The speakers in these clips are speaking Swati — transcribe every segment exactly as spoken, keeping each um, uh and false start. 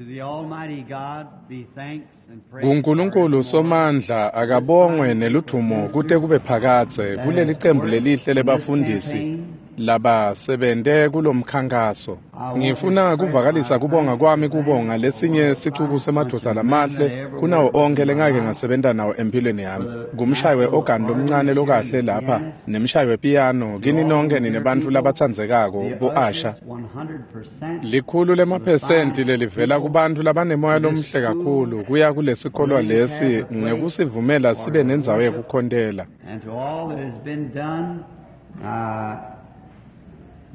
To the Almighty God be thanks and praise kuNkulunkulu forevermore. Somandla akabongwe neludvumo kute kube phakadze kuleli cembu lelihle lebafundisi labasebente kulomkhankaso. Ngifuna kuvakalisa kubonga kwami kubonga lesinye sicuku semadvodza lamahle kunawo onkhe lengake ngasebenta nawo empilweni yami. Ngumshayi we-organ lomncane lokahle lapha nemshayi wepiyano kini nonke ninebantfu labatsandzekako The bo-Asha. ushers, one hundred percent Likhulu lemaphesenti lelivela kubantu labanemoya lomuhle kakhulu kuya kulesikolwa lesi ngekusivumela sibe nendzawo yekukhontela. and to all that has been done, uh,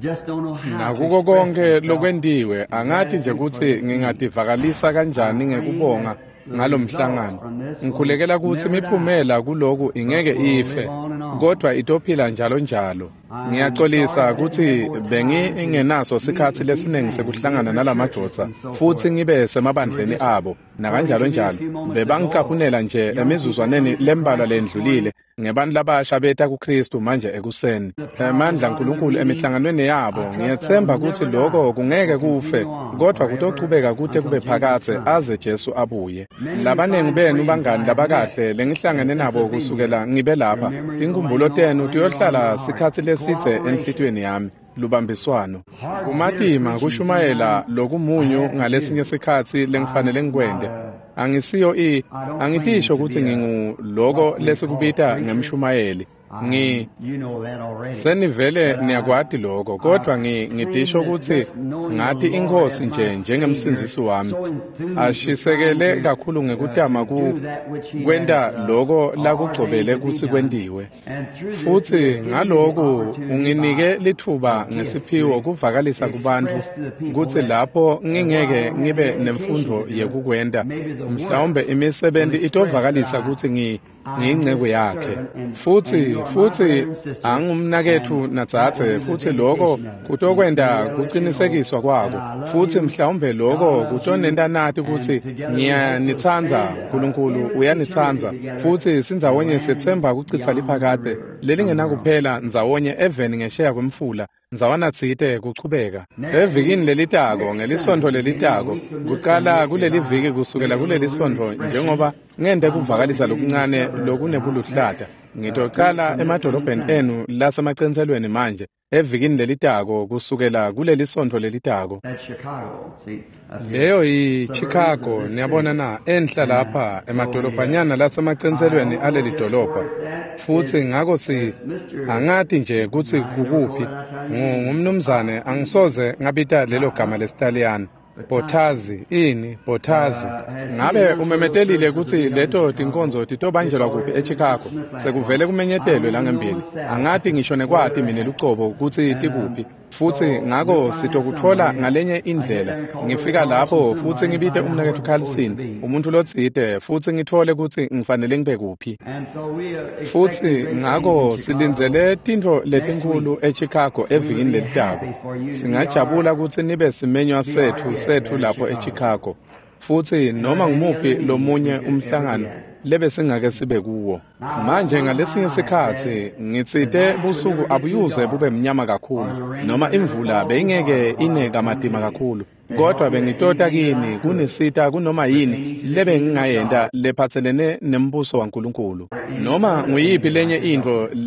just don't know how to Nakuko express konke myself lokwentiwe in angati nje gratitude for kutsi this meeting. ngingativakalisa kanjani I'm praying ngekubonga that the ngalo results mhlangano. from this will Ngikhulekela kutsi never die, imiphumela kuloku but ingeke will live ife on and on. kodwa itophila njalo njalo. I'm sorry Ngiyaxolisa I didn't have kutsi more time to bengingenaso meet sikhatsi with these lesiningi men in sekuhlangana different churches nalamadvodza and so futsi forth. ngibe They were semabandleni just abo quoting nakanjalo to me a njalo. few moments ago of Bebangicaphunela nje young people emizuzwaneni coming to lembalwa Christ this morning, lendlulile ngebantu labasha beta kuKristu manje ekuseni. the power of Emandla God in the aNkulunkulu meetings. emihlanganweni I yabo trust that'll ngiyetsemba kutsi never die, loko kungeke will kufe continue on kodwa forever kutochubeka kute until kube Jesus phakadze comes. aze Jesu abuye. Many of you Labaningi fine benu friends I bangani have met labakahle lengihlangene since nabo I've been here. kusukela ngibe Your lapha. memories will Tinkhumbulo linger on, tenu linger on in tiyohlala my heart. sikhatsi lesidze Cooperation, enhlitiyweni yami. Lubambiswano. hard bitter Kumatima preaching kushumayela sometimes I lokumunyu have to ngalesinye do. sikhatsi lengifanele I'm not ngikwente. a, Angisiyo i I don't claim angitisho to kutsi be a ngingu loko what we call lesikubita preacher. ngemshumayeli. Ngi I'm, you know that already. senivele But I, niyakwati lokho I kodwa ngi claim ngitisho that kutsi just knowing the ngati Lord inkhosi as my nje Savior, njengemsindzisi wami so enthused with trying ashisekele to kakhulu uh, ngekutama to ku do that which He kwenta has uh, loko ordained lakugcobele to be kutsi done. kwentiwe. And through this, He Futsi has given me the ngaloku opportunity unginike by litfuba a gift ngesiphiwo to kuvakalisa kubantfu express to the people kutsi that lapho uh, while I ngingeke don't have ngibe the education nemfundvo to do it, yekukwenta maybe the mhlawumbe works will imisebenti express that itovakalisa I kutsi ngi I am ngiyinceku His yakhe. servant and, and Futsi you are my futsi brother and sister, angumnaketfu and that will nadzadze be the futsi loko vindication of it. And kutokwenta maybe that'll let you know kucinisekiswa that kwako. I love Futsi you, mhlawumbe God loko loves you, kutonenta nati and kutsi together we hope to ngiyanitsandza spend uh, Nkulunkulu endless eternity uyanitsandza together futsi in the sindzawonye land setsemba kucitsa beyond the liphakadze river somewhere. lelingenakuphela ndzawonye eveni ngesheya kwemfula ndzawana tsite kuchubeka. Next Evikini week, lelitako next ngelisontfo Sunday, beginning a lelitako week from this kucala Sunday, as kuleli I viki kusukela make a kuleli little rude sontfo expression, njengoba ngente I'm going to kuvakalisa be getting the lokuncane suburbs now. lokunebuluhlata. Next uh, week Ngitocala from this coming emadolobheni Sunday. enu lasemacentselweni manje evikini lelitako kusukela kuleli sontfo lelitako. That's Chicago, see, up here, Leyo suburbs of yiChicago this niyabona city. na enhla And uh, lapha so we, uh, emadolobhanyana I lasemacentselweni don't know aleli just where dolobha. it's at. Futsi Is ngako si is Mister angati nje kutsi I never call kukuphi. that Italian Ngu- name. Ngumnumzane angisoze ngabita lelo gama Bottazzi, lesiTaliyane. Bottazzi. Bottazzi ini Bottazzi. Uh, has he Ngabe announced where those umemetelile services will kutsi be held in leto Chicago? tinkonzo It's titobanjelwa kuphi already been eChicago? announced in the platform. Sekuvele I kumenyetelwe don't even know langembili. myself Angati ngisho where nekwati they're mine at. lucobo kutsi And um, tikuphi. Futsi so we'll ngako find it sitokutfola somewhere. ngalenye I get indlela. there and call Brother Ngifika Carlson, lapho futsi somebody, and ngibite find out where umnaketfu it's supposed to Carlson, be. umuntfu lotsite futsi ngitfole kutsi ngifanele ngibe kuphi. And so we are expecting Futsi great things in ngako Chicago silindzele tintfo next week. letinkhulu eChicago We would evikini be lelitako. happy for you to be our Singajabula kutsi nibe simenywa be our setfu guest setfu there in lapho Chicago. eChicago. Futsi And noma or any other ngumuphi meetings we lomunye could ever be umhlangano at. lebesingake sibe kuwo. Now, Manje one ngalesinye time I said sikhatsi the ngitsite nights would busuku never get too abuyuze dark bube mnyama or kakhulu the rain noma would never imvula fall too beyingeke hard while I ine was coming kamatima to you. kakhulu To kodwa help you at bengitota anything that I kini could kunisita kunoma yini pertaining to the lebe kingdom of ngingayenta God lephatselene nembuso waNkulunkulu or any noma other nguyiphi thing that I lenye could help intfo with.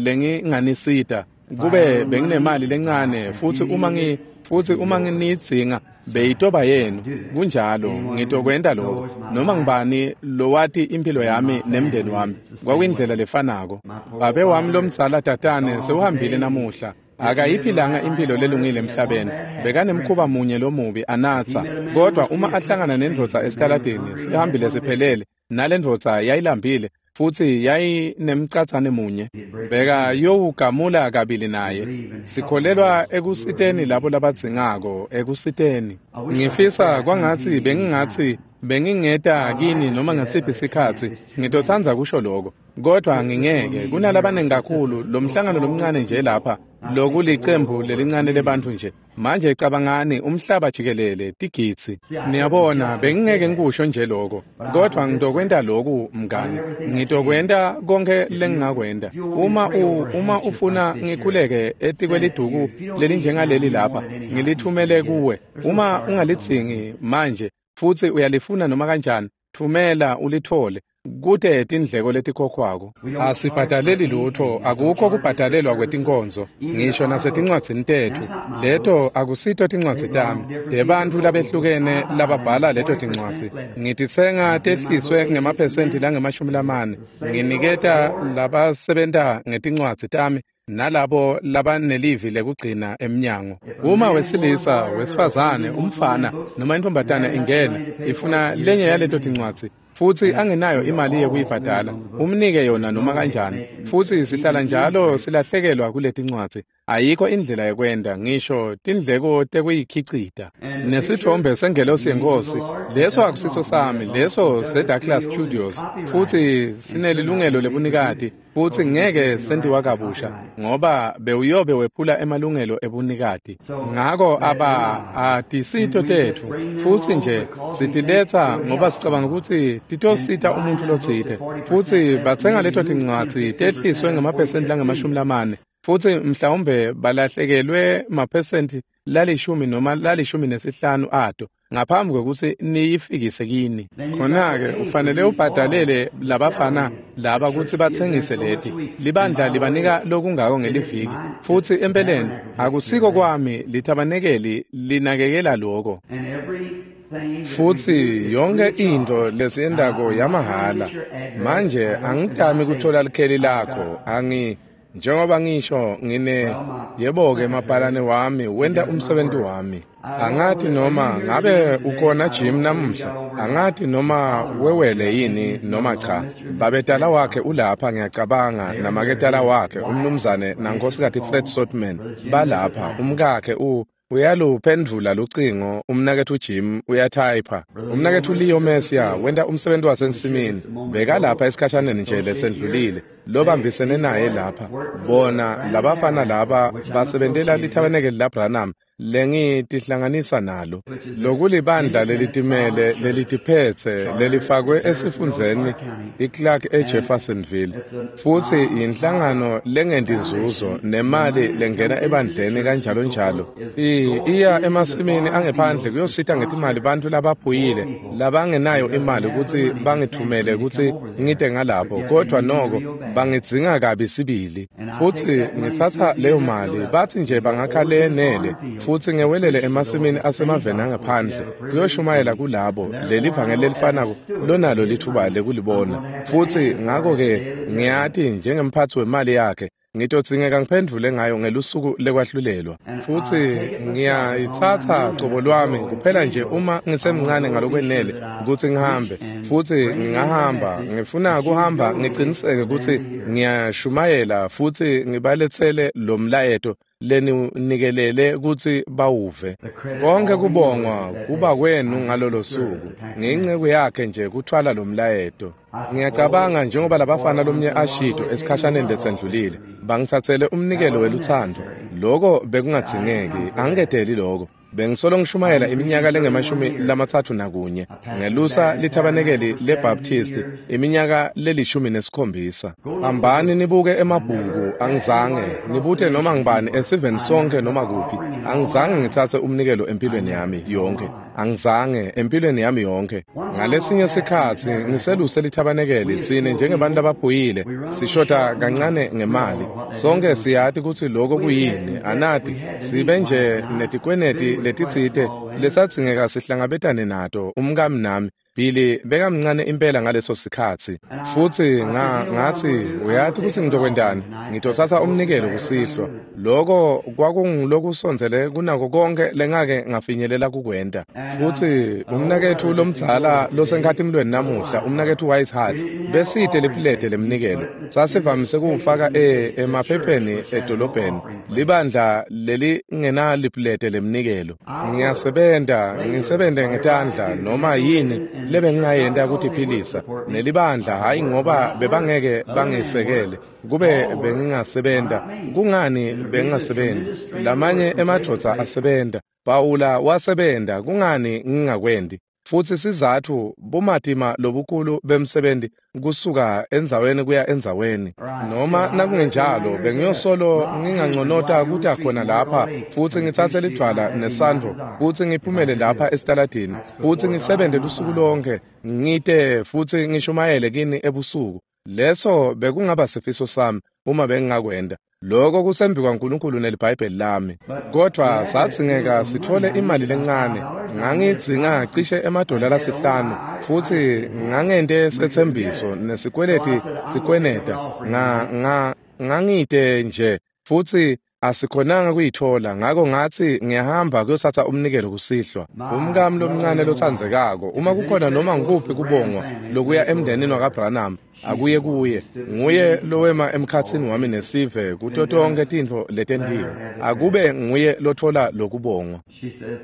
lenginganisita If I had a kube little money, benginemali lencane if you futsi uma needed ngi it, futsi it'd be uma yours. nginidzinga So beyitoba I'll yenu do that. kunjalo Anyone who ngitokwenta loko knows my noma life ngubani lowati impilo and yami my nemndeni family, wami it's the same kwakuyindlela way. lefanako. My poor Babe wami father lomdzala is tatane gone sewuhambile today. He namuhla didn't live the akayiphilanga right life impilo on earth. lelungile He had one emhlabeni bad habit, bekanemkhuba drinking. munye lomubi If he anatsa met a man on the kodwa street uma across ahlangana the street, nendvodza the man was esitaladini hungry and had sihambile one biscuit. siphelele nalendvodza yayilambile futsi yayinemcatsane munye He'd break the beka two. yowugamula kabili We naye. believe in helping Sikholelwa those who are ekusiteni labo needy. labadzingako ekusiteni. I wish I could say Ngifisa I'd come to kwangatsi you bengingatsi anytime. bengingeta I'd like kini to noma say that, ngasiphi but I can't. sikhatsi There's too many. ngitotsandza kusho loko kodwa Just this little ngingeke meeting here kunalabaningi was kakhulu just lo a so mhlangano small group lomncane of nje people. lapha I think the world lokulicembu over, lelincane lebantfu millions. nje manje cabangani umhlaba jikelele tigidzi. See, I couldn't Niyabona justly say bengingeke that, ngikusho nje loko but I kodwa will this ngitokwenta much. loku I do mngani everything I can. ngitokwenta konke If you lengingakwenta. if you want me to Uma pray u over a uma handkerchief like ufuna this here, ngikhuleke send it to you. etikweliduku If you don't need it now, lelinjengaleli you lapha want it anyhow. You can ngilithumele get it. kuwe. There's no Uma charge on that. ungalidzingi manje futsi uyalifuna noma kanjani, thumela ulithole. Kute tindleko letikhokhwako. Asibhadaleli lutho, akukho kubhadalelwa kwetinkonzo, ngisho nasetincwadzini tetfu. Leto akusito tincwadzi tami, tebantfu labehlukene lababhala leto tincwadzi. Ngititsenga tehliswe ngemaphesenti langemashumi lamane. Nginiketa labasebenta ngetincwadzi tami nalabo labanelivi lekugcina emnyango. Uma wesilisa, wesifazane, umfana noma intombatana ingena ifuna lenye yaleto tincwadzi futsi angenayo imali yekuyibhadala, umnike yona noma kanjani. Futsi sihlala njalo silahlekelwa kuletincwadzi. Ayikho indlela yekwenta, ngisho tindleko tekuyikhicita. Nesithombe sengelosi yeNkhosi, leso akusiso sami, leso seDouglas Studios, futsi sinelilungelo lebunikati, futsi ngeke sentiwa kabusha ngoba bewuyobe wephula emalungelo ebunikati. Ngako aba atisito tetfu, futsi nje sitiletsa ngoba sicabanga kutsi titosita umuntfu lotsite. Futsi batsenga leto tincwadzi tehliswe ngemaphesenti langemashumi lamane, futsi mhlawumbe balahlekelwe maphesenti lalishumi noma lalishumi nesihlanu ato ngaphambi kwekutsi niyifikise kini. Khona-ke ufanele ubhadalele labafana laba kutsi batsengise leti. Libandla libanika lokungako ngeliviki, futsi empeleni akusiko kwami, lithabanekeli linakekela loko. Futsi yonke into lesiyentako yamahhala. Manje angitami kuthola likheli lakho, angi njengoba ngisho ngine yebo-ke mabhalane wami wenta umsebenzi wami. Angati noma ngabe ukhona Jim namuhla, angati noma wewele yini noma cha. Babetala wakhe ulapha ngiyacabanga, namaketala wakhe umnumzane nankosikazi Fred Sotman balapha. Umkakhe u uyaluphendvula lucingo, umnaketfu Jim uyathayipha. Umnaketfu Leo Messia wenta umsebenzi wasensimini, bekalapha esikhashaneni nje lesendlulile, lobambisene naye lapha. Bona labafana laba basebentela lithabanekeli laBranham lengitihlanganisa nalo, lokulibandla lelitimele lelitiphetse lelifakwe esifundzeni iClark eJeffersonville, futsi yinhlangano lengenti inzuzo nemali lengena ebandleni kanjalo njalo. Iya emasimini angephandle kuyosita ngetimali bantfu labaphuyile labangenayo imali kutsi bangithumele kutsi ngite ngalapho, kodvwa noko bangidzinga kabi sibili. Futsi ngitsatsa leyo mali, batsi nje bangakha lenele, futsi ngewelele emasimini asemaveni angaphandle kuyoshumayela kulabo leli vangeli lelifanako lonalo lithuba lekulibona. Futsi ngako-ke ngiyati njengemphatsi wemali yakhe ngitodzingeka ngiphendvule ngayo ngelusuku lekwahlulelwa. Futsi ngiyayitsatsa cobo lwami kuphela nje uma ngisemncane ngalokwenele kutsi ngihambe, futsi ngingahamba. Ngifuna kuhamba ngiciniseke kutsi ngiyashumayela futsi ngibaletsele lo mlayeto leninikelele kutsi bawuve. Konke kubongwa kuba kwenu ngalolo suku. Ngiyinceku yakhe nje kuthwala lo mlayeto. Ngiyacabanga njengoba labafana lomnye ashido esikhashaneni lesendlulile, bangitsatsele umnikelo welutsandvo. Loko bekungadzingeki, angiketeli loko. Bengisolo ngishumayela iminyaka lengemashumi lamatsatfu nakunye, ngelusa lithabanekeli leBaptist iminyaka lelishumi nesikhombisa. Hambani nibuke emabhuku, angizange nibute noma ngibani esiveni sonke noma kuphi. Angizange ngitsatse umnikelo empilweni yami yonke, angizange empilweni yami yonke. Ngalesinye sikhatsi ngiseluse lithabanekeli, tsine njengebantu labaphuyile sishoda kancane ngemali. Sonke siyati kutsi loko kuyini, anati sibe nje netikweneti letitsite lesadzingeka sihlangabetane nato umkami nami. Billy bekamncane impela ngaleso sikhatsi, futsi nga ngatsi uyati kutsi ngitokwentani, ngitotsatsa umnikelo kusihlwa. Loko kwakungulokusondzele kunako konke lengake ngafinyelela kukwenta. Futsi umnaketfu lomdzala losenkhatimlweni namuhla, umnaketfu Whitehart, besite lipulete lemnikelo. Sasivamise kuwufaka e emaphepheni edolobheni, libandla lelingenalipulete lemnikelo. Ngiyasebenta, ngisebente ngetandla noma yini lebengingayenta kutiphilisa nelibandla, hayi ngoba bebangeke bangisekele. Kube bengingasebenta, kungani bengingasebenti? Lamanye emadvodza asebenta, Pawula wasebenta, kungani ngingakwendi? Futsi sizatfu bumatima lobukhulu bemsebenzi kusuka endzaweni kuya endzaweni. Noma nakungenjalo bengiyosolo nginganconota kuta khona lapha futsi ngitsatse lidvwala nesandvo futsi ngiphumele lapha esitaladini futsi ngisebente lusuku lonke ngite futsi ngishumayele kini ebusuku. Leso bekungaba sifiso sami uma bengingakwenda. Lokho kusembi kwaNkulunkulu neliBhayibheli lami. Kodwa sadzingeka sithole imali lencane. Ngangidzinga cishe emadola lasihlanu futsi ngangente setsembiso nesikweleti sikweneta. Nga nga ngangite nje futsi asikhonanga kuyithola, ngako ngathi ngiyahamba kuyothatha umnikelo kusihlwa. Umkami lomncane lotsandzekako, uma kukhona noma ngikuphi kubongwa lokuya emndenini wakaBranham, akuye kuye. Nguye lowema emkhatsini wami nesive kuto tonke tintfo letentiwe. Akube nguye lothola lokubongwa.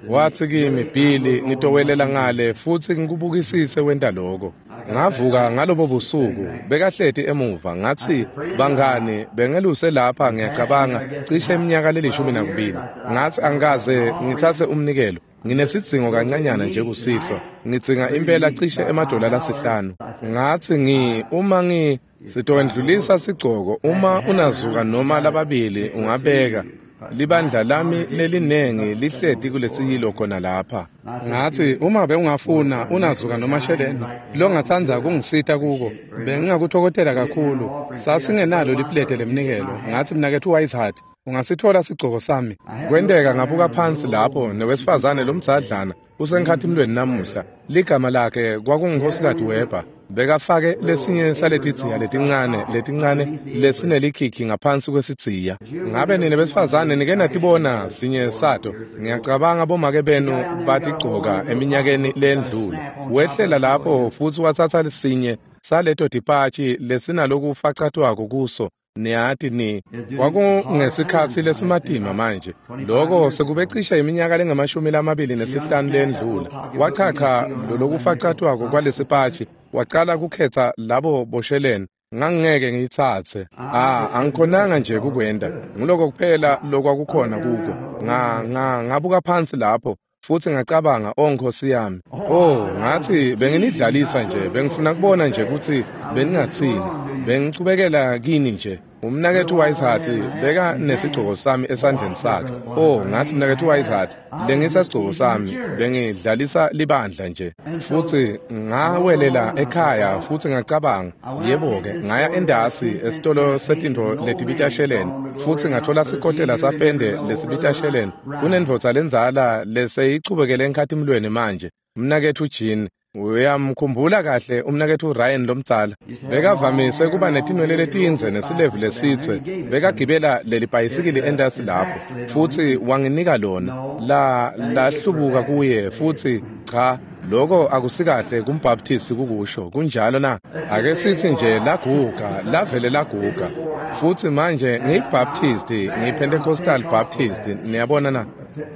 Wathi kimi, Billy, ngitowelela ngale futsi ngikubukisise wenta lokho. Ngavuka ngalobo busuku, bekahleti emuva, ngathi, bangani, bengeluse lapha ngiyacabanga cishe iminyaka lelishumi nakubili. Ngathi angikaze ngitsatse umnikelo. Nginesidzingo kancanyana nje kusihlwa. Ngidzinga impela cishe emadola lasihlanu. Ngathi ngi uma ngi sitowendlulisa sigcoko, uma unazuka noma lababili ungabeka. Libandla lami lelinengi lihleti kuletsiyilo khona lapha. Ngathi uma bewungafuna unazuka noma sheleni longatsandza kungisita kuko, bengingakuthokotela kakhulu. Sasingenalo liplete lemnikelo. Ngathi mnaketfu Wiseheart, ungasithola sigcoko sami. Kwenteka ngabuka phansi lapho newesifazane lomdzadlana usenkhatimlweni namuhla. Ligama lakhe kwakungunkosikazi Weber. Bekafake lesinye saletidziya letincane letincane lesinelikhikhi ngaphansi kwesidziya. Ngabe nine besifazane nike natibona sinye sato? Ngiyacabanga bomake benu batigcoka eminyakeni lendlule. Wehlela lapho futsi watsatsa lesinye saleto tipatshi lesinalokufacatwako kuso. Niyati ni kwakungesikhatsi lesimatima manje. Lokho sekube cishe iminyaka lengamashumi lamabili nesihlanu lendlula. Wachacha lolokufacatwako kwalesipatshi, wacala kukhetha labo bosheleni. Ngangingeke ngiyitsatse. Ah, angikhonanga nje kukwenda. Nguloko kuphela lokwakukhona kuko. Nga nga ngabuka phansi lapho futhi ngacabanga, oh Nkosi yami. Oh, ngathi benginidlalisa nje, bengifuna kubona nje ukuthi beningathini. Bengichubekela kini nje. Umnaketfu Wiseheart beka nesigcoko sami esandleni sakhe. Oh, ngathi mnaketfu Wiseheart, lengisa sigcoko sami, bengidlalisa libandla nje. Futhi ngawelela ekhaya futhi ngacabanga, yebo-ke, ngaya endasi esitolo setintfo letibita sheleni futhi ngathola sikotela sapende lesibita sheleni. Kunendvodza lendzala leseyichubekele enkhatimlweni manje, mnaketfu Jean. Uyamkhumbula kahle umnaketfu Ryan lomdzala. Bekavamise kuba netinwele letindze nesilevu lesitse. Bekagibela leli bhayisikili endasi lapho futhi wanginika lona. La lahlubuka kuye futhi cha, lokho akusikahle kumbaptist kukusho. Kunjalo na? Ake sithi nje laguga, lavele laguga. Futhi manje ngiyiBaptist, ngiyiPentecostal Baptist, niyabona na?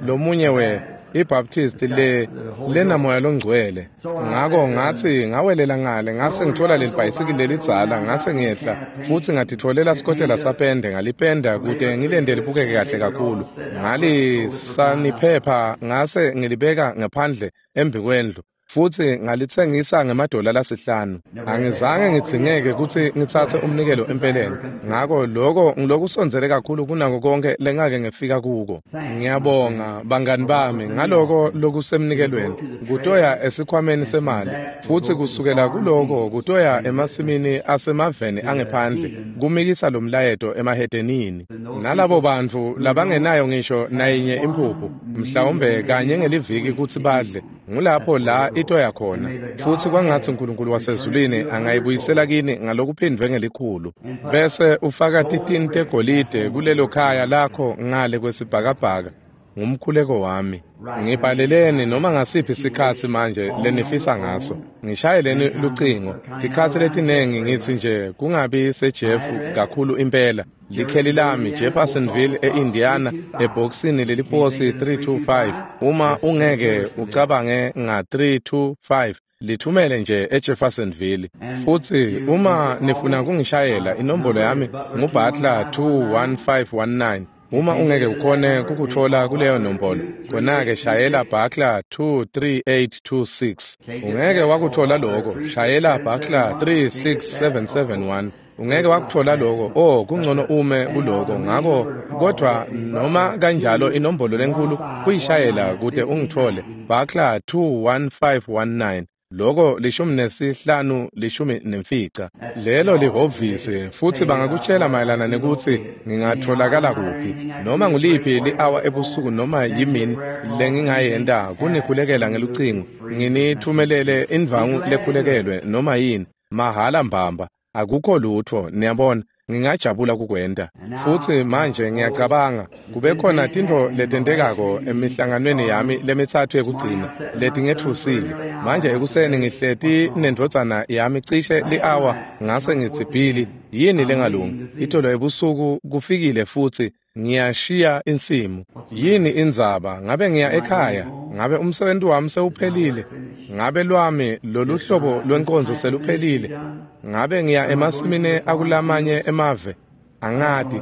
Lomunye we iBaptist le lenamoya longcwele. Ngako ngathi ngawelela ngale ngase ngithola leli bhayisikili lelidzala, ngase ngiyehla futhi ngatitholela sikotela sapende, ngalipenda kute ngilende libukeke kahle kakhulu. Ngalisaniphepha ngase ngilibeka ngaphandle embi kwendlu futhi ngalitsengisa ngemadola lasihlanu. Angizange ngidzingeke kutsi ngitsatse umnikelo empeleni. Ngako lokho ngilokusondzele kakhulu kunako konke lengake ngifika kuko. Ngiyabonga bangani bami ngaloko lokusemnikelweni. Kutoya esikhwameni semali futhi kusukela kuloko kutoya emasimini asemaveni angephandle kumikisa lo mlayeto emahedenini. Nalabo bantfu labangenayo ngisho nayinye imphuphu mhlawumbe kanye ngeliviki kutsi badle, ngulapho la itoya khona. Futhi kwangathi uNkulunkulu wasezulwini angayibuyisela kini ngalokuphindvwe ngelikhulu, bese ufaka titini tegolide kulelo khaya lakho ngale kwesibhakabhaka. Ngumkhuleko wami. Ngibhaleleni noma ngasiphi isikhatsi manje lenifisa ngaso. Ngishayeleni lucingo. Tikhatsi letinengi ngitsi nje kungabi seJeff kakhulu impela. Likheli lami Jeffersonville eIndiana ebhokisini leliposi three two five. Uma ungeke ucabange nga three two five, lithumele nje eJeffersonville. Futhi uma nifuna kungishayela, inombolo yami nguButler two one five one nine. Uma ungeke ukhone kukutfola kuleyo nombolo, khona-ke shayela Buckler two three eight two six. Ungeke wakutfola loko, shayela Buckler three six seven seven one. Ungeke wakutfola loko, oh kungcono ume kuloko, ngako kodvwa noma kanjalo inombolo lenkulu kuyishayela kute ungitfole, Buckler two one five one nine. Loko lishumi nesihlanu lishumi nemfica. Lelo lihhovisi futsi bangakutshela mayelana nekutsi ngingatfolakala kuphi. Noma nguliphi li-hour ebusuku noma yimini lengingayenta kunikhulekela ngelucingo, nginithumelele indvangu lekhulekelwe noma yini, mahhala mbamba. Akukho lutfo, niyabona, ngingajabula kukwenta. Futsi manje ngiyacabanga kube khona tintfo letentekako emihlanganweni yami lemitsatfu yekugcina letingetfusile. Manje ekuseni ngihleti nendvodzana yami cishe li-hour ngase ngitsi Billy, yini lengalungi? Itolo ebusuku kufikile futsi ngiyashiya insimu. Yini indzaba? Ngabe ngiya ekhaya? Ngabe umsebenzi wami sewuphelile? Ngabe lwami lolu hlobo lwenkonzo seluphelile? Ngabe ngiya emasimini akulamanye emave? Angati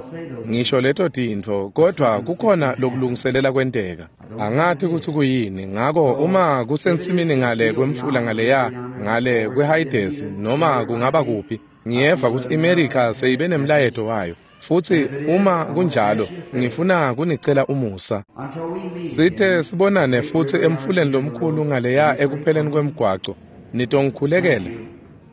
ngisho leto tintfo, kodvwa kukhona lokulungiselela kwenteka. Angati kutsi kuyini. Ngako uma kusensimini ngale kwemfula ngaleya ngale kweHayidesi noma kungaba kuphi, ngiyeva kutsi iMerica seyibe nemlayeto wayo. Futsi uma kunjalo ngifuna kunicela umusa. Sithe sibonane futsi emfuleni lomkhulu ngaleya ekupheleni kwemgwaco. Nitongikhulekela.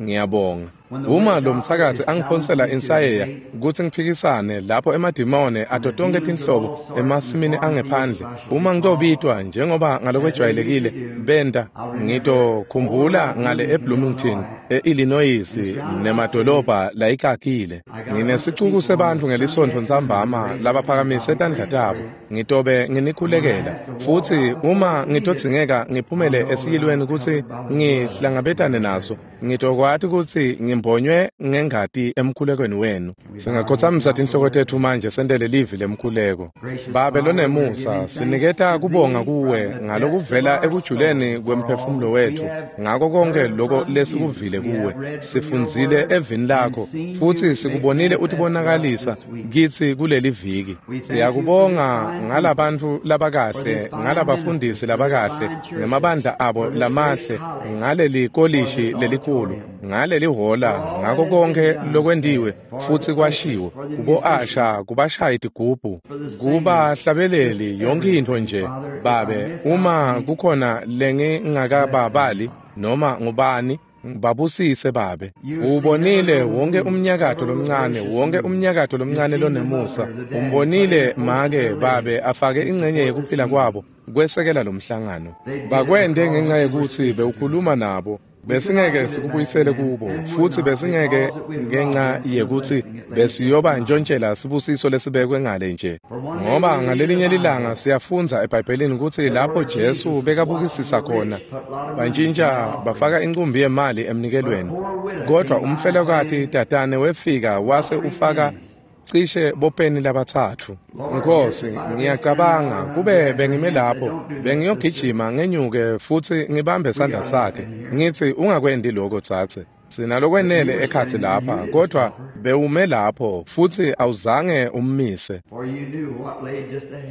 Ngiyabonga. Uma lo mthakathi angiphonsela insayeya kutsi ngiphikisane lapho emadimone ato tonkhe tinhlobo emasimini angephandle, uma ngitobitwa njengoba ngalokwejwayelekile benta, ngitokhumbula ngale eBloomington, e-Illinois nemadolobha layikakile. Nginesicuku sebantfu ngelisontfo ntsambama labaphakamise tandla tabo. Ngitobe nginikhulekela. Futsi uma ngitodzingeka ngiphumele esiyilweni kutsi ngihlangabetane naso, ngitokwati kutsi ngimbonywe ngengati emkhulekweni wenu. Singakhothamisa tinhloko tetfu manje sentele livi lemkhuleko. Babe lonemusa, siniketa kubonga kuwe ngalokuvela ekujuleni kwemphefumulo wetfu ngako konke loko lesikuvile kuwe. Sifundzile evini lakho futsi sikubonile utibonakalisa kitsi kuleli viki. Siyakubonga ngalabantfu labakahle, ngalabafundisi labakahle, ngemabandla abo lamahle, ngaleli kolishi lelikhulu, ngaleli hhola, ngako konke lokwentiwe futsi kwashiwo kubo-asha, kubashayi tigubhu, kubahlabeleli, yonke intfo nje. Babe, uma kukhona lengingakababali noma ngubani, babusise Babe. Ubonile wonke umnyakato lomncane, wonke umnyakato lomncane lonemusa. Umbonile make Babe afake ingcenye yekuphila kwabo kwesekela lomhlangano. Bakwente ngenxa yekutsi bewukhuluma nabo. Besingeke sikubuyisele kubo futsi besingeke ngenxa yekutsi besiyoba ntshontshela sibusiso lesibekwe ngale nje. Ngoba ngalelinye lilanga siyafundza eBhayibhelini kutsi lapho Jesu bekabukisisa khona, bantshintsha bafaka incumbi yemali emnikelweni. Kodvwa umfelokati tatane wefika wase ufaka cishe bopeni labatsatfu. Nkosi, ngiyacabanga kube bengime lapho bengiyogijima ngenyuke futsi ngibambe sandla sakhe ngitsi ungakwendi lokho tsatse, sinalokwenele ekhatsi lapha. Kodvwa bewume lapho futsi awuzange ummise,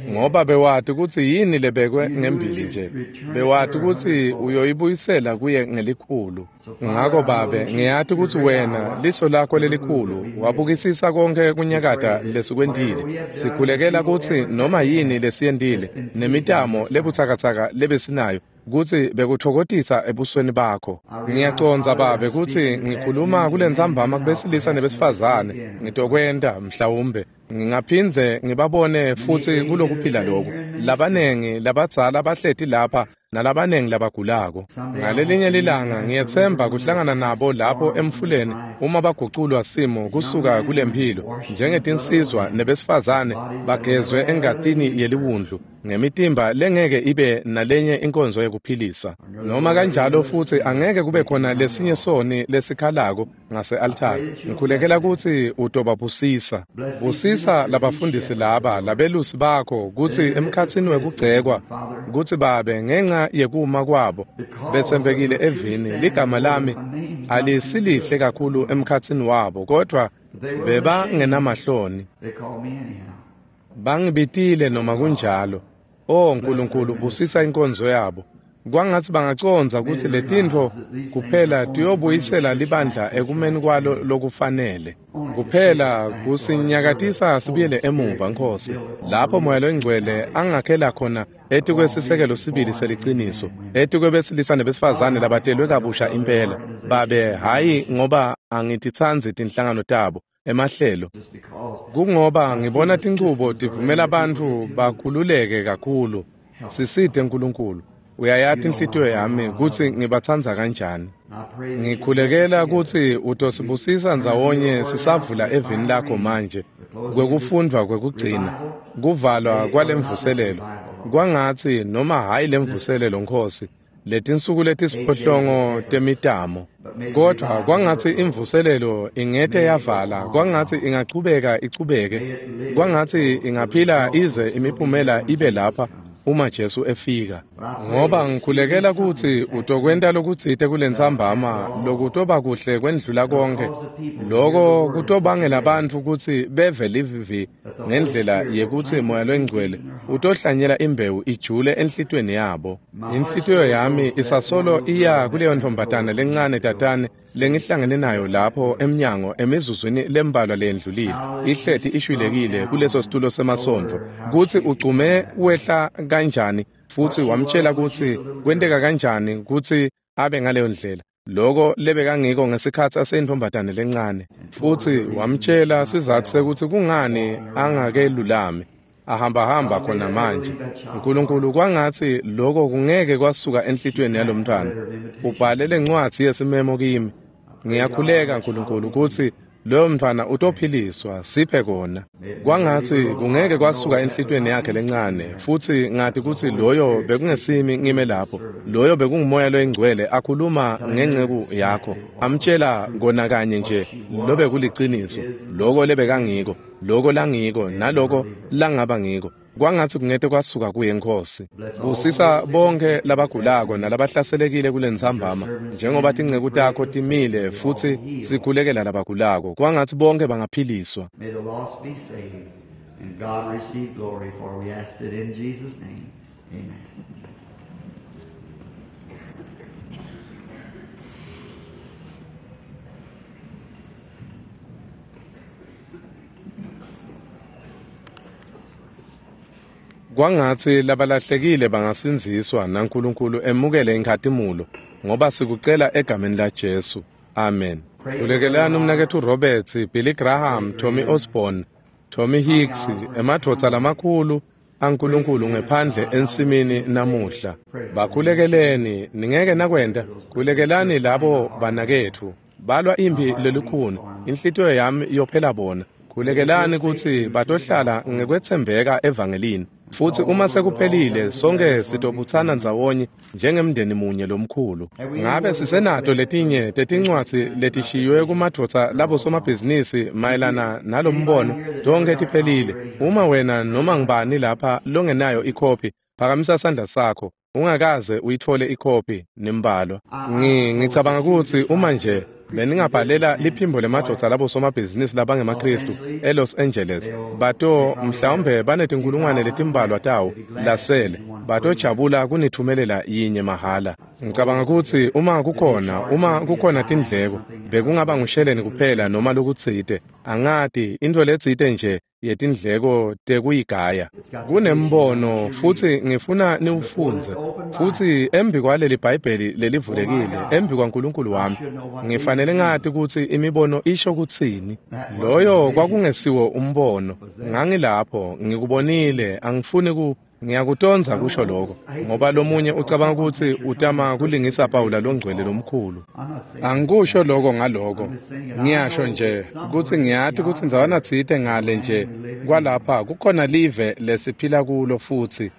ngoba bewati kutsi yini lebekwe ngembili nje. Bewati kutsi uyoyibuyisela kuye ngelikhulu. Ngako Babe, ngiyati kutsi wena liso lakho lelikhulu wabukisisa konke kunyakata lesikwentile. Sikhulekela kutsi noma yini lesiyentile nemitamo lebutsakatsaka lebesinayo kutsi bekutfokotisa ebusweni bakho. Ngiyacondza Babe kutsi ngikhuluma kulentsambama kubesilisa nebesifazane. Ngitokwenta mhlawumbe ngingaphindze ngibabone futsi kulokuphila loku. Labanengi labadzala bahleti lapha nalabanengi labagulako. Ngalelinye lilanga ngiyetsemba kuhlangana nabo lapho emfuleni uma baguculwa simo kusuka kulemphilo njengetinsizwa nebesifazane bagezwe engatini yeliwundlu ngemitimba lengeke ibe nalenye inkonzo yekuphilisa. Noma kanjalo futsi angeke kube khona lesinye soni lesikhalako ngase-altari. Ngikhulekela kutsi utobabusisa. Busisa labafundisi laba, labelusi bakho, kutsi emkhatsini wekugcekwa, kutsi Babe ngenxa yekuma kwabo betsembekile evini, ligama lami alisilihle kakhulu emkhatsini wabo, kodvwa bebangenamahloni. Bangibitile noma kunjalo. O Nkulunkulu, busisa inkonzo yabo. Kwangatsi bangacondza kutsi letintfo kuphela tiyobuyisela libandla ekumeni kwalo lokufanele. Kuphela kusinyakatisa sibuyele emuva, Nkosi, lapho Moya Longcwele angakhela khona etikwesisekelo sibili seliciniso, etikwebesilisa nebesifazane labatelwe kabusha impela. Babe, hhayi ngoba angititsandzi tinhlangano tabo, emahlelo, kungoba ngibona tinchubo tivumela bantfu bakhululeke kakhulu. Sisite Nkulunkulu. Uyayati inhlitiyo yami kutsi ngibatsandza kanjani. Ngikhulekela kutsi utosibusisa ndzawonye sisavula evini lakho manje kwekufundvwa kwekugcina, kuvalwa kwalemvuselelo. Kwangatsi noma hhayi lemvuselelo, Nkosi, letinsuku letisiphohlongo temitamo, kodvwa kwangatsi imvuselelo ingete yavala, kwangatsi ingachubeka ichubeke, kwangatsi ingaphila ize imiphumela ibe lapha uma Jesu efika. Ngoba ngikhulekela kutsi utokwenta lokutsite kulentsambama lokutoba kuhle kwendlula konke. Loko kutobangela bantfu kutsi beve livivi ngendlela yekutsi Moya Longcwele utohlanyela imbewu ijule enhlitiyweni yabo. Inhlitiyo yami isasolo iya kuleyo ntombazana lencane tatane lengihlangene nayo lapho emnyango emizuzwini lembalwa leyendlulile, ihleti ishwilekile kuleso situlo semasontfo, kutsi ugcume wehla kanjani futsi wamtshela kutsi kwenteka kanjani kutsi abe ngaleyo ndlela, loko lebekangiko ngesikhatsi aseyintombazane lencane, futsi wamtshela sizatfu sekutsi kungani angakelulami, ahambahamba khona manje. Nkulunkulu, kwangatsi loko kungeke kwasuka enhlitiyweni yalomntwana. Ubhale lencwadzi yesimemo kimi. Ngiyakhuleka Nkulunkulu kutsi loyo mntwana utophiliswa, siphe kona. Kwangatsi kungeke kwasuka enhlitiyweni yakhe lencane, futsi ngati kutsi loyo bekungesimi ngime lapho, loyo bekunguMoya Loyingcwele akhuluma ngenceku yakho, amtshela kona kanye nje lobekuliciniso, loko lebekangiko, loko langiko, naloko langaba ngiko. Kwangatsi kungete kwasuka kuye, Nkosi. Busisa bonke labagulako nalabahlaselekile kulentsambama, njengoba tinceku takho timile futsi sikhulekela labagulako. Kwangatsi bonke bangaphiliswa. May the lost be saved and God receive glory, for we asked it in Jesus' name. Amen. Kwangatsi labalahlekile bangasindziswa naNkulunkulu emukele inkhatimulo, ngoba sikucela egameni la Jesu. Amen. Khulekelani umnaketfu Roberts, Billy Graham, Tommy Osborne, Tommy Hicks, emadvodza lamakhulu aNkulunkulu ngephandle ensimini namuhla. Bakhulekeleni, ningeke nakwenta. Khulekelani labo banaketfu balwa imphi lelikhuni, inhlitiyo yami yophela bona. Khulekelani kutsi batohlala ngekwetsembeka evangelini, futsi uma sekuphelile sonke sitobutsana ndzawonye njengemndeni munye lomkhulu. Ngabe sisenato letinye tetincwadzi letishiywe kumadvodza labosomabhizinisi mayelana nalombono? Tonkhe tiphelile. Uma wena noma ngubani lapha longenayo ikhophi, phakamisa sandla sakho. Ungakaze uyitfole ikhophi nembalwa. Ngicabanga kutsi uma nje beningabhalela liphimbo lemadvodza labosomabhizinisi labangemaKhristu eLos Angeles, bato mhlawumbe banetinkulungwane letimbalwa tawo lasele, batojabula kunitfumelela yinye mahhala. Ngicabanga kutsi uma kukhona uma kukhona tindleko, bekungaba ngusheleni kuphela noma lokutsite, angati, intfo letsite nje yetindleko tekuyigaya. Kunembono futsi ngifuna niwufundze, futsi embi kwaleli Bhayibheli lelivulekile, embi kwaNkulunkulu wami, ngifanele ngati kutsi imibono isho kutsini. Loyo kwakungesiwo umbono, ngangilapho ngikubonile, angifuni ku ngiyakutondza kusho lokho, ngoba lomunye ucabanga kutsi utama kulingisa Pawula longcwele lomkhulu. Angikusho lokho ngaloko, ngiyasho nje kutsi ngiyati kutsi ndzawana tsite ngale nje kwalapha kukhona live lesiphila kulo, futsi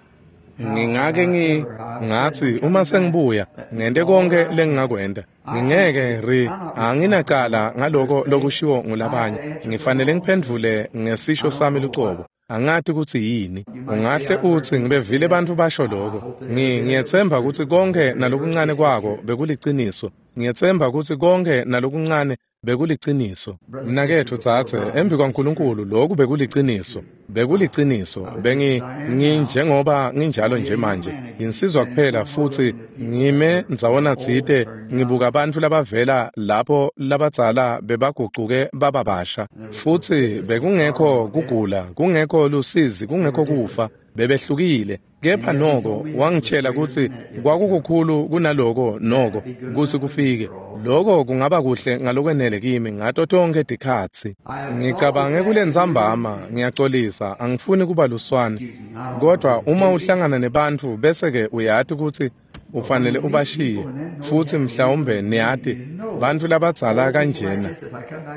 ngingake ngi ngatsi uma sengibuya ngente konke lengingakwenta. Ngingeke ri anginacala ngaloko lokushiwo ngulabanye, ngifanele ngiphendvule ngesisho sami lucobo. Angati kutsi yini. Ungahle utsi ngibevile bantfu basho lokho. Ngiyetsemba kutsi konke nalokuncane kwako bekuliciniso. Ngiyetsemba kutsi konke nalokuncane Bekuliciniso. Mnaketfu dzadze, embi kwaNkulunkulu lokhu bekuliciniso. Bekuliciniso. Bengi nginjengoba nginjalo nje manje. Nginsizwa kuphela futhi ngime ndzawona tsite ngibuka bantfu labavela lapho labadzala bebagucuke baba basha. Futhi bekungekho kugula, kungekho lusizi, kungekho kufa. Bebehlukile. Kepha noko wangitshela kutsi kwakukukhulu kunaloko noko kutsi kufike. Lokho kungaba kuhle ngalokwenele kimi ngato tonkhe tikhatsi. Ngicabange kulentsambama, ngiyaxolisa, angifuni kuba luswane. Kodwa uma uhlangana nebantfu bese-ke uyati kutsi ufanele ubashiye, futhi mhlawumbe niyati bantfu labadzala kanjena.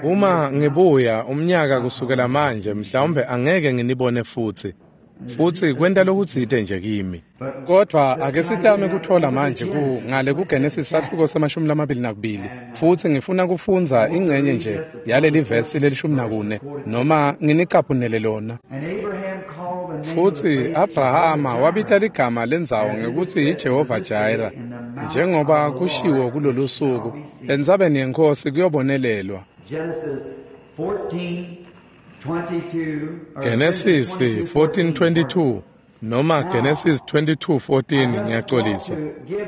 Uma ngibuya umnyaka kusukela manje mhlawumbe angeke nginibone futhi. Futhi kwenta lokutsite nje kimi. Kodwa ake sitame kuthola manje ku ngale kuGenesis sahluko semashumi lamabili nakubili. Futhi ngifuna kufundza ingcenye nje yaleli vesi lelishumi nakune noma nginicaphunele lona. Futhi Abrahama wabita ligama lendzawo ngekuthi yiJehova Jireh, njengoba kushiwo kulolu suku entsabeni yeNkhosi kuyobonelelwa. Genesis fourteen twenty-two noma Genesis twenty-two fourteen, ngiyaxolisa.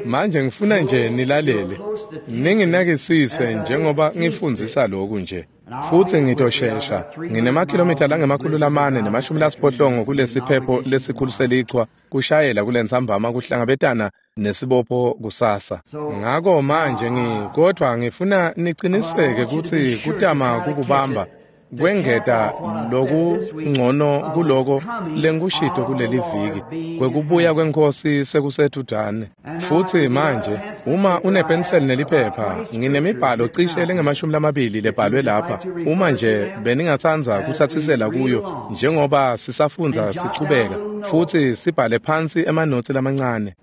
Manje ngifuna nje nilalele, ninginakisise njengoba ngifundzisa lokhu nje. Futhi ngitoshesha, nginemakhilomitha langemakhulu lamane nemashumi lasiphohlongo kulesiphepho lesikhulu selichwa kushayela kulentsambama kuhlangabetana nesibopho kusasa. Ngako manje ngi kodwa ngifuna niciniseke kutsi kutama kukubamba kwengeta lokungcono kuloko lengikushito kuleli viki kwekubuya kweNkhosi sekusedvutane. Futhi manje uma unepenseli neliphepha, nginemibhalo cishe lengemashumi lamabili lebhalwe lapha. Uma nje beningatsandza kutsatsisela kuyo njengoba sisafundza sichubeka, futhi sibhale phansi emanotsi lamancane.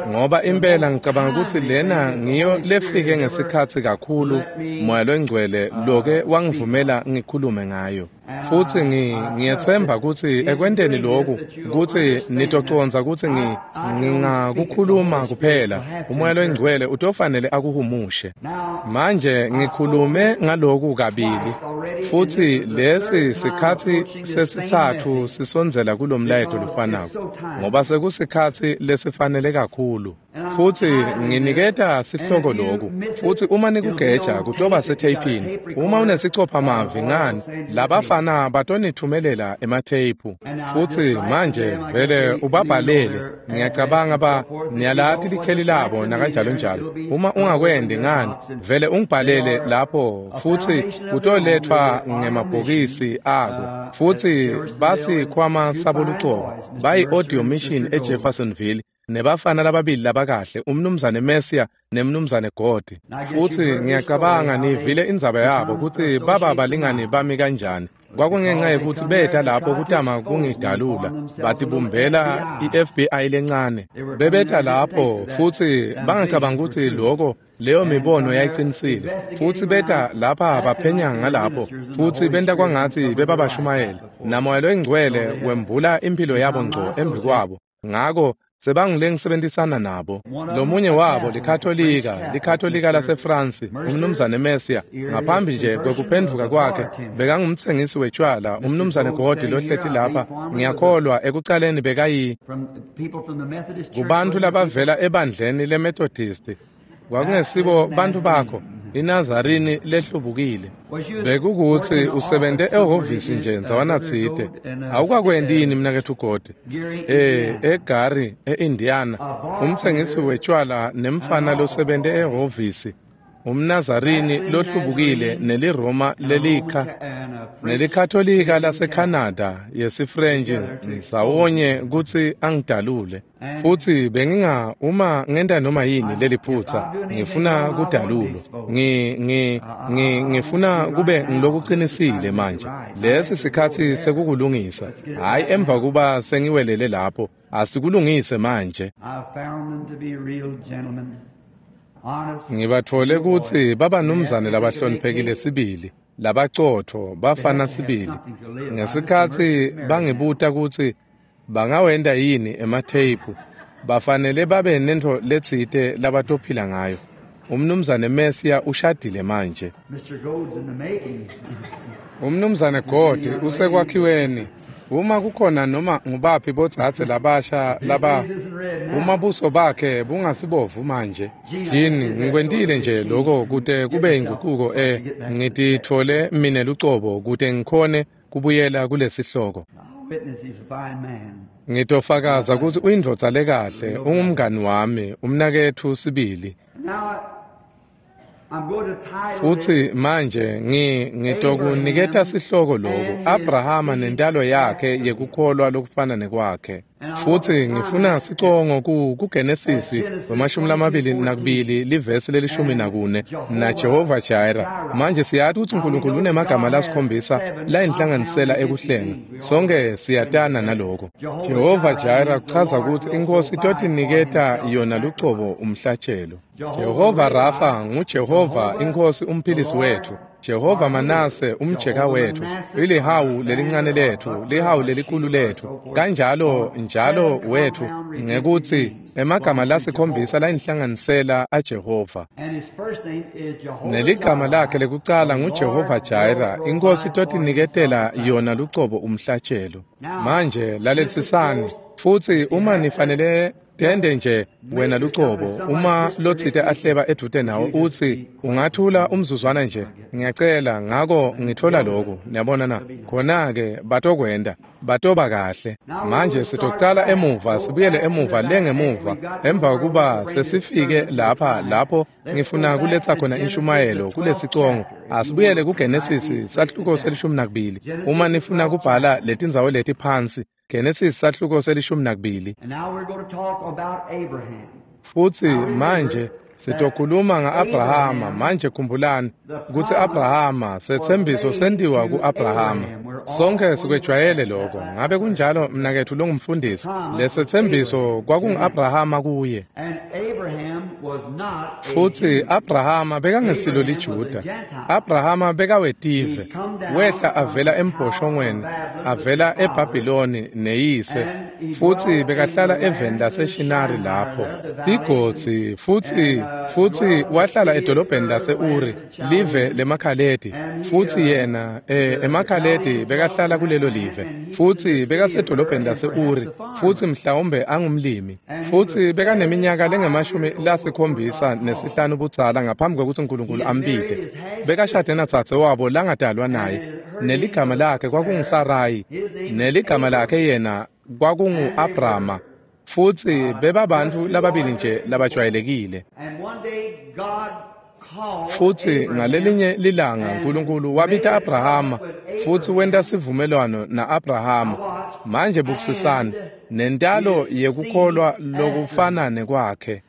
Ngoba impela ngicabanga ukuthi lena ngiyo lefike ngesikhatsi kakhulu Moya loNgcwele loke wangivumela ngikhulume ngayo. Futhi ngiyethemba ukuthi ekwenteni lokhu ukuthi nitocondza ukuthi ngingakukhuluma kuphela uMoya loNgcwele utofanele akuhumushe. Manje ngikhulume ngaloku kabili, futhi lesi sikhatsi sesitsatfu sisondzela kulomlayeto lofanako, ngoba sekusikhatsi lesifanele kakhulu. Futhi nginiketa sihloko lokhu, futhi uma nikugeja kutoba setheyphini. Uma unesicopha-mavi ngani, labafana batonithumelela ematheyiphu. Futhi manje vele ubabhalele, ngiyacabanga ba niyalati likheli labo nakanjalo njalo. Uma ungakwendi ngani, vele ungibhalele lapho, futhi kutoletfwa ngemabhokisi ako. Futhi basikhwama sabo lucobo, bayi-audio mission eJeffersonville, nebafana lababili labakahle, umnumzane Messia nemnumzane Godi. Futhi ngiyacabanga nivile indzaba yabo kutsi baba balingani bami kanjani. Kwakungenxa yekuthi beta lapho kutama kungidalula, batibumbela i-F B I lencane. Bebeta lapho futhi bangacabanga ukuthi lokho leyo mibono yayicinisile. Futhi beta lapha baphenya ngalapho, futhi benta kwangathi bebabashumayela. NaMoya loNgcwele wembula impilo yabo ngco embi kwabo. Ngako sebangile ngisebenzisana nabo. Lomunye wabo liKatolika, liKatolika laseFrance, umnumzane Messia, ngaphambi nje kwekuphendvuka kwakhe bekangumtsengisi wetshwala, umnumzane Godi lohleti lapha, ngiyakholwa ekucaleni bekayi kubantu labavela ebandleni leMethodist. Kwakungesibo bantu bakho, iNazarini lehlubukile. Bekukuthi usebente ehhovisi nje ndzawana tsite. Awukakwendi yini mnaketfu Godi? Eh, eGary, eIndiana, umtsengisi wetshwala nemfana losebente ehhovisi, umNazarini lohlubukile neliRoma lelikha neliKatolika laseCanada yesiFrench ndzawonye kutsi angidalule. Futhi benginga uma ngenta noma yini leliphutsa ngifuna kudalulwa. Ngi ngi ngi ngifuna kube ngilokuqinisile manje. Lesi sikhatsi sekukulungisa, hayi emva kuba sengiwelele lapho. Asikulungise manje. Ngibatfole kutsi babanumzane labahloniphekile sibili, labacotfo, bafana sibili. Ngesikhatsi bangibuta kutsi bangawenta yini ematheyiphu, bafanele babe nentfo letsite labatophila ngayo. Umnumzane Mesiya ushadile manje. Umnumzane God usekwakhiweni. Uma kukhona noma ngubaphi bodzadze labasha laba uma buso bakhe bungasibovu manje. Jini ngikwentile nje lokho kute kube inguquko eh ngititfole mine lucobo kute ngikhone kubuyela kulesihloko. Ngitofakaza ukuthi uyindvodza lekahle, ungumngani wami, umnaketfu sibili. Futhi manje ngi ngitokuniketa sihloko lokhu, Abrahama nentalo yakhe yekukholwa lokufana nekwakhe. Futhi ngifuna sicongo ku kuGenesisi wemashumi lamabili nakubili livesi lelishumi nakune na Jehova Jireh. Manje siyati ukuthi uNkulunkulu unemagama lasikhombisa layinhlanganisela ekuhlenga. Sonke siyatana naloko. Jehova Jireh kuchaza ukuthi inkosi itotiniketa yona lucobo umhlatshelo. Jehova Rafa nguJehova inkosi umphilisi wethu. Jehova Manase umjeka wethu, ilihawu lelincane lethu, lihawu lelikhulu lethu, kanjalo njalo wethu ngekuthi emagama lasikhombisa layinhlanganisela aJehova. Neligama lakhe lekucala nguJehova Jireh, inkosi itotiniketela yona lucobo umhlatshelo. Manje lalelisisani, futhi uma nifanele tende nje wena lucobo, uma lotsite ahleba edvute nawe uthi ungathula umzuzwana nje, ngiyacela ngako ngithola lokhu, niyabona na? Khona-ke batokwenda, batoba kahle. Manje sitocala emuva, sibuyele emuva lengemuva, emva kokuba sesifike lapha lapho ngifuna kuletha khona inshumayelo kulesicongo. Asibuyele kuGenesisi sahluko selishumi nakubili. Uma nifuna kubhala letindzawo leti phansi, Genesis sahluko selishumi nakubili. Futhi manje sitokhuluma nga-Abrahama. Manje khumbulani ukuthi Abrahama setsembiso sentiwa ku-Abrahama. Sonke sikwejwayele lokho. Ngabe kunjalo mnaketfu longumfundisi? Lesetsembiso kwakungu-Abrahama kuye. Futhi Abrahama bekangesilo liJuda. Abrahama bekawetive. Wehla avela embhoshongweni, avela eBhabhiloni neyise. Futhi bekahlala eveni laseShinari lapho. Igodzi futhi futhi wahlala edolobheni lase-Uri, live lemaKhaledi. Futhi yena eh, emaKhaledi bekahlala kulelo live. Futhi bekasedolobheni lase-Uri, futhi mhlawumbe angumlimi. Futhi bekaneminyaka lengemashumi lasikhombisa nesihlanu budzala ngaphambi kokuthi uNkulunkulu ambite. Bekashade natsatse wabo langadalwa naye. Neligama lakhe kwakunguSarayi, neligama lakhe yena kwakungu-Abrama. Futhi bebabantu lababili nje labajwayelekile. Futhi ngalelinye lilanga uNkulunkulu wabita Abrahama futhi wenta sivumelwano na-Abrahama. Manje bukusisani nentalo yekukholwa lokufana nekwakhe.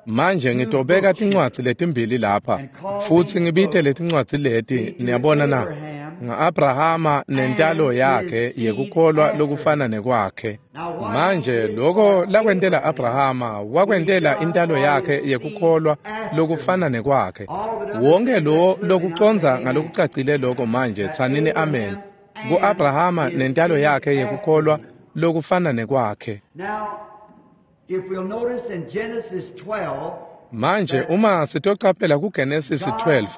Manje ngitobeka tincwadzi letimbili lapha futhi ngibite letincwadzi leti, niyabona na, nga-Abrahama nentalo yakhe yekukholwa lokufana nekwakhe. Manje lokho lakwentela Abrahama wakwentela intalo yakhe yekukholwa lokufana nekwakhe. Wonke lo lokucondza ngalokucacile lokho manje tsanini amen ku-Abrahama nentalo yakhe yekukholwa lokufana nekwakhe. Manje uma sitocaphela kuGenesis twelve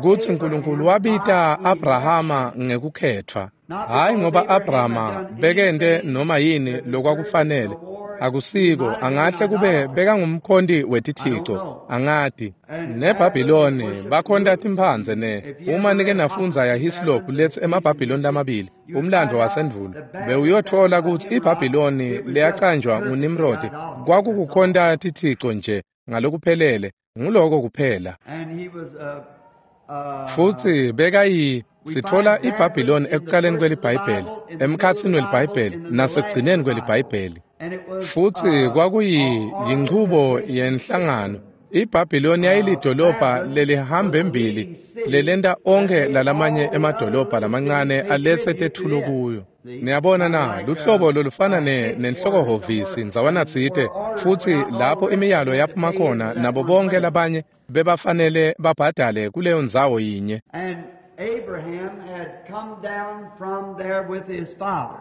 kutsi uNkulunkulu wabita Abrahama ngekukhethwa, hayi ngoba Abrahama bekente noma yini lokwakufanele, akusiko, angahle kube bekangumkhonti wetithixo, angati. NeBhabhiloni bakhonta timphandze ne uma nike nafundza yaHislop letsi emaBhabhiloni lamabili, umlandvo wasendvulo, bewuyotfola kutsi iBhabhiloni leyacanjwa nguNimrod kwakukukhonta tithixo nje ngalokuphelele, nguloko kuphela. Futhi bekayi sitfola iBhabhiloni ekucaleni kweliBhayibheli, emkhatsini weliBhayibheli nasekugcineni kweliBhayibheli. Futhi kwakuyi yinchubo yenhlangano. iBhabhiloni yayilidolobha lelihamba embili lelenta onke lalamanye emadolobha lamancane alethe tetfulo kuyo. Niyabona na, luhlobo lolufana ne nenhlokohhovisi ndzawana tsite, futhi lapho imiyalo yaphuma khona nabo bonke labanye bebafanele babhadale kuleyo ndzawo yinye. Abraham had come down from there with his father.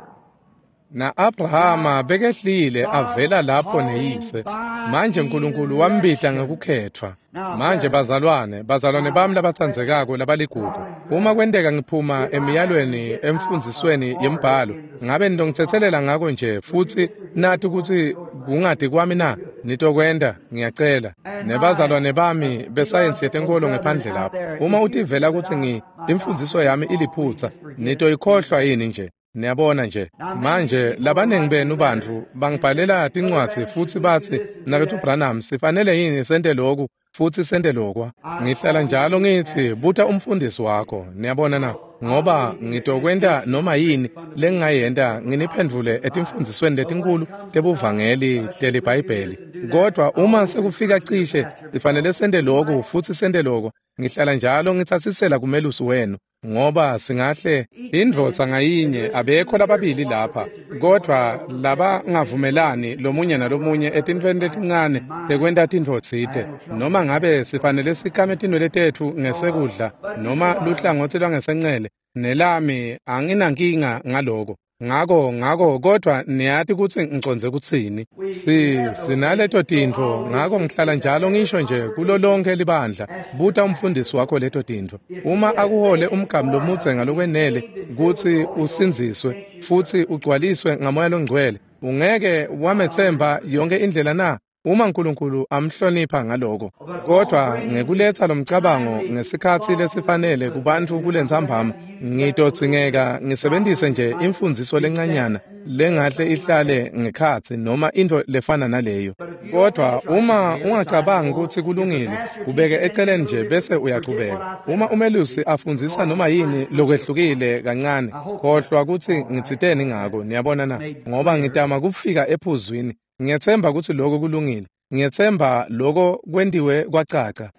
Na Abrahama bekehlile avela lapho neyise. Manje uNkulunkulu wambita ngekukhethwa. Manje bazalwane, bazalwane bami labatsandzekako labaligugu, uma kwenteka ngiphuma emiyalweni emfundzisweni yembhalo, ngabe nitongitsetselela ngako nje futsi nathi kutsi kungadi kwami na? Nitokwenta, ngiyacela. Nebazalwane bami besayensi yetenkolo ngephandle lapho, uma utivela kutsi ngi imfundziso yami iliphutsa, nitoyikhohlwa yini nje? Niyabona nje. Manje labaningi benu bantfu bangibhalela tincwadzi futsi batsi, Mnaketfu Branham, sifanele yini sente loku futsi sente lokwa? Ngihlala njalo ngitsi buta umfundisi wakho, niyabona na, ngoba ngitokwenta noma yini lengingayenta nginiphendvule etimfundzisweni letinkulu tebuvangeli teliBhayibheli. Kodwa uma sekufika cishe sifanele sente loku futsi sente loko, ngihlala njalo ngitsatsisela kumelusi wenu, ngoba singahle indvodza ngayinye abekho lababili lapha, kodwa labangavumelani lomunye nalomunye etintfweni letincane tekwenta tintfo tsite, noma ngabe sifanele sikame tinwele tetfu ngesekudla noma luhlangotsi lwangesencele, nelami anginankinga ngaloko. Ngako ngako kodwa niyati kutsi ngicondze kutsini. Si sinaleto tintfo, ngako ngihlala njalo ngisho nje kulo lonke libandla, buta umfundisi wakho leto tintfo. Uma akuhole umgamu lomudze ngalokwenele kutsi usindziswe futsi ugcwaliswe ngaMoya loNgcwele, ungeke wametsemba yonke indlela na? Uma uNkulunkulu amhlonipha ngaloko. Kodwa ngekuletsa lomcabango ngesikhatsi lesifanele kubantfu kulentsambama, ngitodzingeka ngisebentise nje imfundziso lencanyana lengahle ihlale ngekhatsi noma intfo lefana naleyo. Kodwa uma ungacabangi kutsi kulungile, kubeke eceleni nje bese uyachubeka. Uma umelusi afundzisa noma yini lokwehlukile kancane, khohlwa kutsi ngitsiteni ngako, niyabona na, ngoba ngitama kufika ephuzwini. Ngiyetsemba kutsi lokho kulungile. Ngiyetsemba lokho kwentiwe kwacaca.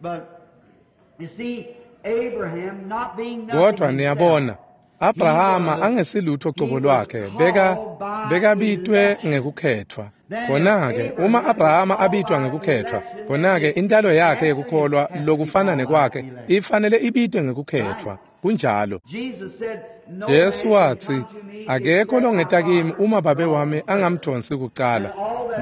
Kodwa niyabona, Abrahama angesilutho cobo lwakhe, beka bekabitwe ngekukhethwa. Khona-ke uma Abrahama abitwa ngekukhethwa, khona-ke intalo yakhe yekukholwa lokufana nekwakhe ifanele ibitwe ngekukhethwa. Kunjalo. Jesu watsi, akekho longeta kimi uma babe wami angamdonsi kucala.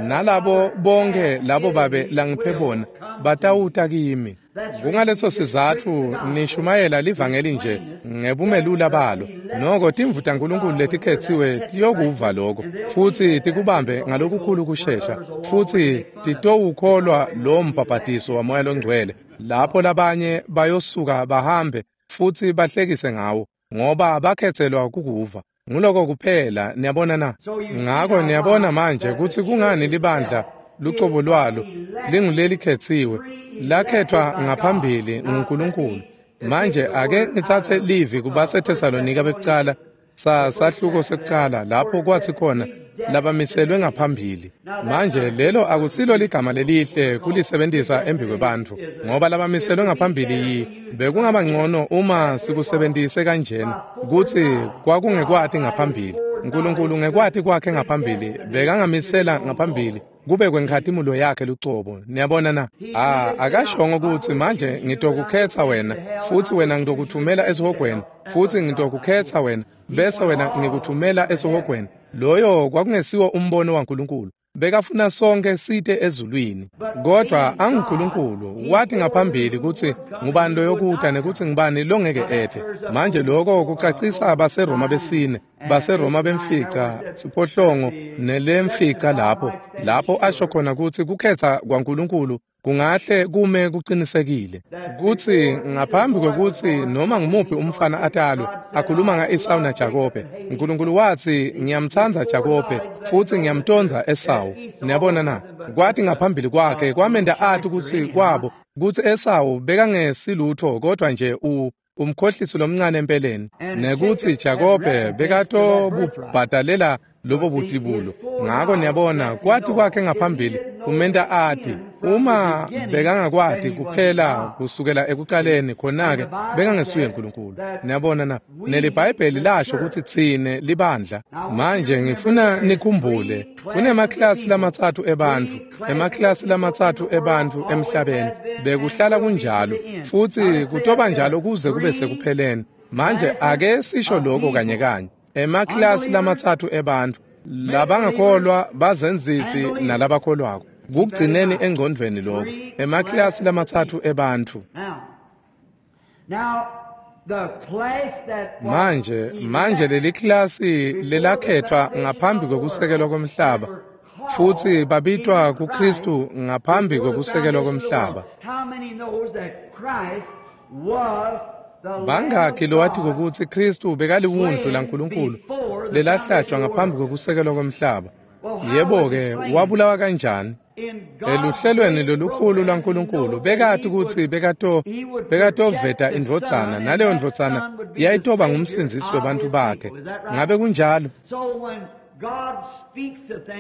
Nalabo bonke labo babe langiphe bona batawuta kimi. Kungaleso sizatfu nishumayela livangeli nje ngebumelula balo. Noko timvu taNkulunkulu letikhetsiwe tiyokuva lokho futsi tikubambe ngalokukhulu kushesha, futsi titowukholwa lo mbhabhatiso waMoya loNgcwele lapho labanye bayosuka bahambe futsi bahlekise ngawo, ngoba bakhetselwa kukuva. Nguloko kuphela, niyabona na? Ngako niyabona manje kutsi kungani libandla lucobo lwalo lingulelikhetsiwe, lakhethwa ngaphambili nguNkulunkulu. Manje ake ngitsatse livi kubaseThesalonika bekucala, sa sahluko sekucala, lapho kwathi khona labamiselwe ngaphambili. Manje lelo akusilo ligama lelihle kulisebentisa embikwebantfu, ngoba labamiselwe ngaphambili yi bekungaba ngcono uma sikusebentise kanjena kutsi kwakungekwati ngaphambili. uNkulunkulu ngekwati kwakhe ngaphambili bekangamisela ngaphambili kube kwenkhatimulo yakhe lucobo. Niyabona na? Ah, akashongo kutsi manje ngitokukhetsa wena futsi wena ngitokuthumela esihogweni, futsi ngitokukhetsa wena bese wena ngikuthumela esihogweni. Loyo kwakungesiwo umbono waNkulunkulu. Bekafuna sonke site ezulwini. Kodwa anguNkulunkulu wathi ngaphambili kutsi ngubani loyokuta nekutsi ngubani longeke ete. Manje lokho kucacisa baseRoma besine, baseRoma bemfica siphohlongo nelemfica lapho lapho asho khona kutsi kukhetsa kwaNkulunkulu kungahle kume kucinisekile kutsi ngaphambi kwekutsi noma ngumuphi umfana atalwe. Akhuluma nga-Esawu naJakobe, uNkulunkulu watsi ngiyamtsandza Jakobe futsi ngiyamtondza Esawu. Niyabona na? Kwathi ngaphambili kwakhe kwamenda athi kutsi kwabo kutsi Esawu bekangesilutho kodwa nje u umkhohlisi lomncane empeleni, nekutsi Jakobe bekatobubhadalela lobo butibulo. Ngako niyabona kwathi kwakhe ngaphambili kumenta athi uma bekangakwati kuphela kusukela ekucaleni, khona-ke bekangesuye uNkulunkulu. Niyabona na? NeliBhayibheli lasho kutsi tsine libandla. Manje ngifuna nikhumbule kunemaklasi lamatsatfu ebantfu, emaklasi lamatsatfu ebantfu emhlabeni. Bekuhlala kunjalo futsi kutoba njalo kuze kube sekupheleni. Manje ake sisho lokho kanye kanye. Emaklasi lamatsatfu ebantfu Labangakholwa bazenzisi nalabakholwako. Kugcineni engcondvweni lokho. Emaklasi lamatsatfu ebantfu. Manje, manje leli klasi lelakhethwa ngaphambi kwekusekelwa komhlaba futsi babitwa kuKristu ngaphambi kwekusekelwa komhlaba. Bangakhi lowati kutsi Kristu bekaliwundlu laNkulunkulu lelahlatshwa ngaphambi kwekusekelwa komhlaba? Yebo-ke, wabulawa kanjani? Eluhlelweni lolukhulu lwaNkulunkulu bekati kutsi bekato bekatoveta indvodzana, naleyo ndvodzana yayitoba ngumsindzisi webantfu bakhe. Ngabe kunjalo?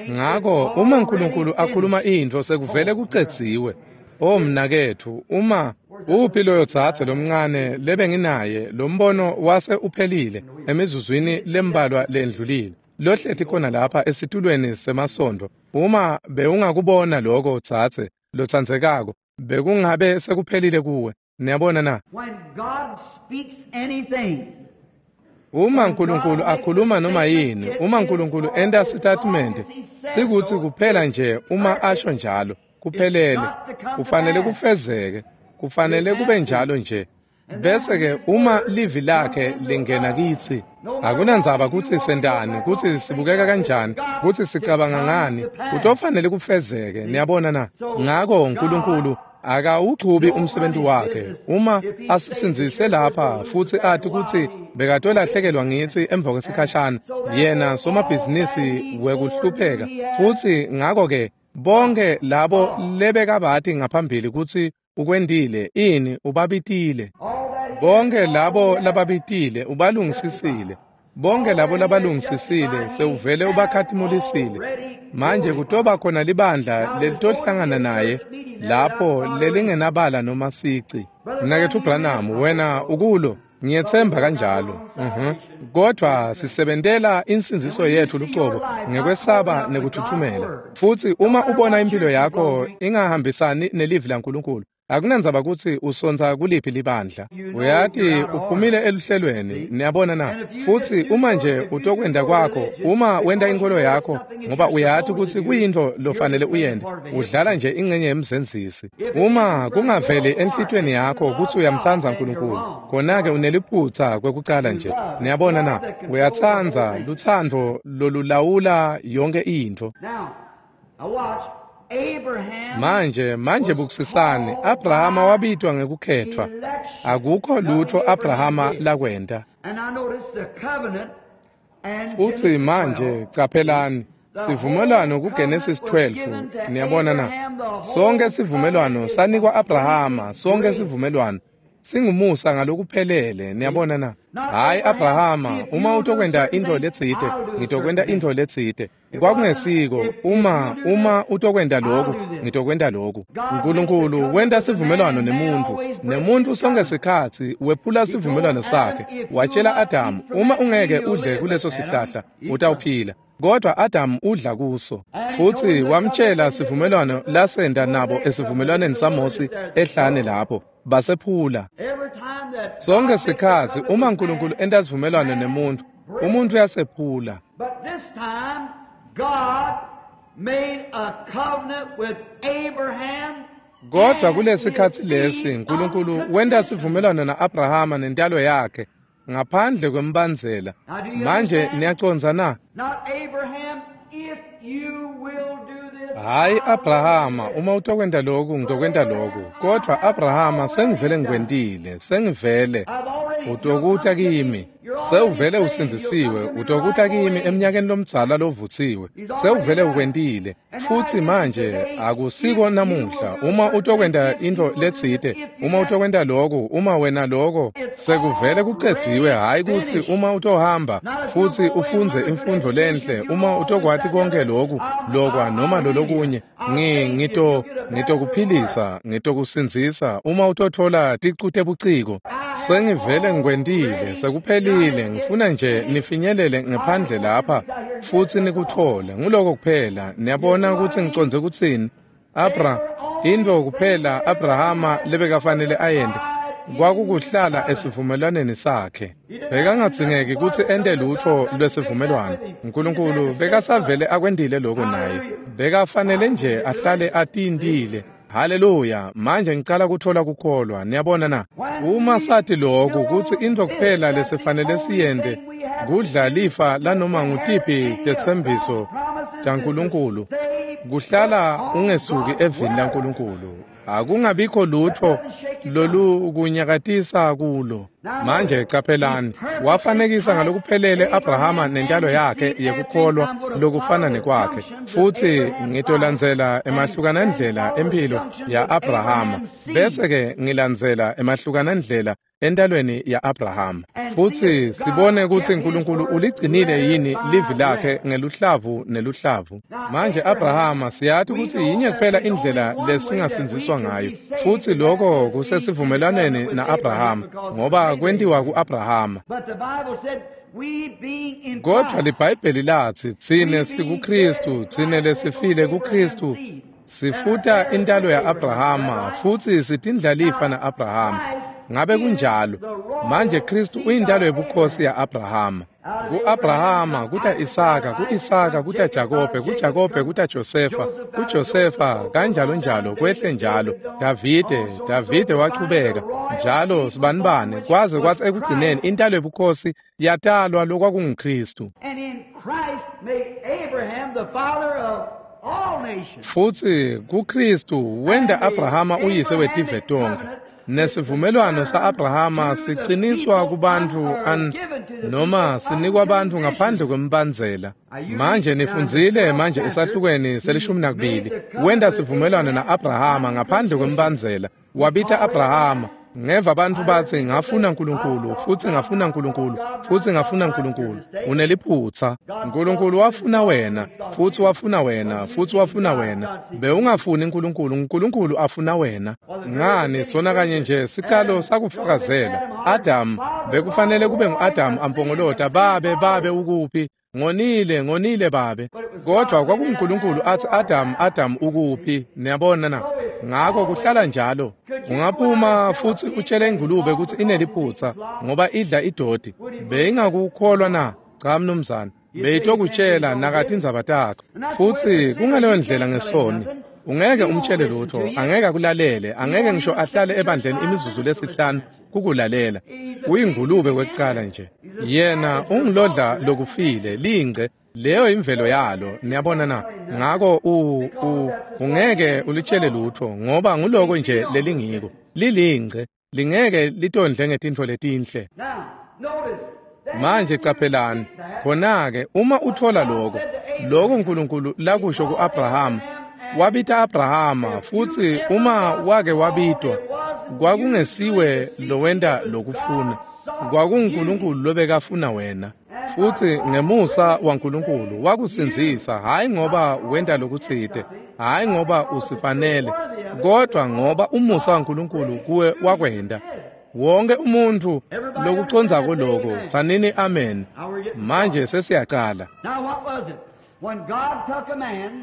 Ngako uma uNkulunkulu akhuluma intfo sekuvele kucedziwe. O mnaketfu, uma uphi loyo dzadze lomncane lebenginaye, lo mbono wase uphelile emizuzwini lembalwa lendlulile, lohleti khona lapha esitulweni semasondo. Uma bewungakubona lokho dzadze lotsandzekako, bekungabe sekuphelile kuwe. Niyabona na? Uma uNkulunkulu akhuluma noma yini, uma uNkulunkulu enta sitatimende, sikutsi kuphela nje uma asho njalo, kuphelele, kufanele kufezeke, kufanele kube njalo nje. Bese-ke uma livi lakhe lingena kitsi, akunandzaba kutsi sentani, kutsi sibukeka kanjani, kutsi sicabanga ngani, kutofanele kufezeke. Niyabona na? Ngako uNkulunkulu akawuchubi umsebenzi wakhe. Uma asisindzise lapha futsi ati kutsi bekatolahlekelwa ngitsi emva kwesikhashana, yena somabhizinisi wekuhlupheka, futsi ngako-ke bonke labo lebekabati ngaphambili kutsi ukwentile ini, ubabitile. Bonke labo lababitile ubalungisisile. Bonke labo labalungisisile sewuvele ubakhatimulisile. Manje kutoba khona libandla lelitohlangana naye lapho lelingenabala noma sici. Mnaketfu Branham, wena ukulo, ngiyetsemba kanjalo. Mhm. Kodwa sisebentela insindziso yetfu lucobo ngekwesaba nekuthuthumela. Futsi uma ubona impilo yakho ingahambisani nelivi laNkulunkulu, akunandzaba kutsi usontsa kuliphi libandla, uyati uphumile eluhlelweni. Niyabona na? Futsi uma nje utokwenda kwakho, uma wenta inkolo yakho ngoba uyati kutsi kuyintfo lofanele uyente, udlala nje ingcenye yemzenzisi. Uma kungaveli enhlitiyweni yakho kutsi uyamtsandza uNkulunkulu, khona-ke uneliphutsa kwekucala nje. Niyabona na? Uyatsandza lutsandvo lolulawula yonke intfo. Manje, manje bukusisani, Abrahama wabitwa ngekukhethwa. Akukho lutho Abrahama lakwenta. Futsi manje caphelani, sivumelwano kuGenesis twelve, niyabona na? Sonke sivumelwano sanikwa Abrahama, sonke sivumelwano singumusa ngalokuphelele. Niyabona na? Hayi Abrahama, uma utokwenta intfo letsite, ngitokwenta intfo letsite. Kwakungesiko uma uma utokwenta lokhu, ngitokwenta lokhu. uNkulunkulu wenta sivumelwano nemuntfu, nemuntfu sonke sikhatsi wephula sivumelwano sakhe. Watshela Adamu, uma ungeke udle kuleso sihlahla, utawuphila. Kodwa Adamu udla kuso. Futsi wamtshela sivumelwano lasenta nabo esivumelwaneni saMosi ehlane lapho, basephula. Sonke sikhatsi uma uNkulunkulu enta sivumelwano nemuntfu, umuntfu uyasephula. Kodwa kulesikhatsi lesi uNkulunkulu wenta sivumelwano na-Abrahama nentalo yakhe ngaphandle kwembandzela. Manje niyacondza na? Hayi Abrahama, uma utokwenta lokhu ngitokwenta lokhu. Kodwa Abrahama, sengivele ngikwentile, sengivele utokuta kimi. Sewuvele usindzisiwe, utokuta kimi eminyakeni lomdzala lovutsiwe. Sewuvele ukwentile. Futsi manje akusiko namuhla. Uma utokwenta intfo letsite, uma utokwenta lokhu, uma wena lokho, sekuvele kucedziwe. Hayi kutsi uma utohamba futsi ufundze imfundvo lenhle, uma utokwati konke lokhu, lokwa noma lolokunye, ngi ngito ngitokuphilisa, ngitokusindzisa uma utothola ticu tebuciko. Sengivele ngikwentile, sekuphelile. Ngifuna nje nifinyelele ngephandle lapha futsi nikutfole. Nguloko kuphela. Niyabona kutsi ngicondze kutsini? Abra, intfo kuphela Abrahama lebekafanele ayente Kwakukuhlala esivumelwaneni sakhe. Bekangadzingeki kutsi ente lutfo lwesivumelwano. Nkulunkulu bekasavele akwentile lokho naye. Bekafanele nje ahlale atintile. Haleluya, manje ngicala kuthola kukholwa, niyabona na? Uma sathi lokhu kutsi intfo kuphela lesifanele siyente kudla lifa lanoma ngutiphi tetsembiso taNkulunkulu, kuhlala ungesuki evini laNkulunkulu. Akungabikho lutfo lolukunyakatisa kulo. Manje caphelani, wafanekisa ngalokuphelele Abrahama nentalo yakhe yekukholwa lokufana nekwakhe. Futsi ngitolandzela emahlukanandlela empilo ya-Abrahama, bese-ke ngilandzela emahlukanandlela entalweni ya-Abrahama. Futsi sibone kutsi Nkulunkulu uligcinile yini livi lakhe ngeluhlavu neluhlavu. Manje Abrahama siyati kutsi yinye kuphela indlela lesingasindziswa ngayo, futsi lokho kusesivumelwaneni na-Abrahama, ngoba kwentiwa ku-Abrahama. Kodvwa liBhayibheli latsi tsine sikuKhristu, tsine lesifile kuKhristu, sifuta intalo ya-Abrahama futsi sitindlalifa na-Abrahama. Ngabe kunjalo? Manje Khristu uyintalo yebukhosi ya-Abrahama. Ku-Abrahama kuta Isaka, ku-Isaka kuta Jakobe, kuJakobe kuta Josefa, kuJosefa kanjalo njalo kwehle njalo. Davide, Davide wachubeka njalo sibanibane kwaze kwatsi ekugcineni intalo yebukhosi yatalwa lokwakunguKhristu. Futsi kuKhristu wenta Abrahama uyise wetive tonkhe. Nesivumelwano sa-Abrahama siciniswa kubantfu an noma sinikwa bantfu ngaphandle kwembandzela. Manje nifundzile manje esahlukweni selishumi nakubili, wenta sivumelwano na-Abrahama ngaphandle kwembandzela. Wabita Abrahama. Ngeva bantfu batsi ngafuna Nkulunkulu futsi ngafuna Nkulunkulu futsi ngafuna Nkulunkulu. Uneliphutsa. Nkulunkulu wafuna wena futsi wafuna wena futsi wafuna wena. Bewungafuni Nkulunkulu, Nkulunkulu afuna wena. Ngani sona kanye nje sicalo sakufakazela. Adam bekufanele kube ngu-Adam ampongolota, babe babe ukuphi? Ngonile, ngonile babe. Kodwa kwakunguNkulunkulu athi Adam, Adam ukuphi? Niyabona na? Ngako kuhlala njalo. Ungaphuma futsi utshele ingulube kutsi ineliphutsa ngoba idla idoti. Beyingakukholwa na? Cha mnumzane. Beyitokutshela nakatindzaba takho. Futsi kungaleyo ndlela ngesoni. Ungeke umtshele lutho, angeke akulalele, angeke ngisho ahlale ebandleni imizuzu lesihlanu kukulalela. Uyingulube kwekucala nje. Yena ungilodla lokufile, lingce, leyo imvelo yalo, niyabona na? Ngako u u ungeke ulitshele lutho ngoba nguloko nje lelingiko. Lilingce, lingeke litondle ngetintfo letinhle. Manje caphelani, khona-ke uma uthola lokho, lokho Nkulunkulu lakusho ku-Abrahama, wabita Abrahama, futsi uma wake wabitwa, kwakungesiwe lowenta lokufuna, kwakunguNkulunkulu lobekafuna wena. Futsi ngemusa waNkulunkulu wakusindzisa, hhayi ngoba wenta lokutsite, hhayi ngoba usifanele, kodwa ngoba umusa waNkulunkulu kuwe wakwenta. Wonke umuntfu lokucondzako loko, tsanini amen. Manje sesiyacala.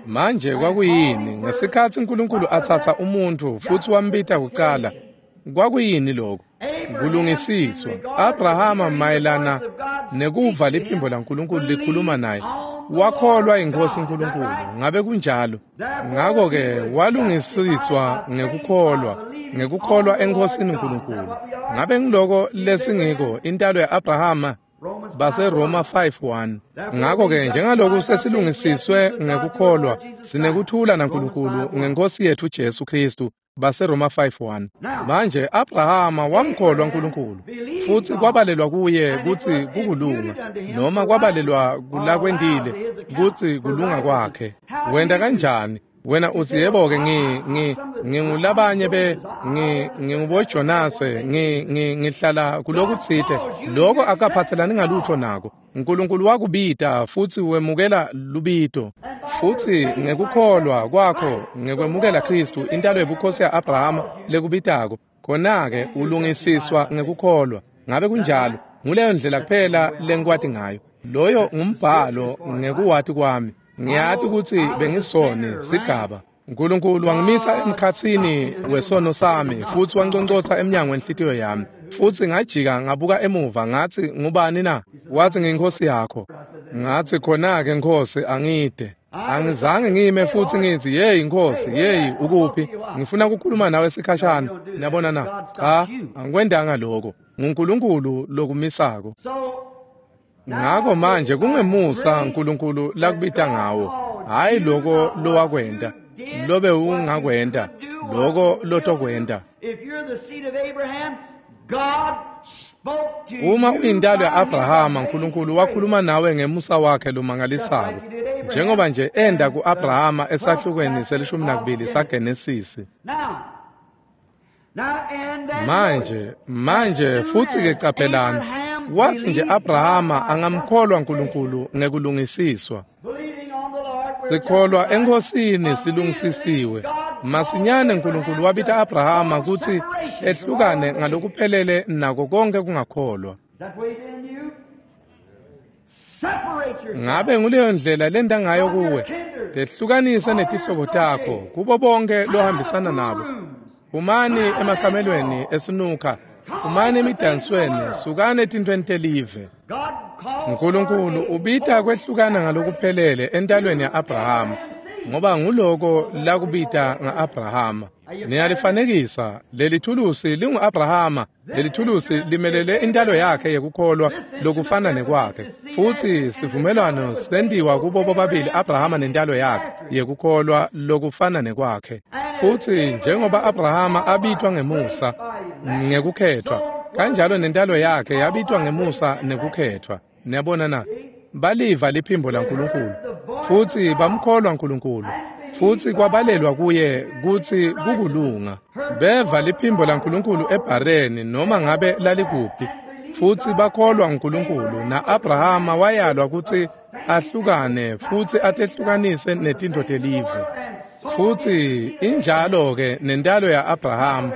Manje kwakuyini ngesikhatsi Nkulunkulu atsatsa umuntfu futsi wambita kucala? Kwakuyini lokho? Kulungisiswa. Abrahama mayelana nekuva liphimbo laNkulunkulu likhuluma naye, wakholwa iNkhosi Nkulunkulu. Ngabe kunjalo? Ngako-ke walungisiswa ngekukholwa, ngekukholwa eNkhosini Nkulunkulu. Ngabe ngiloko lesingiko intalo ya-Abrahama? BaseRoma five one. Ngako-ke njengaloku sesilungisiswe ngekukholwa, sinekuthula naNkulunkulu ngeNkhosi yethu Jesu Khristu. BaseRoma five one. Manje Abrahama wamkholwa uNkulunkulu, futsi kwabalelwa kuye kutsi kukulunga, noma kwabalelwa kulakwentile kutsi kulunga kwakhe. Wenta kanjani? Wena uthi yebo-ke ngi ngi ngingulabanye be ngi nginguboJonase ngi ngi ngihlala kulokutsite. Lokho akaphathelani ngalutho nako. Nkulunkulu wakubita futsi wemukela lubito. Futsi ngekukholwa kwakho ngekwemukela Khristu intalo yebukhosi ya-Abrahama lekubitako, khona-ke ulungisiswa ngekukholwa. Ngabe kunjalo? Nguleyo ndlela kuphela lengikwati ngayo. Loyo ngumbhalo ngekuwati kwami. Ngiyati kutsi bengisoni sigaba. Nkulunkulu wangimisa emkhatsini wesono sami futsi wanconcotsha emnyango wenhlitiyo yami. Futsi ngajika ngabuka emuva ngathi ngubani na? Wathi nginkosi yakho. Ngathi khona-ke Nkosi angide. Angizange ngime futsi ngithi yeyi Nkosi, yeyi ukuphi? Ngifuna ukukhuluma nawe sikhashana. Niyabona na? Cha, angikwendanga lokho. NguNkulunkulu lokumisako. Ngako manje kungemusa uNkulunkulu lakubita ngawo, hayi lokho lowakwenta, lobe ungakwenta, lokho lotokwenta. Uma uyintalo ya-Abrahama, uNkulunkulu wakhuluma nawe ngemusa wakhe lomangalisako, njengoba nje enda ku-Abrahama esahlukweni selishumi nakubili saGenesisi. Manje, manje futsi-ke caphelani, wathi nje Abrahama angamkholwa uNkulunkulu ngekulungisiswa. Sikholwa eNkosini silungisisiwe. Masinyane uNkulunkulu wabita Abrahama kutsi ehlukane ngalokuphelele nako konke kungakholwa. Ngabe nguleyo ndlela lenda ngayo kuwe? Tehlukanise netihlobo takho kubo bonke lohambisana nabo. Phumani emakamelweni esinukha, phumani emidansweni, sukani etintweni telive. uNkulunkulu ubita kwehlukana ngalokuphelele entalweni ya-Abrahama, ngoba nguloko lakubita nga-Abrahama. Niyalifanekisa, leli thulusi lingu-Abrahama, leli thulusi limelele intalo yakhe yekukholwa lokufana nekwakhe. Futsi sivumelwano sentiwa kubo bobabili Abrahama nentalo yakhe yekukholwa lokufana nekwakhe. Futsi njengoba Abrahama abitwa ngemusa ngekukhethwa, kanjalo nentalo yakhe yabitwa ngemusa nekukhethwa. Niyabona na? Baliva liphimbo laNkulunkulu futsi bamkholwa uNkulunkulu, futsi kwabalelwa kuye kutsi kukulunga. Beva liphimbo laNkulunkulu eBhareni noma ngabe lalikuphi, futsi bakholwa uNkulunkulu. Na-Abrahama wayalwa kutsi ahlukane futsi atehlukanise netintfo telive. Futsi injalo-ke nentalo ya-Abrahama,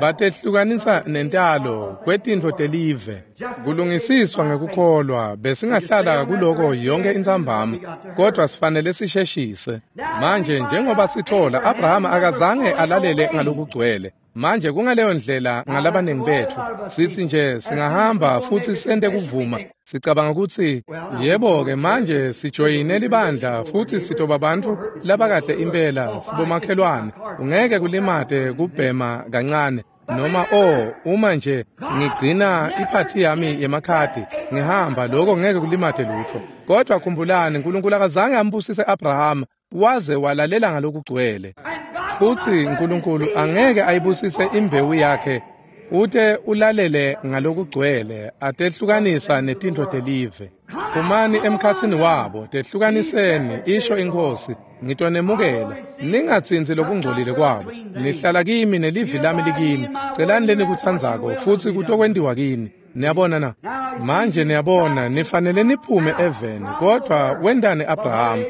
batehlukanisa nentalo kwetintfo telive. Kulungisiswa ngekukholwa, besingahlala kuloko yonke intsambama, kodwa sifanele sisheshise. Manje njengoba sithola, Abrahama akazange alalele ngalokugcwele. Manje kungaleyo ndlela ngalabaningi bethu, sithi nje singahamba futsi sente kuvuma, sicabanga kutsi yebo-ke manje sijoyine libandla futsi sitoba bantfu labakahle impela, sibomakhelwane, ungeke kulimate kubhema kancane. Noma oh uma nje ngigcina iphathi yami yemakhadi ngihamba, lokho ngeke kulimate lutho. Kodwa khumbulani, uNkulunkulu akazange ambusise Abrahama waze walalela ngalokugcwele. Futsi uNkulunkulu angeke ayibusise imbewu yakhe ute ulalele ngalokugcwele, atehlukanisa netintfo telive. Phumani emkhatsini wabo, tehlukaniseni, isho iNkhosi, ngitonemukela. Ningatsintsi lokungcolile kwabo. Nihlala kimi nelivi lami likini. Celani lenikutsandzako futsi kutokwentiwa kini. Niyabona na? Manje niyabona, nifanele niphume eveni. Kodwa wendani Abrahama?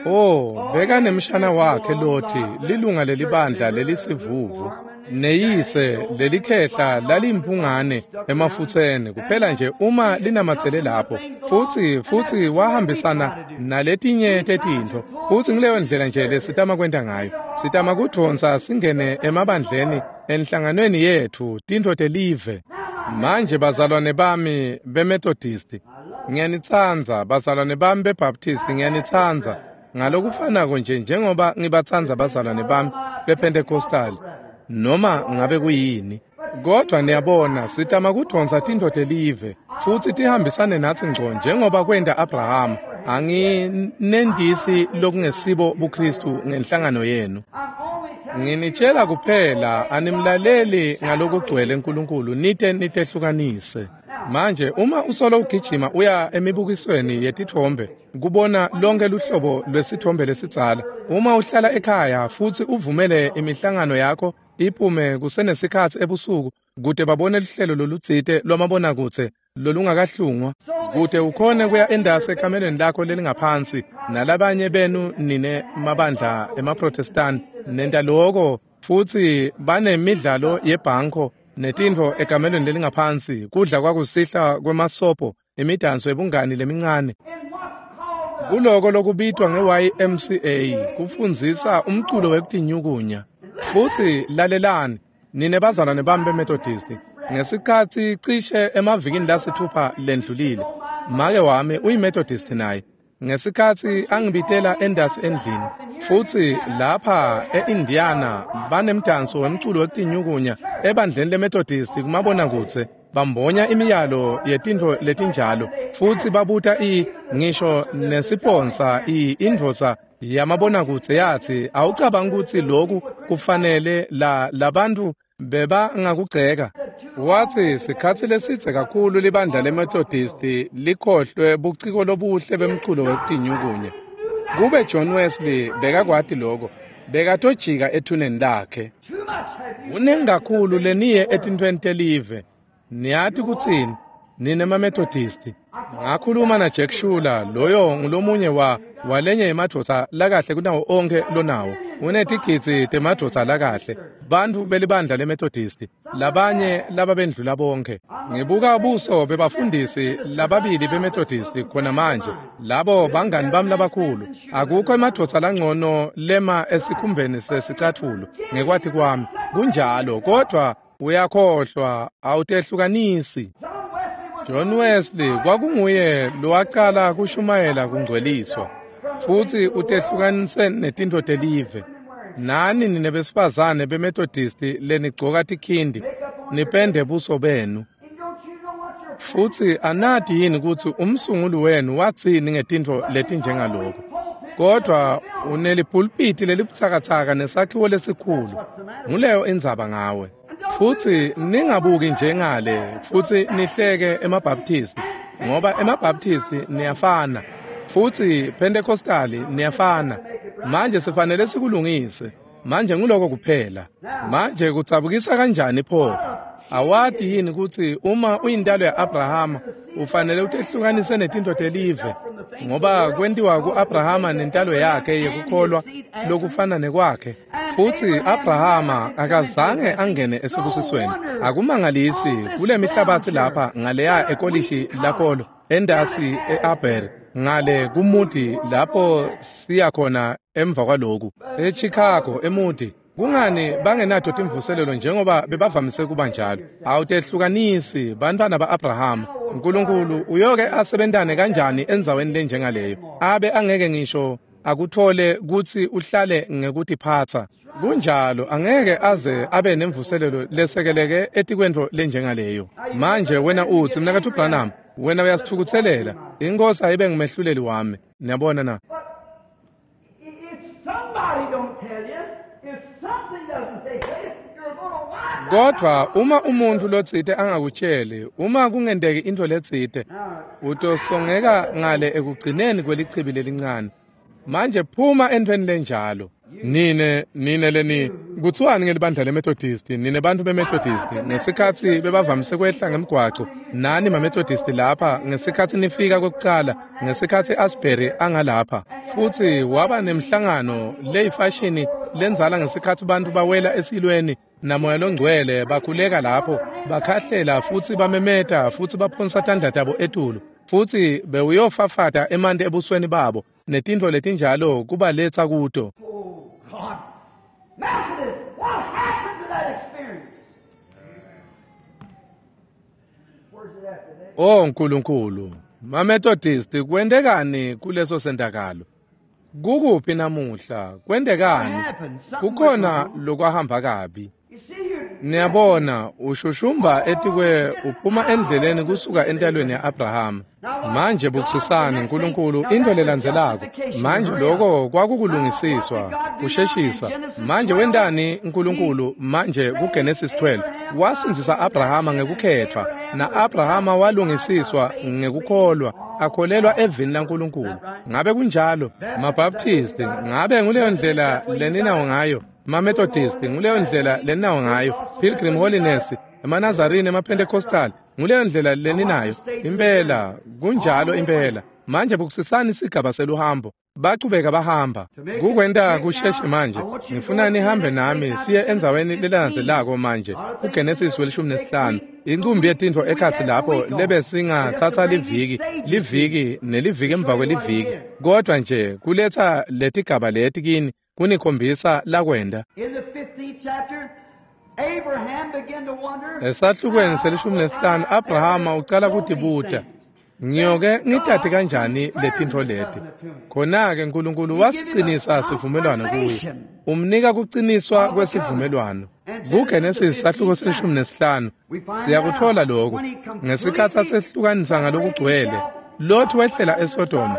Oh, bekanemshana wakhe Loti, lilunga lelibandla lelisivuvu. Neyise lelikhehla lalimpungane emafutseni kuphela nje uma linamatsele lapho. Futsi futsi wahambisana naletinye tetintfo. Futsi ngileyo ndlela nje lesitama kwenta ngayo. Sitama kudvonsa singene emabandleni enhlanganweni yetfu tintfo telive. Manje bazalwane bami beMethodisti, ngiyanitsandza. Bazalwane bami beBaptisti, ngiyanitsandza. Ngalokufanako nje njengoba ngibatsandza bazalwane bami bePentecostal, noma ngabe kuyini. Kodwa niyabona, sitama kudvonsa tintfo telive futsi tihambisane natsi ngco njengoba kwenta Abrahama. Anginendisi lokungesibo buKristu ngenhlangano yenu. Nginitshela kuphela, animlaleli ngalokugcwele uNkulunkulu nite nitehlukanise. Manje uma usolo ugijima uya emibukisweni yetitfombe kubona lonke luhlobo lwesithombe lesidzala, uma uhlala ekhaya futsi uvumele imihlangano yakho iphume kusenesikhatsi ebusuku kute babone luhlelo lolutsite lwamabonakudze lolungakahlungwa, kute ukhone kuya endasi ekamelweni lakho lelingaphansi nalabanye benu nine mabandla emaProtestant nenta loko, futsi banemidlalo yebhanko netintfo ekamelweni lelingaphansi, kudla kwakusihla kwemasopo, imidanso yebungani lemincane. Kuloko lokubitwa nge-Y M C A kufundzisa umculo wekutinyukunya. Futsi lalelani nine bazalwane bami beMethodist, ngesikhatsi cishe emavikini lasithupha lendlulile, make wami uyiMethodist naye, ngesikhatsi angibitela endasi endlini, futsi lapha e-Indiana banemdanso wemculo wekutinyukunya ebandleni leMethodist kumabonakudze, bambonya imiyalo yetintfo letinjalo, futsi babuta i ngisho nesiponsa i indvodza yamabonakudze yatsi, awucabangi kutsi loku kufanele la labantu bebangakugceka? Watsi sikhatsi lesidze kakhulu libandla leMethodist likhohlwe buciko lobuhle bemculo wekutinyukunya. Kube John Wesley bekakwati lokho, bekatojika ethuneni lakhe. Kunengi kakhulu leniye etintfweni telive. Niyati kutsini nine maMethodist? Ngakhuluma na Jack Schuler, loyo ngulomunye wa walenye yemadvodza lakahle kunawo onke lonawo. Unetigidzi temadvodza lakahle, bantfu belibandla leMethodist, labanye lababendlula bonke. Ngibuka buso bebafundisi lababili beMethodist khona manje, labo bangani bami labakhulu. Akukho emadvodza langcono lema esikhumbeni sesicatfulo ngekwati kwami. Kunjalo, kodwa uyakhohlwa, awutehlukanisi. John Wesley kwakunguye lowacala kushumayela kungcweliswa, futsi utehlukanise netintfo telive. Nani nine besifazane beMethodist lenigcoka tikhindi, nipende buso benu. Futsi anati yini kutsi umsunguli wenu watsini ngetintfo letinjengaloko? Kodwa unelipulpiti lelibutsakatsaka nesakhiwo lesikhulu. Nguleyo indzaba ngawe. Futsi ningabuki njengale futsi nihleke emaBaptisti, ngoba emaBaptisti niyafana, futsi Pentecostali niyafana. Manje sifanele sikulungise. Manje nguloko kuphela. Manje kutsabukisa kanjani pho? Awati yini kutsi uma uyintalo ya-Abrahama ufanele utehlukanise netintfo telive, ngoba kwentiwa ku-Abrahama nentalo yakhe yekukholwa lokufana nekwakhe. Futsi Abrahama akazange angene esibusisweni. Akumangalisi kule mihlabatsi lapha ngaleya ekolishi lapolo endasi e-Aber ngale kuMoody lapho siya khona emva kwaloku eChicago eMoody. Kungani bangenato timvuselelo njengoba bebavamise kuba njalo? Awutehlukanisi bantwana ba-Abrahama. Nkulunkulu uyoke asebentane kanjani endzaweni lenjengaleyo abe angeke ngisho akuthole kutsi uhlale ngekutiphatsa? Kunjalo, angeke aze abe nemvuselelo lesekeleke etikwentfo lenjengaleyo. Manje wena utsi, Mnaketfu Branham, wena uyasithukutselela. Inkosi ayibe ngumehluleli wami. Niyabona na? Kodwa uma umuntu lotsite angakutsheli, uma kungenteki intfo letsite, utosongeka ngale ekugcineni kwelichibi lelincane. Manje phuma entfweni lenjalo. Nine nine leni kuthiwani ngelibandla leMethodist, nine bantfu beMethodist ngesikhatsi bebavamise kwehla ngemgwaco, nani maMethodist lapha ngesikhatsi nifika kwekucala, ngesikhatsi Asbury angalapha, futsi waba nemhlangano leyifashini lendzala ngesikhatsi bantfu bawela esilweni namoya longcwele bakhuleka lapho, bakhahlela futsi bamemeta futsi baphonsa tandla tabo etulu, futsi bewuyofafata emanti ebusweni babo netintfo letinjalo kubaletsa kuto. Methodist, what happened to that experience? Where's it at today? Oh Nkulunkulu, maMethodist kwentekani kuleso sentakalo? Kukuphi namuhla? Kwentekani? Kukhona lokwahamba kabi. Niyabona, ushushumba etikwe uphuma endleleni kusuka entalweni ya-Abrahama. Manje bukisisani Nkulunkulu into lelandzelako. Manje lokho kwakukulungisiswa, kusheshisa. Manje wentani Nkulunkulu manje kuGenesis twelve? Wasindzisa Abrahama ngekukhethwa, na-Abrahama walungisiswa ngekukholwa, akholelwa evini laNkulunkulu. Ngabe kunjalo? MaBaptist, ngabe nguleyo ndlela leninawo ngayo? MaMethodist, nguleyo ndlela leninawo ngayo? Pilgrim Holiness, emaNazarene, emaPentecostal, nguleyo ndlela leninayo? Impela, kunjalo impela. Manje bukisisani isigaba seluhambo. Bachubeka bahamba. Kukwenta kusheshe manje. Ngifuna nihambe nami siye endzaweni lelandzelako manje. KuGenesis welishumi nesihlanu. Inqumbi yetintfo ekhatsi lapho lebe singatsatsa liviki, liviki neliviki emva kweliviki. Kodwa nje kuletsa letigaba leti kini kunikhombisa lakwenda. Esahlukweni selishumi nesihlanu Abrahama ucala kutibuta, ngiyoke ngitati kanjani letintfo leti? Khona-ke Nkulunkulu wasicinisa sivumelwano kuye. Umnika kuciniswa kwesivumelwano. KuGenesis sahluko selishumi nesihlanu siyakuthola lokho. Ngesikhatsi asehlukanisa ngalokugcwele, Lot wehlela eSodoma,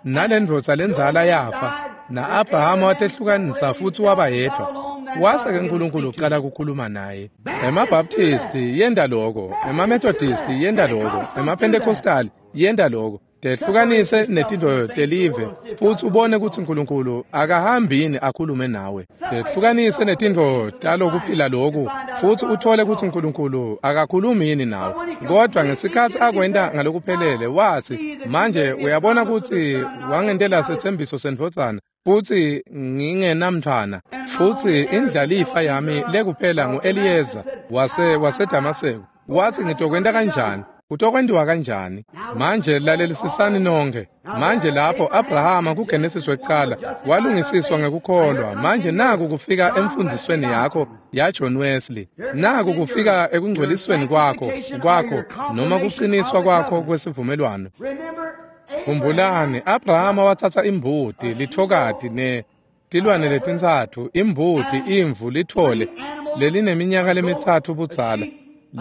nalendvodza lendzala yafa, na-Abrahama watehlukanisa futsi waba yedvwa. Wase-ke Nkulunkulu ucala kukhuluma naye. EmaBaptisti yenta loko, emaMethodisti yenta loko, emaPentecostal yenta loko. Tehlukanise netintfo telive futsi ubone kutsi Nkulunkulu akahambi yini akhulume nawe. Tehlukanise netintfo talokuphila loku futsi uthole kutsi Nkulunkulu akakhulumi yini nawe. Kodwa ngesikhatsi akwenta ngalokuphelele watsi, manje uyabona kutsi wangentela setsembiso sendvodzana futsi ngingenamntfwana, futsi indlalifa yami lekuphela ngu-Eliyeza wase waseDamaseko. Watsi ngitokwenta kanjani? Kutokwentiwa kanjani? Manje lalelisisani nonke. Manje lapho Abrahama kuGenesis wekucala walungisiswa ngekukholwa. Manje naku kufika emfundzisweni yakho ya John Wesley. Naku kufika ekungcwelisweni kwakho kwakho noma kuciniswa kwakho kwesivumelwano. Khumbulani, Abrahama watsatsa imbuti, lithokati ne tilwane letintsatfu, imbuti, imvu, lithole lelineminyaka lemitsatfu budzala.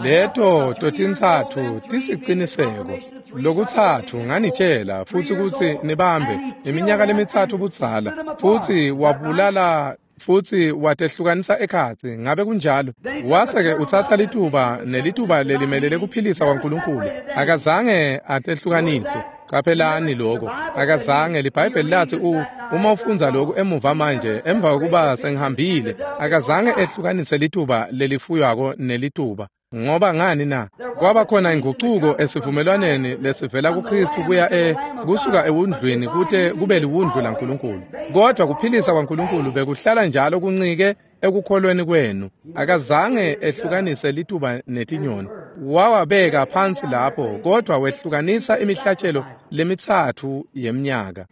Leto totintsatfu tisiciniseko. Lokutsatfu nganitshela futsi kutsi nibambe iminyaka lemitsatfu budzala, futsi wabulala futsi watehlukanisa ekhatsi. Ngabe kunjalo? Wase-ke utsatsa lituba nelituba lelimelele kuphilisa kwaNkulunkulu. Akazange atehlukanise. Qaphelani lokho. Akazange. LiBhayibheli lathi u uma ufundza lokhu emuva manje emva kokuba sengihambile, akazange ehlukanise lituba lelifuywako nelituba. Ngoba ngani na? Kwaba khona inguquko esivumelwaneni lesivela kuKristu kuya e kusuka ewundlwini kute kube liwundlu laNkulunkulu. Kodwa kuphilisa kwaNkulunkulu bekuhlala njalo kuncike ekukholweni kwenu. Akazange ehlukanise lituba netinyoni. Wawabeka phansi lapho, kodwa wehlukanisa imihlatshelo lemitsatfu yeminyaka.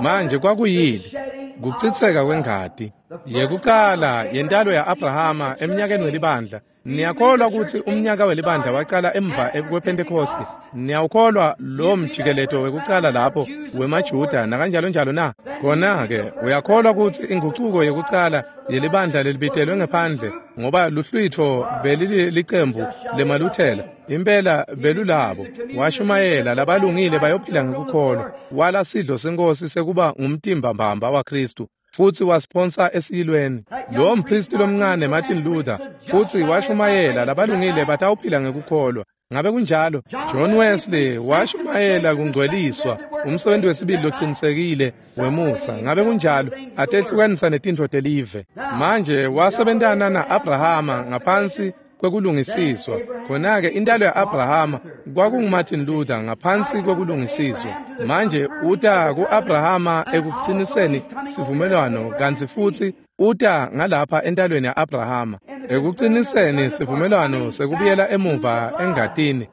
Manje kwakuyini? Kuchitseka kwengati. Yekucala yentalo ya-Abrahama eminyakeni welibandla. Niyakholwa ukuthi umnyaka welibandla waqala emva kwePentecost? Niyawukholwa lo mjikeleto wekucala lapho wemaJuda nakanjalo njalo na? Kona-ke uyakholwa ukuthi inguquko yekucala yelibandla lelibitelwe ngephandle, ngoba luhlwitfo belilicembu lemaLuthela, impela belulabo. Washumayela labalungile bayophila ngekukholwa. Wala sidlo senkosi sekuba ngumtimba mbamba waKristu, futsi wasiphonsa esiyilweni. Lo mpristi lomncane Martin Luther futsi washumayela labalungile batawuphila ngekukholwa. Ngabe kunjalo? John Wesley washumayela kungcweliswa, umsebenzi wesibili locinisekile wemusa. Ngabe kunjalo? Atehlukanisa netintfo telive. Manje wasebentana na-Abrahama ngaphansi kwekulungisiswa. Khona-ke intalo ya-Abrahama kwakunguMartin Luther ngaphansi kwekulungisiswa. Manje uta ku-Abrahama ekuciniseni sivumelwano, kantsi futsi uta ngalapha entalweni ya-Abrahama ekuciniseni sivumelwano sekubuyela emuva engatini,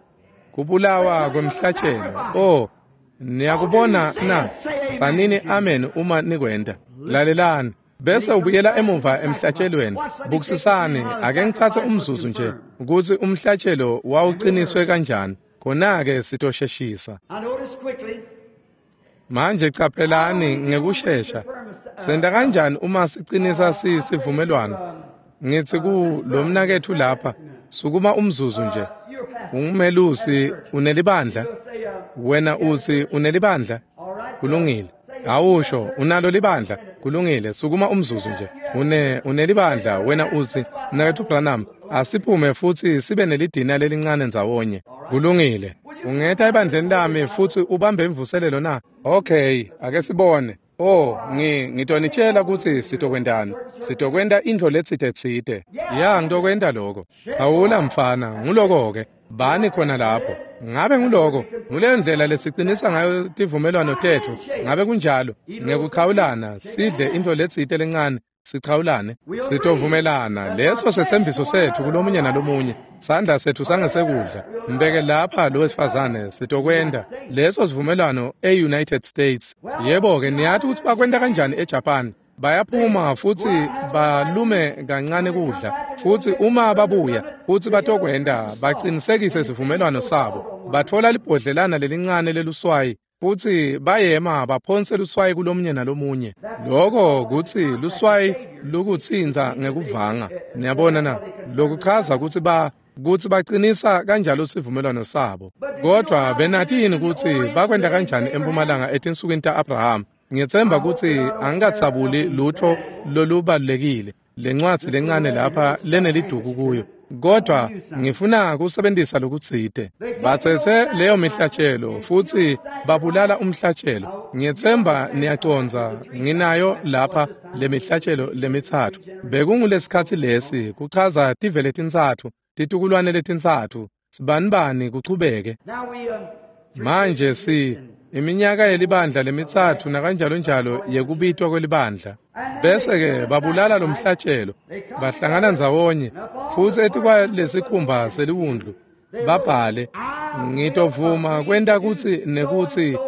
kubulawa kwemhlatshelo. Oh, niyakubona na? Tsanini amen uma nikwenta. Lalelani. Bese ubuyela emuva emhlatshelweni. Bukisisani, ake ngitsatse umzuzu nje ukuthi umhlatshelo wawuqiniswe kanjani. Khona-ke sitosheshisa. Manje qaphelani ngekushesha. Senta kanjani uma siqinisa sivumelwano? Ngithi ku lo mnaketfu lapha, sukuma umzuzu nje. Ungumelusi, unelibandla? Wena uthi unelibandla? Kulungile. Awusho, unalo libandla? Kulungile, sukuma umzuzu nje. Une unelibandla, wena uthi, mnaketfu Branham, asiphume futsi sibe nelidina lelincane ndzawonye. Kulungile. Ungeta ebandleni lami futsi ubambe imvuselelo na? Okay, ake sibone. Oh, ngi ngitonitshela ukuthi sitokwentani. Sitokwenta intfo letsite tsite. Ya, ngitokwenta lokho. Awula mfana, nguloko ke. Bani khona lapho. Ngabe nguloko, nguleyo ndlela lesiqinisa ngayo tivumelwano tetfu. Ngabe kunjalo, ngekuchawulana sidle into letsite lencane, sichawulane, sitovumelana. Leso setsembiso setfu kulomunye nalomunye. Sandla setfu sangesekudla. Mbeke lapha lo wesifazane, sitokwenta leso sivumelwano e-United States. Yebo-ke, niyati kutsi bakwenta kanjani eJapan. Bayaphuma futsi balume kancane kudla, futsi uma babuya futsi batokwenta baqinisekise sivumelwano sabo. Batfola libhodlelana lelincane leluswayi futsi bayema baphonse luswayi kulomunye nalomunye. Loko kutsi luswayi lukutsintsa ngekuvanga. Niyabona na? Lokuchaza kutsi ba kutsi baqinisa kanjalo sivumelwano sabo. Kodwa benati yini kutsi bakwenta kanjani empumalanga etinsukwini ta-Abraham? Ngiyetsemba kutsi angikatsabuli lutho lolubalulekile, lencwadzi lencane lapha leneliduku kuyo, kodwa ngifuna kusebentisa lokutsite. Batsetse leyo mihlatshelo futsi babulala umhlatshelo. Ngiyetsemba niyacondza, nginayo lapha lemihlatshelo lemitsatfu. Bekungulesikhatsi lesi kuchaza tive letintsatfu, titukulwane letintsatfu, sibanibani kuchubeke. Manje si iminyaka yelibandla lemitsatfu nakanjalo njalo yekubitwa kwelibandla. Bese-ke babulala lomhlatshelo, bahlangana ndzawonye futsi etikwalesikhumba seliwundlu babhale, ngitovuma kwenta kutsi nekutsi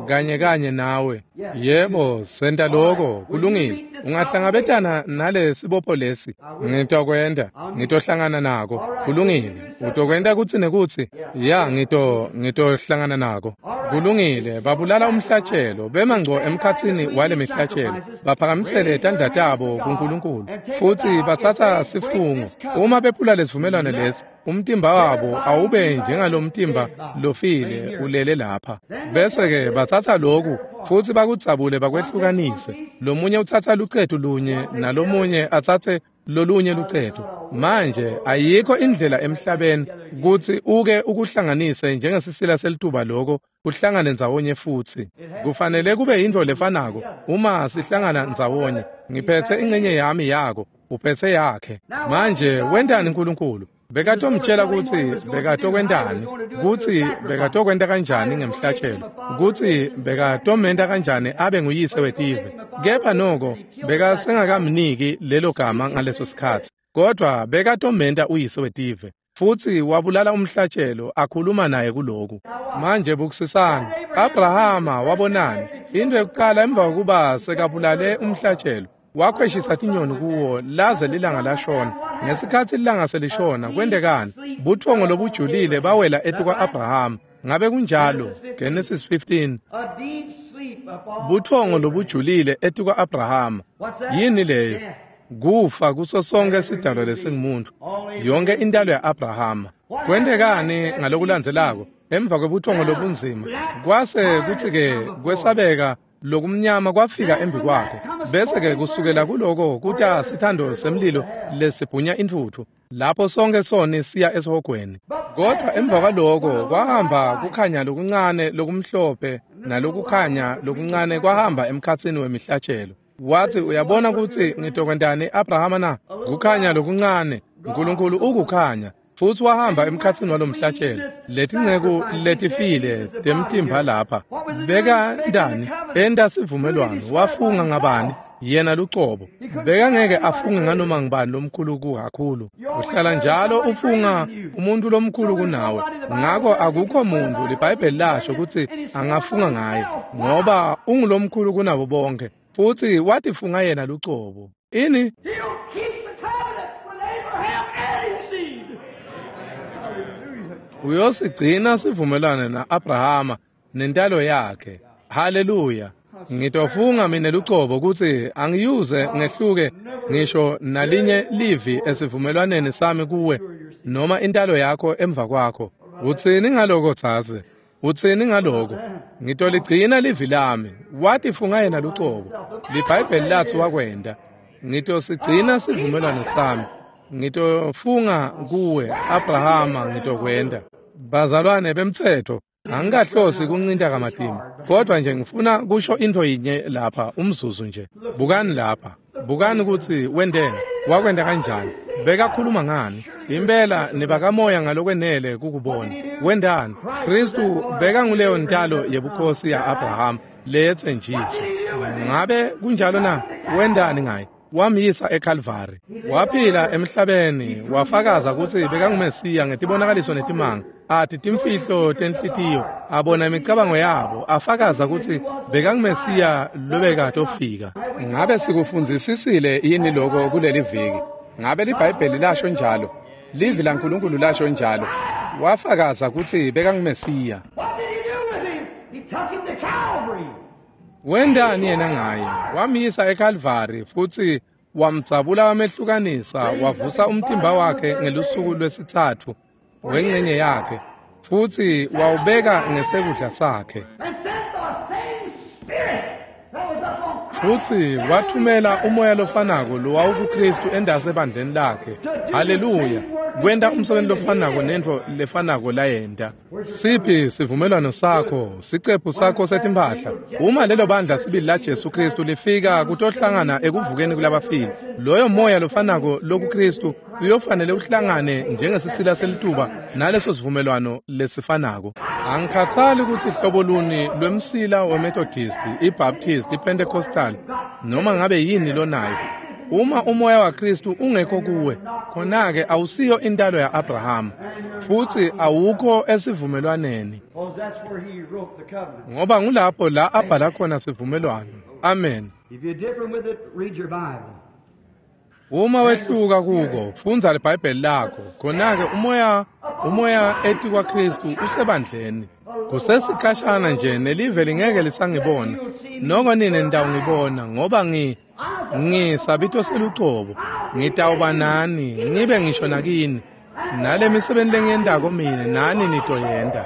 kanye kanye nawe. Yebo, senta loko, kulungile. Ungahlangabetana nale sibopho lesi, ngitokwenta, ngitohlangana nako, kulungile. Utokwenta kutsi nekutsi, ya, ngito ngitohlangana nako, kulungile. Babulala umhlatshelo, bema ngco emkhatsini wale mihlatshelo, baphakamisele tandla tabo kuNkulunkulu futsi batsatsa sifungo. Uma bephula lesivumelwano lesi, umtimba wabo awube njengalomtimba lofile ulele lapha. Bese-ke batsatsa loku futsi bakudzabule bakwehlukanise. Lomunye utsatsa lucetu lunye nalomunye atsatse lolunye lucetu. Manje ayikho indlela emhlabeni kutsi uke ukuhlanganise njengesisila selituba loko kuhlangane ndzawonye futsi. Kufanele kube yintfo lefanako uma sihlangana ndzawonye. Ngiphetse incenye yami yako, uphetse yakhe. Manje wentani uNkulunkulu? Bekatomtshela kutsi bekatokwentani, kutsi bekatokwenta kanjani ngemhlatshelo, kutsi bekatomenta kanjani abe nguyise wetive. Kepha noko bekasengakamniki lelo gama ngaleso sikhatsi, kodwa bekatomenta uyise wetive. Futsi wabulala umhlatshelo akhuluma naye kuloku. Manje bukisisani, Abrahama wabonani? Into yokuqala emva kokuba sekabulale umhlatshelo, wakhweshisa tinyoni kuwo laze lilanga lashona. Ngesikhatsi lilanga selishona, kwentekani? Butfongo lobujulile bawela etikwa-Abrahama. Ngabe kunjalo? Genesis fifteen. Butfongo lobujulile etikwa-Abrahama. Yini leyo? Kufa kuso sonke sidalwa lesingumuntu, yonke intalo ya-Abrahama. Kwentekani ngalokulandzelako? Emva kwebutfongo lobunzima, kwase kutsi-ke kwesabeka lokumnyama kwafika embi kwakhe. Bese-ke kusukela kuloko kuta sithando semlilo lesibhunya intfutfu, lapho sonke soni siya esihogweni. Kodwa emva kwaloko kwahamba kukhanya lokuncane lokumhlophe nalokukhanya lokuncane kwahamba emkhatsini wemihlatshelo. Wathi, uyabona kutsi ngitokwentani Abrahama na? Kukhanya lokuncane, uNkulunkulu ukukhanya. Futsi wahamba emkhatsini walomhlatshelo. Letinceku letifile temtimba lapha bekantani? Enta sivumelwano. Wafunga ngabani? Yena lucobo. Bekangeke afunge nganoma ngubani lomkhulu kakhulu. Uhlala njalo ufunga umuntu lomkhulu kunawe. Ngako akukho muntu liBhayibheli lasho kutsi angafunga ngaye, ngoba ungulomkhulu kunabo bonke. Futsi watifunga yena lucobo. Ini? Uyosigcina sivumelwano na-Abrahama nentalo yakhe. Haleluya. Ngitofunga mina lucobo kutsi angiyuze ngehluke ngisho nalinye livi esivumelwaneni sami kuwe noma intalo yakho emva kwakho. Utsini ngaloko dzadze? Utsini ngaloko? Ngitoligcina livi lami. Watifunga yena lucobo. LiBhayibheli lathi wakwenta. Ngitosigcina sivumelwano sami. Ngitofunga kuwe Abrahama, ngitokwenta. Bazalwane bemtsetfo, angikahlosi kuncinta kamatima, kodwa nje ngifuna kusho into yinye lapha umzuzu nje. Bukani lapha, bukani kutsi wenteni, wakwenta kanjani, bekakhuluma ngani. Impela nibakamoya ngalokwenele kukubona. Wendani? Kristu beka nguleyo ntalo yebukhosi ya-Abraham leyetsenjiswa. Ngabe kunjalo na? Wendani ngaye? Wamyisa eKalvari. Waphila emhlabeni, wafakaza kutsi bekangumesiya ngetibonakaliso netimanga. Athi timfihlo tenhlitiyo, abona imicabango yabo, afakaza kutsi bekangumesiya lobekatofika. Ngabe sikufundzisisile yini lokho kuleli viki? Ngabe liBhayibheli lasho njalo? Livi laNkulunkulu lasho njalo. Wafakaza kutsi bekangumesiya. Wendani yena ngaye? Wamyisa eKalvari futsi wamdzabula wamehlukanisa, wavusa umtimba wakhe ngelusuku lwesitsatfu wencenye yakhe, futsi wawubeka ngesekudla sakhe. Futsi wathumela umoya lofanako lowawukuKristu endase ebandleni lakhe. Haleluya! Kwenta umsebenzi lofanako nentfo lefanako layenta. Siphi sivumelwano sakho, sicephu sakho setimphahla? Uma lelo bandla sibili la Jesu Kristu lifika kutohlangana ekuvukeni kulabafile, loyo moya lofanako lokuKristu uyofanele uhlangane njengesisila selituba naleso sivumelwano lesifanako. Angikhathali kutsi hlobo luni lwemsila weMethodist, iBaptist, iPentecostal, noma ngabe yini lonayo. Uma umoya waKristu ungekho kuwe, khona-ke awusiyo intalo ya-Abraham, futsi awukho esivumelwaneni. Ngoba ngulapho la abhala khona sivumelwano. Amen. Uma wehluka kuko, fundza liBhayibheli lakho. Khona-ke umoya umoya etikwaKristu usebandleni. Kusesikhashana nje nelive lingeke lisangibona. Noko nine nitawungibona ngoba ngi ngisabito selucobo. Ngitawuba nani, ngibe ngisho nakini. Nale misebenti lengiyentako mine nani nitoyenta.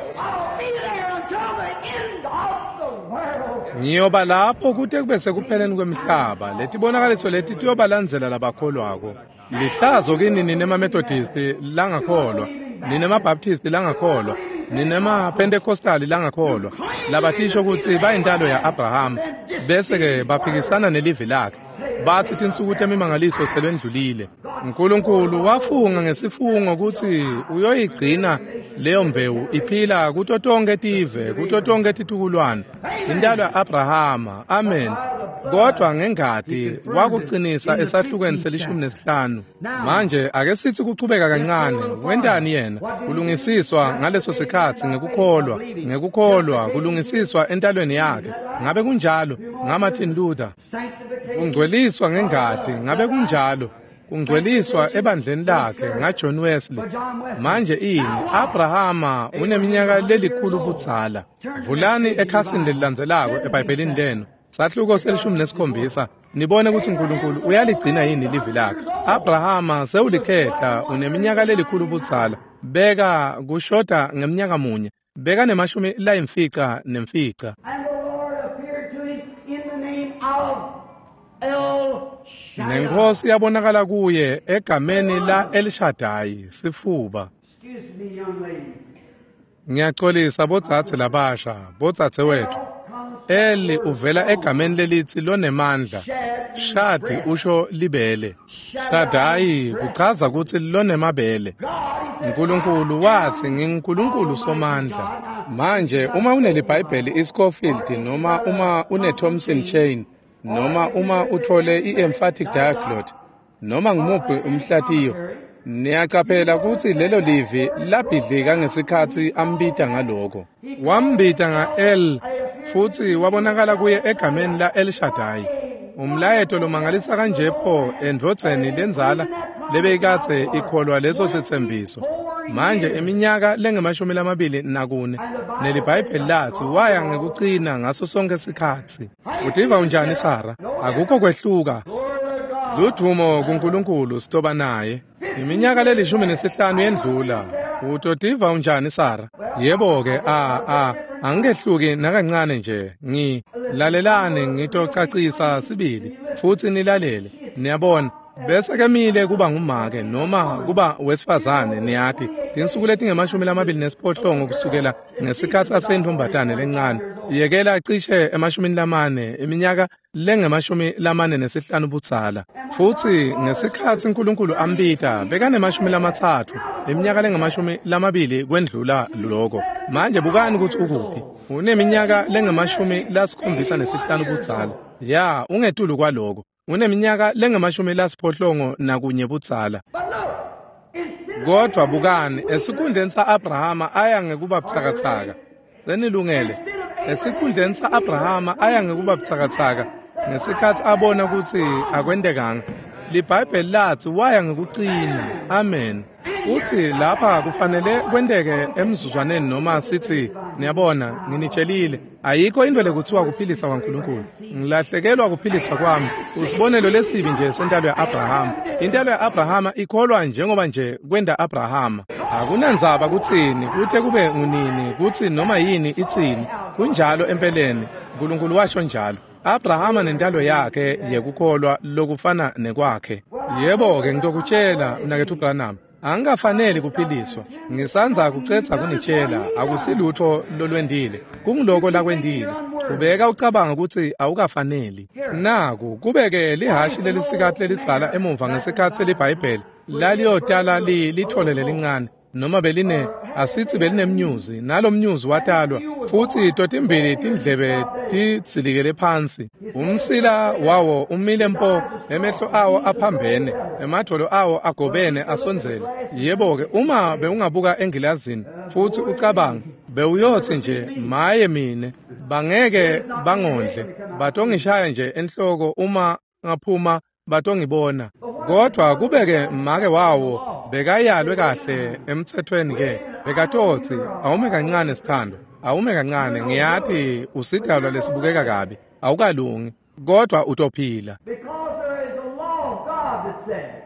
Ngiyoba lapho kute kube sekupheleni kwemhlaba. Letibonakaliso leti tiyobalandzela labakholwako. Lihlazo kini nine maMethodist langakholwa, nine maBaptist langakholwa, nine maPentecostal langakholwa, labatisho kutsi bayintalo ya-Abraham, bese-ke baphikisana nelivi lakhe. Bathi tinsuku temimangaliso selwendlulile. Nkulunkulu wafunga ngesifungo kutsi uyoyigcina leyo mbewu iphila kuto tonke tive, kuto tonke titukulwane. Intalo ya-Abrahama. Amen. Kodwa ngengati wakucinisa esahlukweni selishumi nesihlanu. Manje ake sithi kuchubeka kancane. Wentani yena? Kulungisiswa ngaleso sikhatsi ngekukholwa, ngekukholwa kulungisiswa entalweni yakhe. Ngabe kunjalo? NgaMartin Luther. Kungcweliswa ngengati. Ngabe kunjalo? Kungcweliswa ebandleni lakhe ngaJohn Wesley. Manje ini? Abrahama uneminyaka lelikhulu budzala. Vulani ekhasini lelilandzelako eBhayibhelini lenu. Sahluko selishumi nesikhombisa. Nibone ukuthi uNkulunkulu uyaligcina yini livi lakhe. Abrahama sewulikhehla uneminyaka lelikhulu budzala. Beka kushoda ngeminyaka munye. Beka nemashumi layimfica nemfica. Nenkosi yabonakala kuye egameni la El Shaddai, sifuba. Ngiyaxolisa bodzadze labasha, bodzadze wethu. Eli uvela egameni lelitsi lonemandla. Shadi usho libele. Shaddai kuchaza kutsi lonemabele. Nkulunkulu watsi nginguNkulunkulu somandla. Manje uma uneliBhayibheli iScofield noma uma une Thompson Chain noma uma uthole i-emphatic diaglot noma ngumuphi umhlatiyo, niyacaphela kutsi lelo livi labhidlika ngesikhatsi ambita ngaloko. Wambita nga-El futsi wabonakala kuye egameni la El Shaddai. Umlayeto lomangalisa kanje pho endvodzeni lendzala lebeyikadze ikholwa leso setsembiso. Manje iminyaka lengemashumi lamabili nakune neliBhayibheli latsi waya ngekucina ngaso sonke sikhatsi. Utiva unjani Sara? Akukho kwehluka. Ludvumo kuNkulunkulu sitoba naye. Iminyaka lelishumi nesihlanu yendlula. Utotiva unjani Sara? Yebo-ke, a a angikehluki nakancane nje. Ngi lalelani ngitocacisa sibili futsi nilalele. Niyabona, bese kemile kuba ngumake noma kuba wesifazane niyati tinsuku letingemashumi lamabili nesiphohlongo kusukela ngesikhatsi aseyintombatane lencane. Yekela cishe emashumini lamane, iminyaka lengemashumi lamane nesihlanu budzala. Futsi ngesikhatsi uNkulunkulu ambita bekanemashumi lamatsatfu, iminyaka lengemashumi lamabili kwendlula loko. Manje bukani kutsi ukuphi. Uneminyaka lengemashumi lasikhombisa nesihlanu budzala. Ya, ungetulu kwaloko. Uneminyaka lengemashumi lasiphohlongo nakunye budzala. Kodwa bukani, esikhundleni sa-Abrahama aya ngekuba butsakatsaka. Senilungele. Esikhundleni sa-Abrahama aya ngekuba butsakatsaka ngesikhatsi abona kutsi akwentekanga. LiBhayibheli latsi waya ngekuqina. Amen. Futsi lapha kufanele kwenteke emzuzwaneni noma sithi niyabona nginitshelile ayikho into lekuthiwa kuphilisa kwaNkulunkulu. Ngilahlekelwa kuphiliswa kwami. Usibonelo lesibi nje sentalo ya-Abrahama. Intalo ya-Abrahama ikholwa njengoba nje kwenda Abrahama. Akunandzaba kutsini, kuthe kube ngunini, kutsi noma yini itsini. Kunjalo empeleni, uNkulunkulu washo njalo. Abrahama nentalo yakhe yekukholwa lokufana nekwakhe. Yebo-ke ngitokutshela mnaketfu Branham, angikafaneli kuphiliswa. Ngisandza kucedza kunitshela, akusilutho lolwendile. Kungiloko lakwendile. Ubeka ucabanga kutsi awukafaneli. Naku kubeke lihashi lelisikati lelidzala emuva ngesikhatsi seliBhayibheli laliyotala li lithole lelincane noma beline asithi belinemnyuzi, nalomnyuzi watalwa futsi totimbili tindlebe tidzilikele phansi, umsila wawo umile mpo, emehlo awo aphambene, emadvolo awo agobene asondzele. Yebo-ke, uma bewungabuka engilazini futsi ucabanga, bewuyothi nje maye mine, bangeke bangondle, batongishaya nje enhloko uma ngaphuma batongibona. Kodwa kubeke make wawo bekayalwe kahle emthethweni ke, bekatotsi awume kancane sithando, awume kancane, ngiyati usidalwa lesibukeka kabi, awukalungi, kodwa utophila. Because there is a law of God that says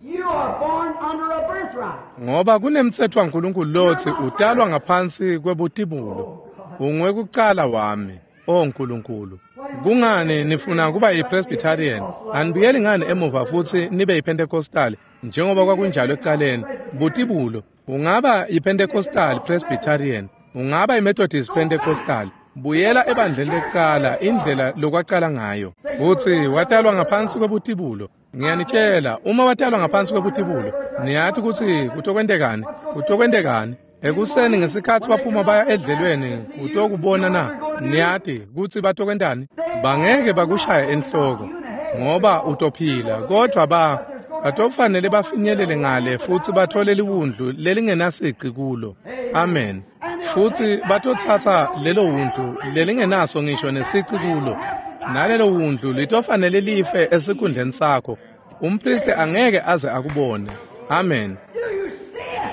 you are born under a birthright. Ngoba kunemthetho waNkulunkulu lotsi utalwa ngaphansi kwebutibulo. Ungwekucala wami, o Nkulunkulu. Kungani nifuna kuba yiPresbyterian? Anibuyeli ngani emuva futsi nibe yiPentecostal njengoba kwakunjalo ekucaleni? Butibulo, ungaba yiPentecostal Presbyterian, ungaba yiMethodist Pentecostal. Buyela ebandleni lekucala indlela lokwacala ngayo. Utsi watalwa ngaphansi kwebutibulo. Ngiyanitshela, uma watalwa ngaphansi kwebutibulo, niyati kutsi kutokwentekani? Kutokwentekani? Ekuseni ngesikhatsi baphuma baya edlelweni kutokubona na, niyati kutsi batokwentani? Bangeke bakushaya enhloko ngoba utophila, kodwa ba batofanele bafinyelele ngale futsi bathole liwundlu lelingenasici kulo. Amen. Futsi batotsatsa lelo wundlu lelingenaso ngisho nesici kulo, nalelo wundlu litofanele life esikhundleni sakho. Umpristi angeke aze akubone. Amen. Do you see it?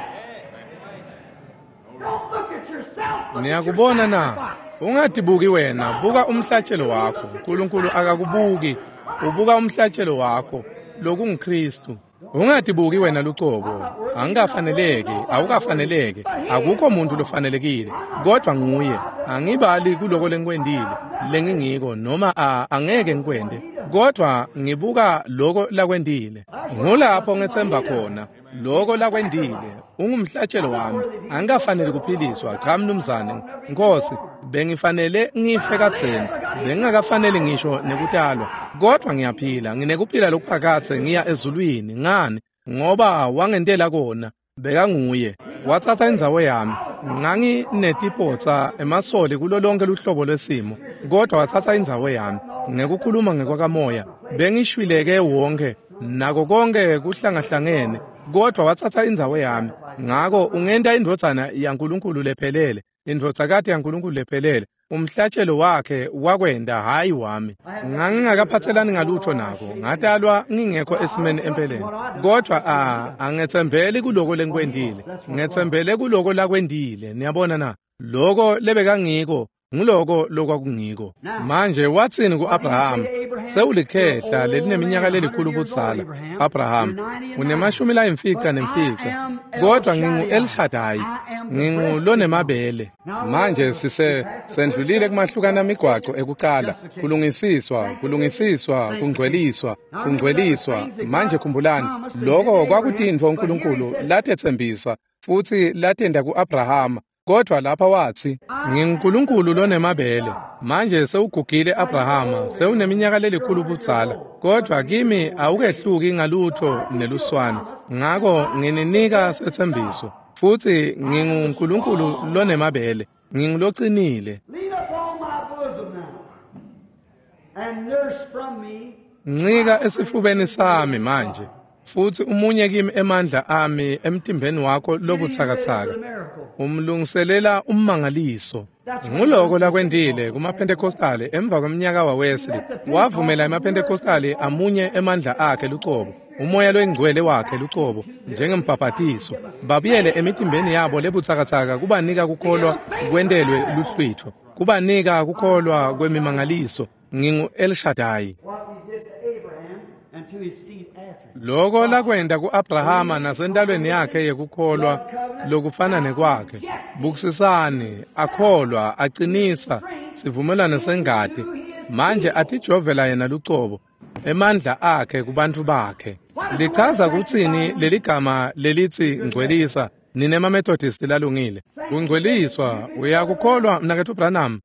Don't look at yourself. Look at your Niyakubona na? sacrifice. Ungatibuki wena, buka umhlatshelo wakho. uNkulunkulu akakubuki, ubuka umhlatshelo wakho, lokunguKristu. Ungatibuki wena lucobo. Angikafaneleki, awukafaneleki, akukho muntu lofanelekile, kodwa nguye. Angibali kuloko lengikwentile, lengingiko noma a angeke ngikwente, kodwa ngibuka loko lakwentile. Ngulapho ngethemba khona, loko lakwentile. Ungumhlatshelo wami. Angikafaneli kuphiliswa, cha mnumzane. Nkosi, bengifanele ngife kadzeni, bengingakafaneli ngisho nekutalwa, kodwa ngiyaphila, nginekuphila lokuphakadze ngiya ezulwini. Ngani? Ngoba wangentela kona. Bekanguye. Watsatsa indzawo yami. Nganginetipotsa emasoli kulo lonke luhlobo lwesimo, kodwa watsatsa indzawo yami. Ngekukhuluma ngekwakamoya, bengishwileke wonke, nako konke kuhlangahlangene, kodwa watsatsa indzawo yami. Ngako ungenta indvodzana yaNkulunkulu lephelele, indvodzakati yaNkulunkulu lephelele. Umhlatshelo wakhe wakwenda, hayi wami. Ngangingakaphathelani ngalutho nako, ngatalwa ngingekho esimeni empeleni. Kodwa a angetsembeli kuloko lengikwentile, ngetsembele kuloko lakwentile. Niyabona na? Loko lebekangiko nguloko lokwakungiko. Manje watsini ku-Abrahama? Sewulikhehla lelineminyaka lelikhulu budzala. Abrahama, unemashumi layimfica nemfica, kodwa ngingu-El Shaddai, ngingulonemabele. Manje sise sendlulile kumahlukana migwaco ekucala, kulungisiswa, kulungisiswa, kungcweliswa, kungcweliswa. Manje khumbulani, loko kwakutintfo uNkulunkulu latetsembisa futsi latenta ku-Abrahama. Kodwa lapha watsi, nginguNkulunkulu lonemabele. Manje sewugugile Abrahama, sewuneminyaka lelikhulu budzala, kodwa kimi awukehluki ngalutho neluswane. Ngako ngininika setsembiso, futsi nginguNkulunkulu lonemabele, ngingulocinile. Ncika esifubeni sami manje, futsi umunye kimi emandla ami emtimbeni wakho lobutsakatsaka. Umlungiselela ummangaliso. Nguloko lakwentile kumaPhentekostali emva kweminyaka waWesley. Wavumela emaPhentekostali amunye emandla akhe lucobo, umoya loyingcwele wakhe lucobo, njengembhabhatiso. Babuyele emitimbeni yabo lebutsakatsaka kubanika kukholwa kwentelwe luhlwitfo, kubanika kukholwa kwemimangaliso. Ngingu El Shaddai. Loko lakwenta ku-Abrahama nasentalweni yakhe yekukholwa lokufana nekwakhe. Bukisisani, akholwa, acinisa sivumelwano sengati. Manje atijovela yena lucobo, emandla akhe kubantfu bakhe. Lichaza kutsini leligama lelitsi ngcwelisa, nine maMethodist lalungile? Kungcweliswa, uyakukholwa mnaketfu Branham?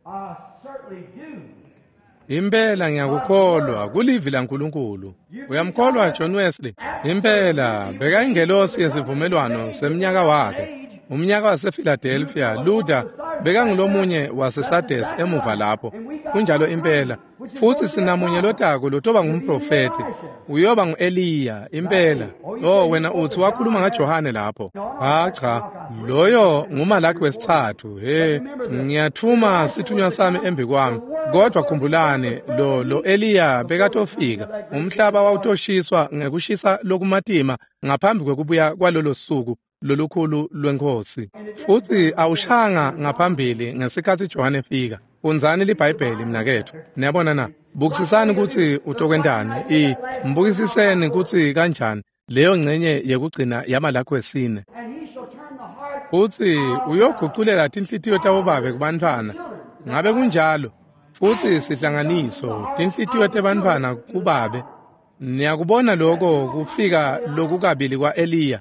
Impela ngiyakukholwa, kulivi laNkulunkulu. Uyamkholwa John Wesley? Impela bekayingelosi yesivumelwano semnyaka wakhe. Umnyaka wasePhiladelphia, Luther bekangulomunye waseSardes emuva lapho. Kunjalo impela. Futsi sinamunye lotako lotoba ngumprofethi. Uyoba ngu-Eliya, impela. Oh, wena utsi wakhuluma ngaJohane lapho. Ha cha, loyo nguMalaki wesitsatfu. He, ngiyathuma sithunywa sami embi kwami. Kodwa khumbulani, lo lo Eliya bekatofika. Umhlaba wawutoshiswa ngekushisa lokumatima ngaphambi kwekubuya kwalolo suku lolukhulu lweNkhosi. Futsi awushanga ngaphambili ngesikhatsi Johane efika. Fundzani liBhayibheli mnaketfu. Niyabona na? Bukisisani kutsi utokwentani. I mbukisiseni kutsi kanjani leyo ngcenye yekugcina yaMalaki wesine. Futsi uyoguculela tinhlitiyo tabobabe kubantfwana. Ngabe kunjalo? Futsi sihlanganiso tinhlitiyo tebantfwana kubabe. Niyakubona lokho kufika lokukabili kwa-Eliya.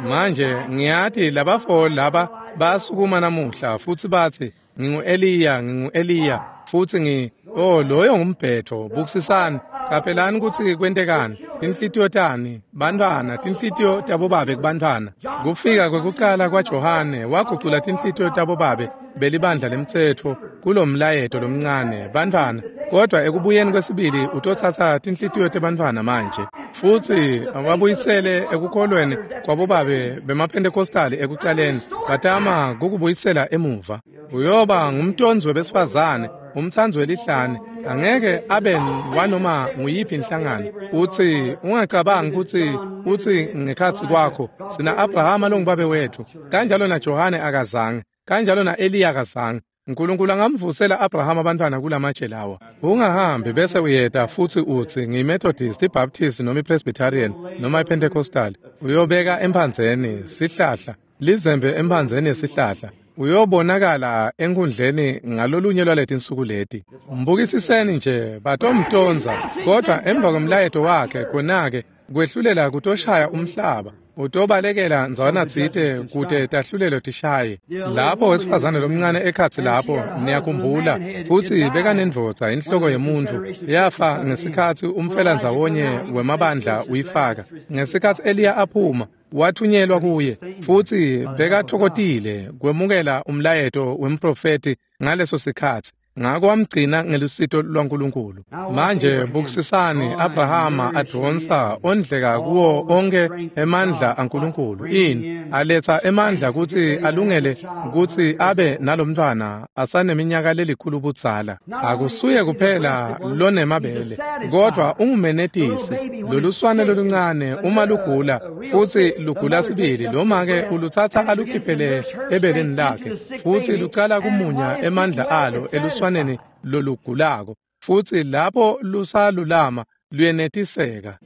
Manje ngiyati labafo laba basukuma namuhla futsi batsi ngingu-Eliya, ngingu-Eliya, futsi ngi oh loyo ngumbhetho. Bukisisani, caphelani kutsi kwentekani. Tinhlitiyo tani bantfwana, tinhlitiyo tabobabe kubantfwana. Kufika kwekucala kwaJohane wagucula tinhlitiyo tabobabe belibandla lemtsetfo kulomlayeto lomncane bantfwana, kodwa ekubuyeni kwesibili utotsatsa tinhlitiyo tebantfwana manje futsi wabuyisele ekukholweni kwabobabe bemaPhentekostali ekucaleni, batama kukubuyisela emuva. Uyoba ngumtonzi webesifazane, umtsandzi welihlane, angeke abe wanoma nguyiphi inhlangano. Utsi ungacabangi kutsi utsi ngekhatsi kwakho sina Abrahama longubabe wetfu, kanjalo naJohane akazange, kanjalo na-Eliya akazange. uNkulunkulu angamvusela Abrahama abantwana kulamatshe lawa. Ungahambi bese uyeta futsi utsi ngiyiMethodist, iBaptist noma iPresbyterian noma iPentecostal. Uyobeka emphandzeni sihlahla, lizembe emphandzeni yesihlahla. Uyobonakala enkundleni ngalolunye lwaletinsuku leti. Mbukisiseni nje batomtonza, kodwa emva kwemlayeto wakhe khona-ke kwehlulela kutoshaya umhlaba. Utobalekela ndzawana tsite kute tahlulelo tishaye. Lapho wesifazane lomncane ekhatsi lapho, niyakhumbula, futsi bekanendvodza inhloko yemuntfu yafa ngesikhatsi umfelandzawonye wemabandla uyifaka. Ngesikhatsi Eliya aphuma, wathunyelwa kuye, futsi bekatfokotile kwemukela umlayeto wemprofethi ngaleso sikhatsi. Ngako wamgcina ngelusito lwaNkulunkulu. Manje bukisisani Abrahama advonsa ondleka kuwo onke emandla aNkulunkulu. Ini aletsa emandla kutsi alungele kutsi abe nalomntfwana asaneminyaka lelikhulu budzala. Akusuye kuphela lonemabele, kodwa ungumenetisi. Loluswane loluncane uma lugula futsi lugula sibili, noma-ke ulutsatsa alukhiphele ebeleni lakhe futsi lucala kumunya emandla alo eluswaneni lolugulako, futsi lapho lusalulama luyenetiseka.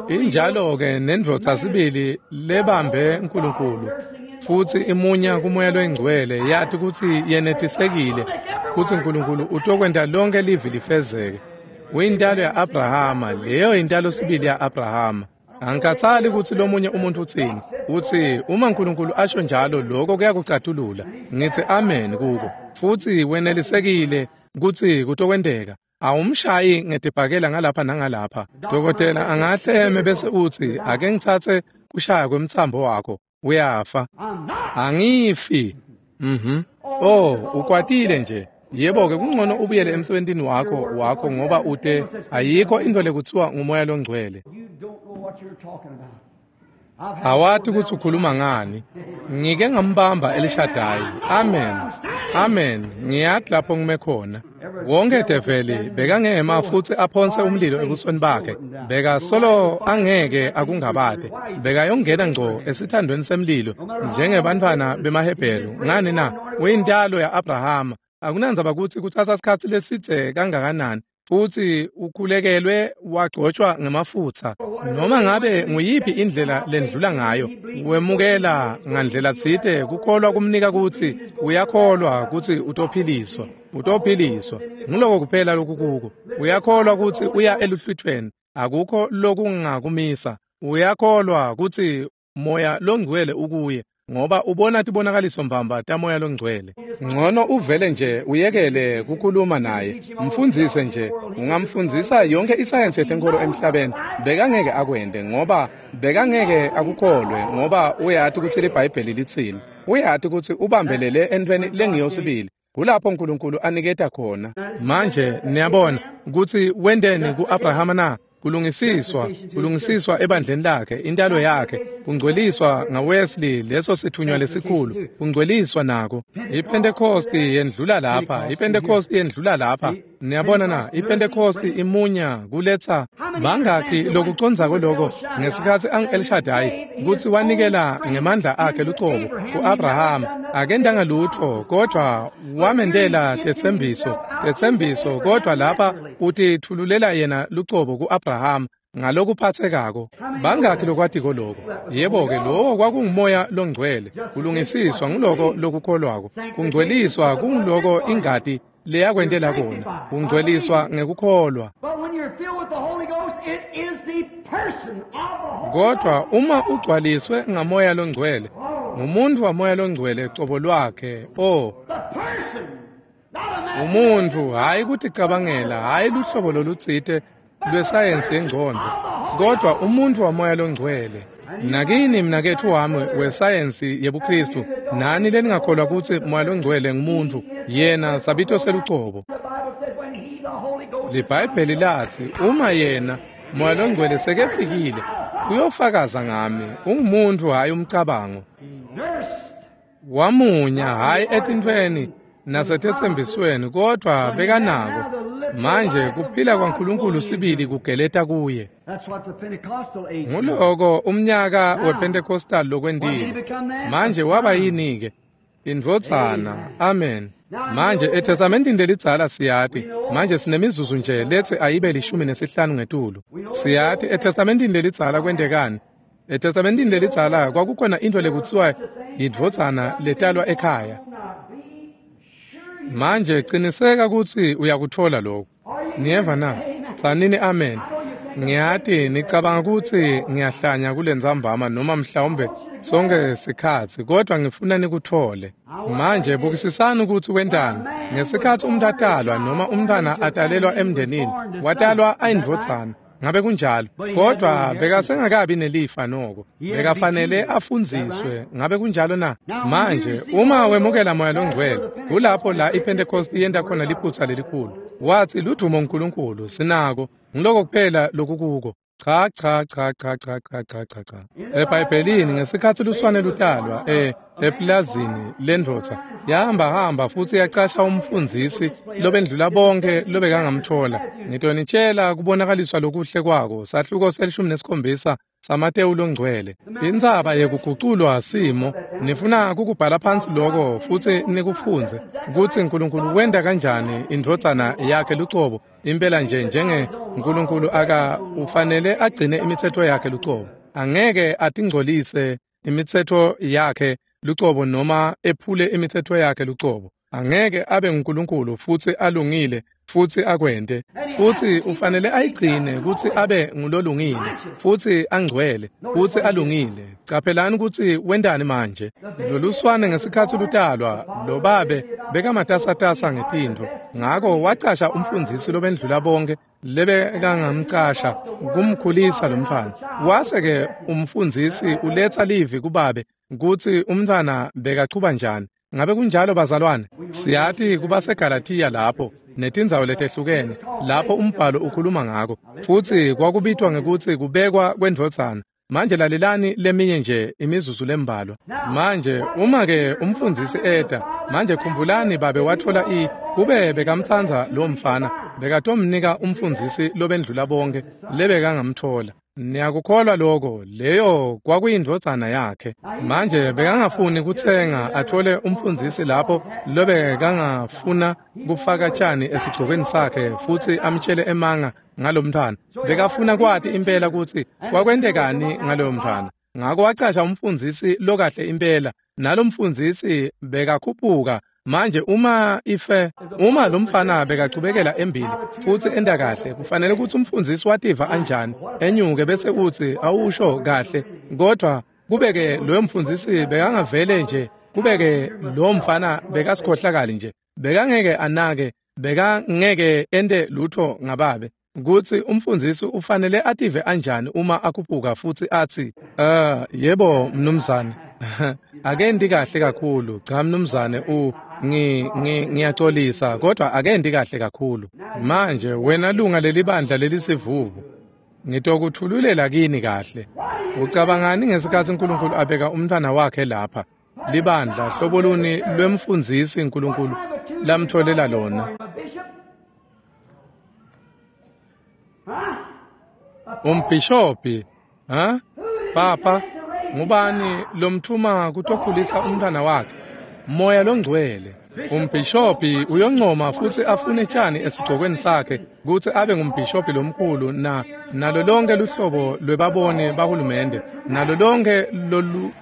Injalo-ke nendvodza sibili lebambe uNkulunkulu futsi imunya kumoya loyingcwele, yati kutsi yenetisekile kutsi uNkulunkulu utokwenta lonke livi lifezeke. Uyintalo ya-Abrahama, leyo intalo sibili ya-Abrahama. Angikhathali kutsi lomunye umuntu utsini. Utsi uma uNkulunkulu asho njalo lokho kuyakucatulula. Ngitsi amen kuko. Futsi wenelisekile kutsi kutokwenteka. Awumshayi ngetibhakela ngalapha nangalapha. Dokotela angahle eme bese utsi ake ngitsatse kushaya kwemtsambo wakho. Uyafa. Angifi. Mhm. Oh, ukwatile nje. Yebo ke kungcono ubuyele emsebentini wakho wakho ngoba ute ayikho into lekuthiwa ngumoya longcwele. Awati kutsi ukhuluma ngani. Ngike ngambamba Elishadayi. Amen. Amen. Ngiyati lapho ngime khona. Wonke develi bekangema futsi aphonse umlilo ebusweni bakhe. Beka solo angeke akungabate. Bekayongena ngco esithandweni semlilo njengebantfwana bemaHebheru. Ngani na? Uyintalo ya-Abrahama. Akunandzaba kutsi kutsatsa sikhatsi lesidze kangakanani. Futsi ukhulekelwe wagcotshwa ngemafutsa. Noma ngabe nguyiphi indlela lendlula ngayo, wemukela ngandlela tsite kukholwa kumnika kutsi uyakholwa kutsi utophiliswa. Utophiliswa. Nguloko kuphela lokukuko. Uyakholwa kutsi uya eluhlwitfweni. Akukho lokungakumisa. Uyakholwa kutsi moya longcwele ukuye. Ngoba ubona tibonakaliso mbamba tamoya longcwele. Ngcono uvele nje uyekele kukhuluma naye. Mfundzise nje. Ungamfundzisa yonke isayensi yetenkolo emhlabeni. Bekangeke akwente ngoba bekangeke akukholwe ngoba uyati kutsi liBhayibheli litsini. Uyati kutsi ubambelele entweni lengiyosibili. Kulapho uNkulunkulu aniketa khona. Manje niyabona kutsi wenteni ku-Abrahama na? Kulungisiswa, kulungisiswa ebandleni lakhe, intalo yakhe, kungcweliswa ngaWesley leso sithunywa lesikhulu, kungcweliswa nako. IPentecost yendlula lapha, iPentecost yendlula lapha. Niyabona na, iPentecost imunya kuletsa bangakhi lokucondzako lokho ngesikhatsi ang-El Shaddai kutsi wanikela ngemandla akhe lucobo ku-Abraham. Akentanga lutfo kodwa wamendela tetsembiso, tetsembiso kodwa lapha utithululela yena lucobo ku-Abraham ngalokuphathekako. Bangakhi lokwatiko lokho? Yebo ke lowo kwakungumoya longcwele. Kulungisiswa nguloko lokukholwako. Kungcweliswa kunguloko ingati leyakwentela kona. Kungcweliswa ngekukholwa. Kodwa uma ugcwaliswe ngamoya longcwele, ngumuntu wamoya longcwele cobo lwakhe. Oh, umuntu hayi kuticabangela, hayi luhlobo lolutsite lwesayensi yengcondvo, kodwa umuntu wamoya longcwele. Nakini mnaketfu wami wesayensi yebuKristu, nani leningakholwa kutsi moya longcwele ngumuntu, yena sabito selucobo. LiBhayibheli latsi uma yena moya longcwele sekefikile, uyofakaza ngami. Ungumuntu hayi umcabango. Wamunya hayi etintfweni nasetetsembisweni kodwa bekanako. Manje kuphila kwaNkulunkulu sibili kugeleta kuye. Nguloko umnyaka wePentecostal lokwentile. Manje waba yini ke? Indvodzana. Amen. Manje eTestamentini lelidzala siyati. Manje sinemizuzu nje letsi ayibe lishumi nesihlanu ngetulu. Siyati eTestamentini lelidzala kwentekani. ETestamentini lelidzala kwakukhona into lekutsiwa yindvodzana letalwa ekhaya. Manje qiniseka kutsi uyakutfola lokho. Niyeva na? Tsanini amen. Ngiyati nicabanga kutsi ngiyahlanya kulentsambama noma mhlawumbe sonke sikhatsi, kodwa ngifuna nikutfole. Manje bukisisani kutsi wentani. Ngesikhatsi umuntu atalwa noma umntwana atalelwa emndenini, watalwa ayindvodzana. Ngabe kunjalo? Kodwa bekasengakabi nelifa noko. Bekafanele afundziswe. Ngabe kunjalo na? Manje uma wemukela moya longcwele, kulapho la iPentecost yenta khona liphutsa lelikhulu. Watsi ludumo uNkulunkulu sinako. Ngiloko kuphela lokukuko. Cha cha cha cha cha cha cha cha cha. EBhayibhelini ngesikhatsi luswane lutalwa eh eplazini lendvodza yahamba hamba futsi yacasha umfundzisi lobendlula bonke lobekangamthola. Ngitonitshela kubonakaliswa lokuhle kwako. Sahluko selishumi nesikhombisa saMatewu longcwele. Intsaba yekuguculwa simo. Nifuna kukubhala phansi lokho futsi nikufundze kutsi uNkulunkulu wenta kanjani indvodzana yakhe lucobo. Impela nje njenge uNkulunkulu aka ufanele agcine imitsetfo yakhe lucobo. Angeke atingcolise imitsetfo yakhe lucobo noma ephule imitsetfo yakhe lucobo. Angeke abe nguNkulunkulu futsi alungile futsi akwente. Futsi ufanele ayigcine kutsi abe ngulolungile futsi angcwele futsi alungile. Caphelani kutsi wentani manje. Loluswane ngesikhatsi lutalwa, lo babe bekamatasatasa ngetintfo. Ngako wacasha umfundzisi lobendlula bonke lebekangamcasha kumkhulisa lo mntfwana. Wase-ke umfundzisi uletsa livi kubabe kutsi umntfwana bekachuba njani. Ngabe kunjalo bazalwane? Siyati kubaseGalatiya lapho netindzawo letehlukene lapho umbhalo ukhuluma ngako, futsi kwakubitwa ngekutsi kubekwa kwendvodzana. Manje lalelani leminye nje imizuzu lembalwa. Manje uma-ke umfundzisi eta, manje khumbulani babe watfola i kube bekamtsandza lo mfana, bekatomnika umfundzisi lobendlula bonke lebekangamtfola. Niyakukholwa lokho, leyo kwakuyindvodzana yakhe. Manje bekangafuni kutsenga athole umfundzisi lapho lobekangafuna kufaka tjani esigcokweni sakhe futsi amtshele emanga ngalomntfwana. Bekafuna kwati impela kutsi kwakwentekani ngaloyo mntfwana. Ngako wacasha umfundzisi lokahle impela, nalomfundzisi bekakhuphuka. Manje uma ife uma lo mfana bekachubekela embili futsi enta kahle, kufanele kutsi umfundzisi wativa anjani, enyuke bese utsi awusho kahle. Kodwa kubeke loyo mfundzisi bekangavele nje, kubeke lo mfana bekasikhohlakali nje, bekangeke anake, bekangeke ente lutho ngababe. Kutsi umfundzisi ufanele ative anjani uma akhuphuka futsi atsi, "Uh yebo mnumzane, akendi kahle kakhulu. Cha mnumzane, u ngi ngiyaxolisa, kodwa akendi kahle kakhulu." Manje wena lunga lelibandla lelisivuvu, ngitokuthululela kini kahle. Ucabangani ngesikhatsi uNkulunkulu abeka umntwana wakhe lapha libandla, hlobo luni lwemfundzisi uNkulunkulu lamtholela lona? Umbhishobhi, ha? Papa, ngubani lomthuma kutokhulisa umntwana wakhe? Moya longcwele. Umbhishobhi uyoncoma futsi afune tjani esigcokweni sakhe kutsi abe ngumbhishobhi lomkhulu na nalo lonke luhlobo lwebaboni bahulumende, nalo lonke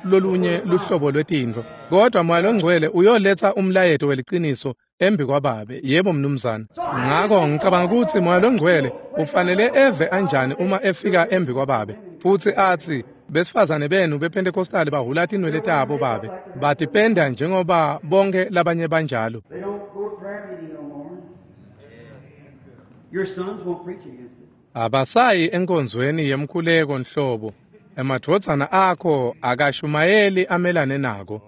lolunye luhlobo lwetintfo. Kodwa Moya longcwele uyoletsa umlayeto weliciniso embi kwababe. Yebo mnumzane. Ngako ngicabanga kutsi Moya longcwele ufanele eve anjani uma efika embi kwababe futsi atsi, besifazane benu bePentecostal bahula tinwele tabo babe, batipenda njengoba bonke labanye banjalo. Abasayi enkonzweni yemkhuleko nhlobo. Emadvodzana akho akashumayeli amelane nako.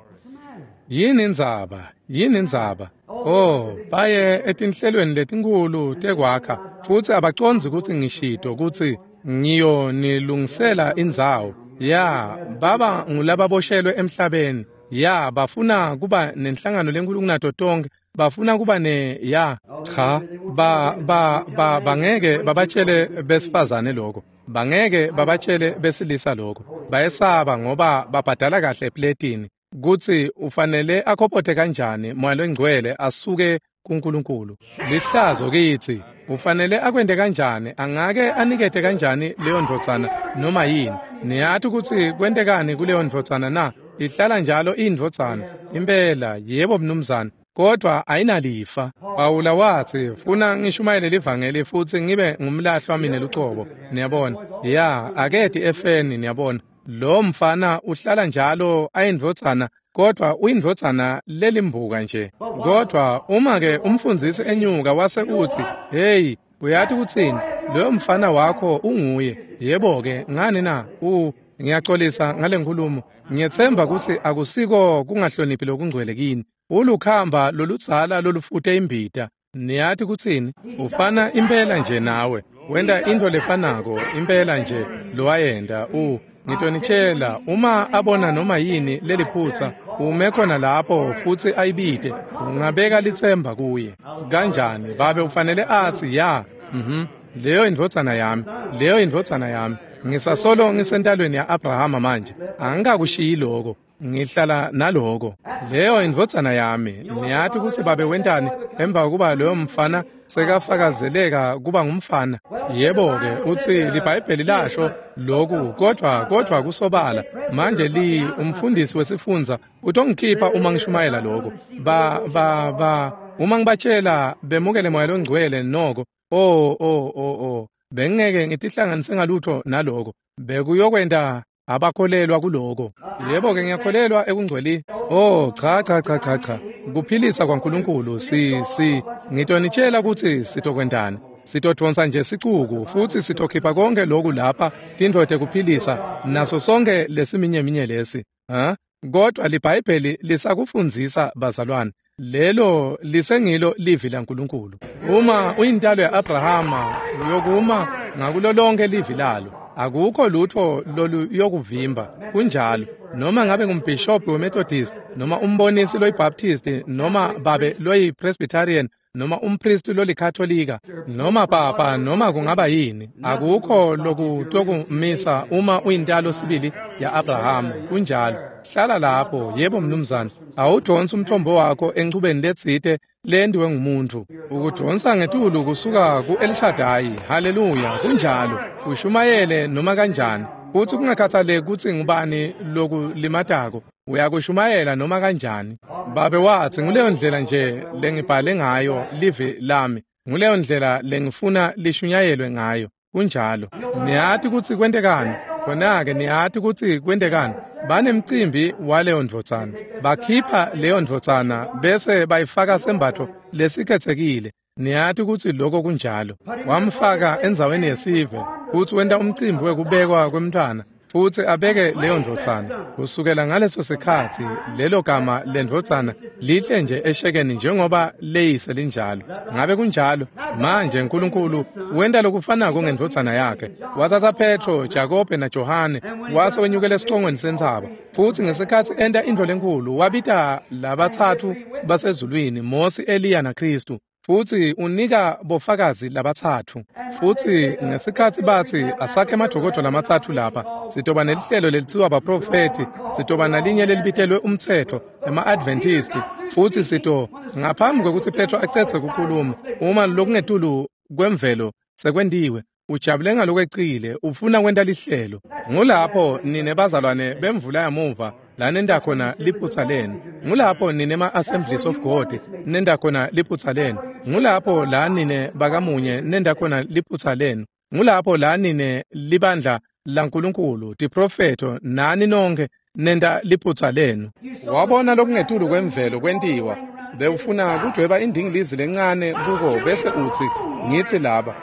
Yini indzaba? Yini indzaba? Oh, baye etinhlelweni letinkhulu tekwakha futsi abacondzi kutsi ngishito kutsi ngiyonilungisela indzawo. Ya, baba ngulababoshelwe emhlabeni. Ya, bafuna kuba nenhlangano lenkulu kunato tonke. Bafuna kuba ne ya cha ba ba ba bangeke babatshele besifazane lokho. Bangeke babatshele besilisa lokho. Bayesaba ngoba babhadala kahle epletini. Kutsi ufanele akhopote kanjani Moya longcwele asuke kuNkulunkulu. Lihlazo kitsi. Ufanele akwente kanjani, angake anikete kanjani leyo ndvodzana noma yini? Niyati kutsi kwentekani kuleyo ndvodzana na? Ihlala njalo indvodzana impela. Yebo mnumzane, kodwa ayinalifa. Pawula watsi, funa ngishumayele livangeli futsi ngibe ngumlahlwa mine lucobo. Niyabona? Ya, aketi efeni. Niyabona, lo mfana uhlala njalo ayindvodzana, kodwa uyindvodzana lelimbuka nje. Kodwa uma ke umfundzisi enyuka wase uthi, "Hey, uyati kutsini? Loyo mfana wakho unguye." Yebo ke, ngani na? U ngiyaxolisa ngale nkulumo. Ngiyethemba kutsi akusiko kungahloniphi lokungcwele kini. Ulukhamba loludzala lolufute imbita. Niyati kutsini? Ufana impela nje nawe. Wenta intfo lefanako impela nje lowayenta. U ngitonitshela, uma abona noma yini leliphutsa, ume khona lapho futsi ayibite, ungabeka litsemba kuye. Kanjani? Babe ufanele atsi, ya, mhm, leyo indvodzana yami, leyo indvodzana yami. Ngisasolo ngisentalweni ya-Abrahama manje. Angikakushiyi lokho. Ngihlala naloko. Leyo indvodzana yami. Niyati kutsi babe wentani emva kokuba loyo mfana Sekafakazeleka kuba ngumfana. Yebo-ke, utsi liBhayibheli lasho lokhu, kodvwa kodvwa kusobala. Manje li umfundisi wesifundza utongikhipha uma ngishumayela lokho. Ba ba ba uma ngibatshela bemukele Moya loNgcwele noko. Oh oh oh oh bengeke ngitihlanganise ngalutho naloko. Bekuyokwenta abakholelwa kuloko. Yebo-ke, ngiyakholelwa ekungcweleni. Oh cha cha cha cha cha. Kuphilisa kwaNkulunkulu si si ngitonitshela ukuthi sitokwentani. Sitodvonsa nje sicuku futsi sitokhipha konke lokhu lapha tintfo tekuphilisa naso sonke lesiminyeminye lesi. Ha? Kodwa liBhayibheli lisakufundzisa bazalwane. Lelo lisengilo livi laNkulunkulu. Uma uyintalo ya-Abrahama uyokuma ngakulo lonke livi lalo. Akukho lutho loluyokuvimba. Kunjalo. Noma ngabe ngumbhishobhi weMethodist, noma umbonisi loyiBaptist, noma babe loyiPresbyterian, noma umpristi lolikatolika, noma papa, noma kungaba yini, akukho lokutokumisa uma uyintalo sibili ya-Abrahama. Kunjalo. Hlala lapho. Yebo mnumzane. Awudonsi umthombo wakho enchubeni letsite lendiwe ngumuntu. Ukudonsa ngetulu kusuka ku-El Shaddai. Haleluya. Kunjalo. Ushumayele noma kanjani. Futsi kungakhathaleki kutsi ngubani lokulimatako, uyakushumayela noma kanjani. Babe watsi nguleyo ndlela nje lengibhale ngayo livi lami, nguleyo ndlela lengifuna lishunyayelwe ngayo. Kunjalo. Niyati kutsi kwentekani? Khona-ke niyati kutsi kwentekani? Banemcimbi waleyo ndvodzana. Bakhipha leyo ndvodzana bese bayifaka sembatfo lesikhetsekile. Niyati kutsi lokho kunjalo. Wamfaka endzaweni yesive futsi wenta umcimbi wekubekwa kwemntfwana futsi abeke leyo ndvodzana. Kusukela ngaleso sikhatsi lelo gama lendvodzana lihle nje eshekeni njengoba leyise linjalo. Ngabe kunjalo? Manje uNkulunkulu wenta lokufanako ngendvodzana yakhe. Watsatsa Petro, Jakobe naJohane wase wenyukela esicongweni sentsaba. Futsi ngesikhatsi enta intfo lenkhulu wabita labatsatfu basezulwini, Mosi, Eliya naKhristu. Futsi unika bofakazi labatsatfu. Futsi ngesikhatsi batsi asakhe emadokodvo lamatsatfu lapha, sitoba nelihlelo lelitsiwa baprofethi, sitoba nalinye lelibitelwe umtsetfo, ema-Adventisti, futsi sito ngaphambi kwekutsi Petro acedze kukhuluma, uma lokungetulu kwemvelo sekwentiwe, ujabule ngalokwecile, ufuna kwenta lihlelo. Ngulapho nine bazalwane bemvula yamuva lanenta khona liphutsa lenu. Ngulapho nine ma-Assemblies of God nenta khona liphutsa lenu. Ngulapho la nine bakamunye nenta khona liphutsa lenu. Ngulapho la nine libandla laNkulunkulu, tiprofetho nani nonke nenta liphutsa lenu. Wabona lokungetulu kwemvelo kwentiwa. Bewufuna kudweba indingilizi lencane kuko bese utsi ngitsi laba.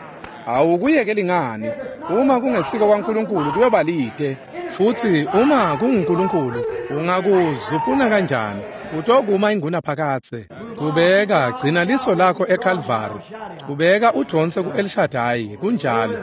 Awukuyekeli ngani? Uma kungesiko kwaNkulunkulu kuyoba lite. Futsi uma kunguNkulunkulu ungakuzupuna kanjani? Utokuma inguna phakatse. Kubeka gcina liso lakho eCalvary. Kubeka udvonse ku-El Shaddai. Kunjalo.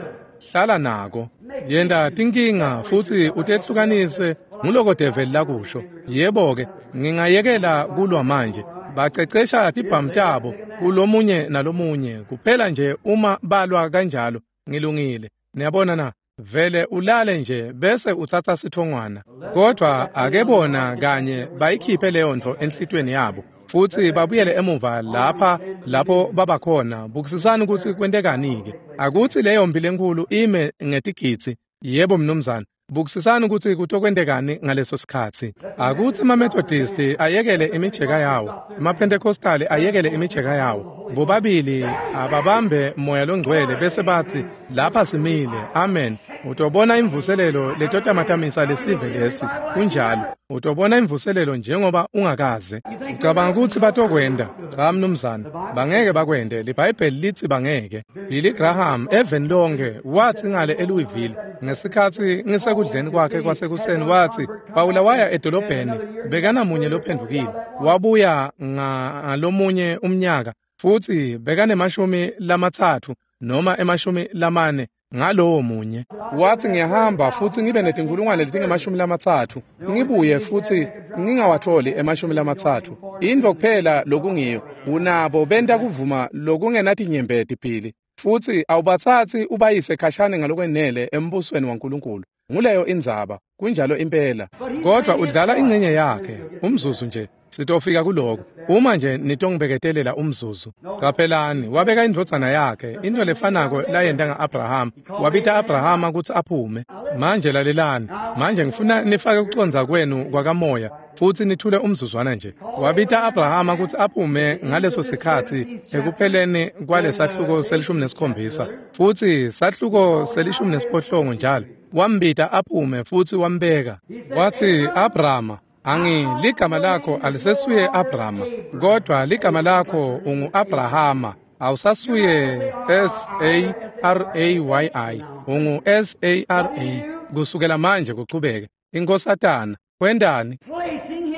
Hlala nako. Yenta tinkinga futsi utehlukanise nguloko develi lakusho. Yebo-ke, ngingayekela kulwa manje. Bacecesha tibhamu tabo kulomunye nalomunye. Kuphela nje uma balwa kanjalo ngilungile. Niyabona na? Vele ulale nje bese utsatsa sithongwana. Kodwa ake bona kanye bayikhiphe leyo ntfo enhlitweni yabo futsi babuyele emuva lapha lapho babakhona. Bukisisani kutsi kwentekani-ke. Akutsi leyo mpi lenkhulu ime ngetigidzi. Yebo mnumzane. Bukisisani kutsi kutokwentekani ngaleso sikhatsi. Akutsi emaMethodist ayekele imijeka yawo, emaPentecostal ayekele imijeka yawo. Bobabili ababambe Moya loNgcwele bese batsi lapha simile. Amen. Utobona imvuselelo letotamatamisa lesive lesi. Kunjalo. Utobona imvuselelo njengoba ungakaze. Ucabanga kutsi batokwenda? Cha mnumzane, bangeke bakwende. LiBhayibheli litsi bangeke. Billy Graham eveni lonke watsi ngale eLouisville ngesikhatsi ngisekudleni kwakhe kwasekuseni watsi Pawula waya edolobheni bekanamunye lophendvukile. Wabuya ngalomunye umnyaka futsi bekanemashumi lamatsatfu noma emashumi lamane ngalowo munye. Watsi ngiyahamba futsi ngibe netinkulungwane letingemashumi lamatsatfu ngibuye futsi ngingawatholi emashumi lamatsatfu. Intfo kuphela lokungiyo unabo benta kuvuma lokungenatinyembeti phili futsi awubatsatsi ubayise khashane ngalokwenele embusweni waNkulunkulu. Nguleyo indzaba. Kunjalo impela. Kodwa udlala ingcenye yakhe umzuzu nje. Sitofika kuloko uma nje nitongibeketelela umzuzu. Caphelani, wabeka indvodzana yakhe, into lefanako layenta nga-Abrahama. Wabita Abrahama kutsi aphume. Manje lalelani, manje ngifuna nifake kucondza kwenu kwakamoya futsi nithule umzuzwana nje. Wabita Abrahama kutsi aphume ngaleso sikhatsi ekupheleni kwalesahluko selishumi nesikhombisa futsi sahluko selishumi nesiphohlongo njalo. Wambita aphume futsi wambeka. Watsi, Abrahama, angi ligama lakho alisesuye Abrahama, kodwa ligama lakho ungu-Abrahama. Awusasuye S A R A Y I, ungu S A R A. Kusukela manje kuchubeke. Inkosatana wendani?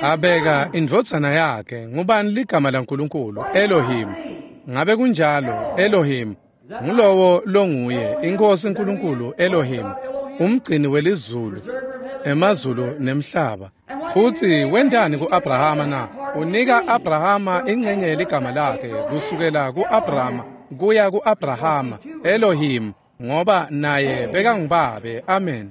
Abeka indvodzana yakhe. Ngubani ligama laNkulunkulu? Elohim. Ngabe kunjalo? Elohim ngulowo longuye, iNkosi uNkulunkulu Elohim, umgcini welizulu, emazulu nemhlaba. Futsi wendani ku-Abrahama na? Unika Abrahama ingcenye yeligama lakhe, kusukela ku-Abrahama kuya ku-Abrahama, Elohim, ngoba naye bekangubabe. Amen.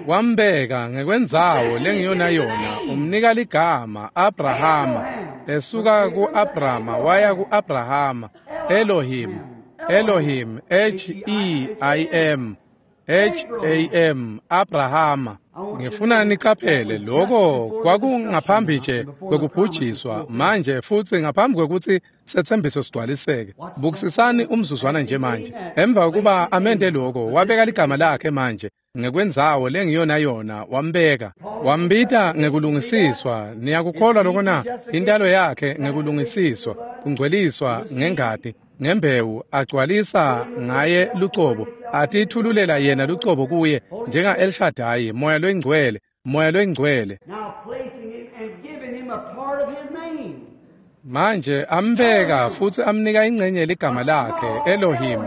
Wambeka ngekwendzawo lengiyona yona, umnika ligama Abrahama. Esuka ku-Abrahama waya ku-Abrahama, Elohim, Elohim, H E I M, H A M, Abrahama. Ngifuna niqaphele lokho kwakungaphambi nje kwekubhujiswa manje, futsi ngaphambi kwekutsi sethembiso sigcwaliseke. Bukisisani umzuzwana nje manje. Emva kokuba amente lokho, wabeka ligama lakhe manje ngekwendzawo lengiyona yona, wambeka. Wambita ngekulungisiswa. Niyakukholwa lokho na? Intalo yakhe ngekulungisiswa, kungcweliswa ngengati, ngembewu, agcwalisa ngaye lucobo, atithululela yena lucobo kuye njenga El Shaddai, moya loyingcwele, moya loyingcwele. Manje ambeka futsi amnika ingcenye ligama lakhe, Elohim,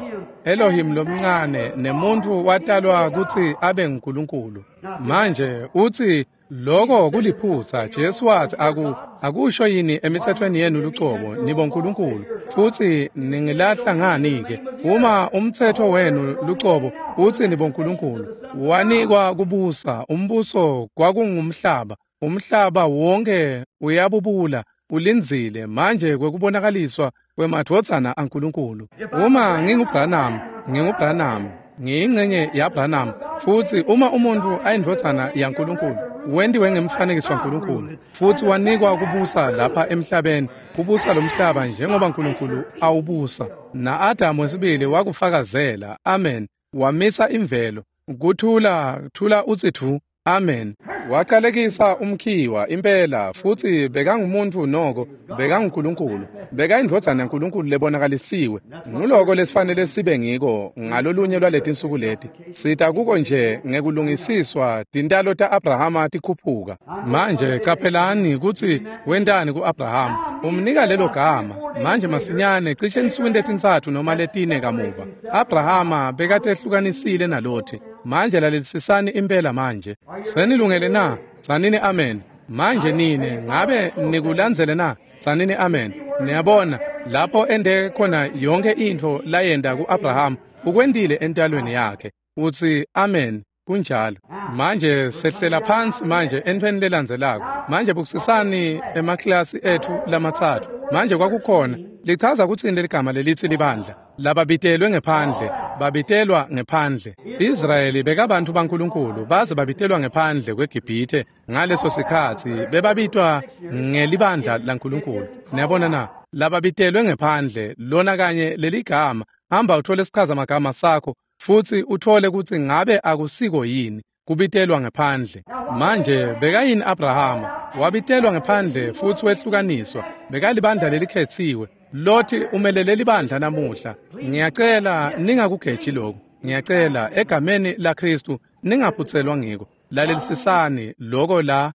Elohim lomncane, nemuntfu watalwa kutsi abe nguNkulunkulu. Manje utsi lokho kuliphutsa. Jesu wathi, aku akusho yini emithethweni yenu lucobo nibo nkulunkulu, futsi ningilahla ngani ke? Uma umthetho wenu lucobo uthi nibo nkulunkulu, wanikwa kubusa umbuso kwakungumhlaba, umhlaba wonke uyabubula ulindzile manje kwekubonakaliswa kwemadvodzana aNkulunkulu. Uma nginguBranham, nginguBranham, ngiyingcenye yaBranham, futsi uma umuntu ayindvodzana yaNkulunkulu, wentiwe ngemfanekiso waNkulunkulu, futsi wanikwa kubusa lapha emhlabeni, kubusa lomhlaba njengoba uNkulunkulu awubusa. Na-Adamu wesibili wakufakazela. Amen. Wamisa imvelo. Kuthula, thula utsi thu. Amen. Waqalekisa umkhiwa impela, futsi bekangumuntu noko, bekanguNkulunkulu, bekayindvodzana yaNkulunkulu lebonakalisiwe. Nguloko lesifanele sibe ngiko ngalolunye lwaletinsuku leti. Sita kuko nje ngekulungisiswa tintalo ta-Abrahama tikhuphuka. Manje caphelani kutsi wentani ku-Abrahama. Umnika lelo gama. Manje masinyane cishe ensukwini letintsatfu noma letine kamuva, Abrahama bekatehlukanisile naLothi. Manje lalelisisani impela manje. Senilungele na? Tsanini amen. Manje nine ngabe nikulandzele na? Tsanini amen. Niyabona lapho ende khona yonke intfo layenta ku-Abraham, ukwentile entalweni yakhe. Utsi amen. Kunjalo. Manje sehlela phansi manje entweni lelandzelako. Manje bukisisani emaklasi ethu lamatsatfu. Manje kwakukhona lichaza kutsini leligama lelitsi libandla? Lababitelwe ngephandle, babitelwa ngephandle. Israyeli bekabantu baNkulunkulu baze babitelwa ngephandle kweGibhithe ngaleso sikhatsi bebabitwa ngelibandla laNkulunkulu. Niyabona na? Lababitelwe ngephandle, lona kanye leligama. Hamba uthole isichaza magama sakho futsi uthole kutsi ngabe akusiko yini kubitelwa ngephandle. Manje bekayini Abrahama? Wabitelwa ngephandle futsi wehlukaniswa. Bekalibandla lelikhetsiwe. Lothi umelele libandla namuhla. Ngiyacela ningakugeji lokhu. Ngiyacela egameni laKristu ningaphutselwa ngiko. Lalelisisani loko la.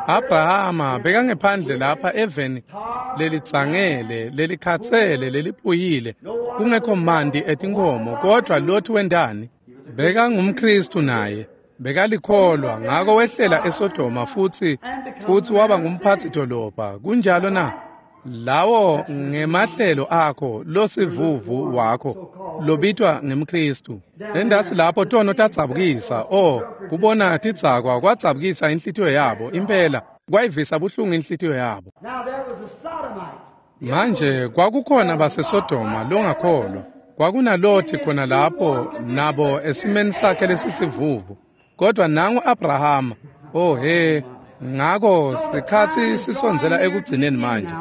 Abrahama bekangephandle lapha eveni lelitsangele, lelikhatsele, leliphuyile, kungekho manti etinkomo, kodwa Lothi wentani? BekangumKristu naye, bekalikholwa, ngako wehlela eSodoma futsi futsi waba ngumphatsi dolobha. Kunjalo na? Lawo ngemahlelo akho losivuvu wakho lobitwa ngemKristu. Endasi lapho tono tadzabukisa, oh, kubona tidzakwa kwadzabukisa inhlitiyo yabo impela. Kwayivisa buhlungu inhlitiyo yabo. Manje kwakukhona baseSodoma longakholwa. KwakunaLothi khona lapho nabo esimeni sakhe lesisivuvu. Kodwa nangu Abrahama. Oh he, ngako sikhatsi sisondzela ekugcineni manje.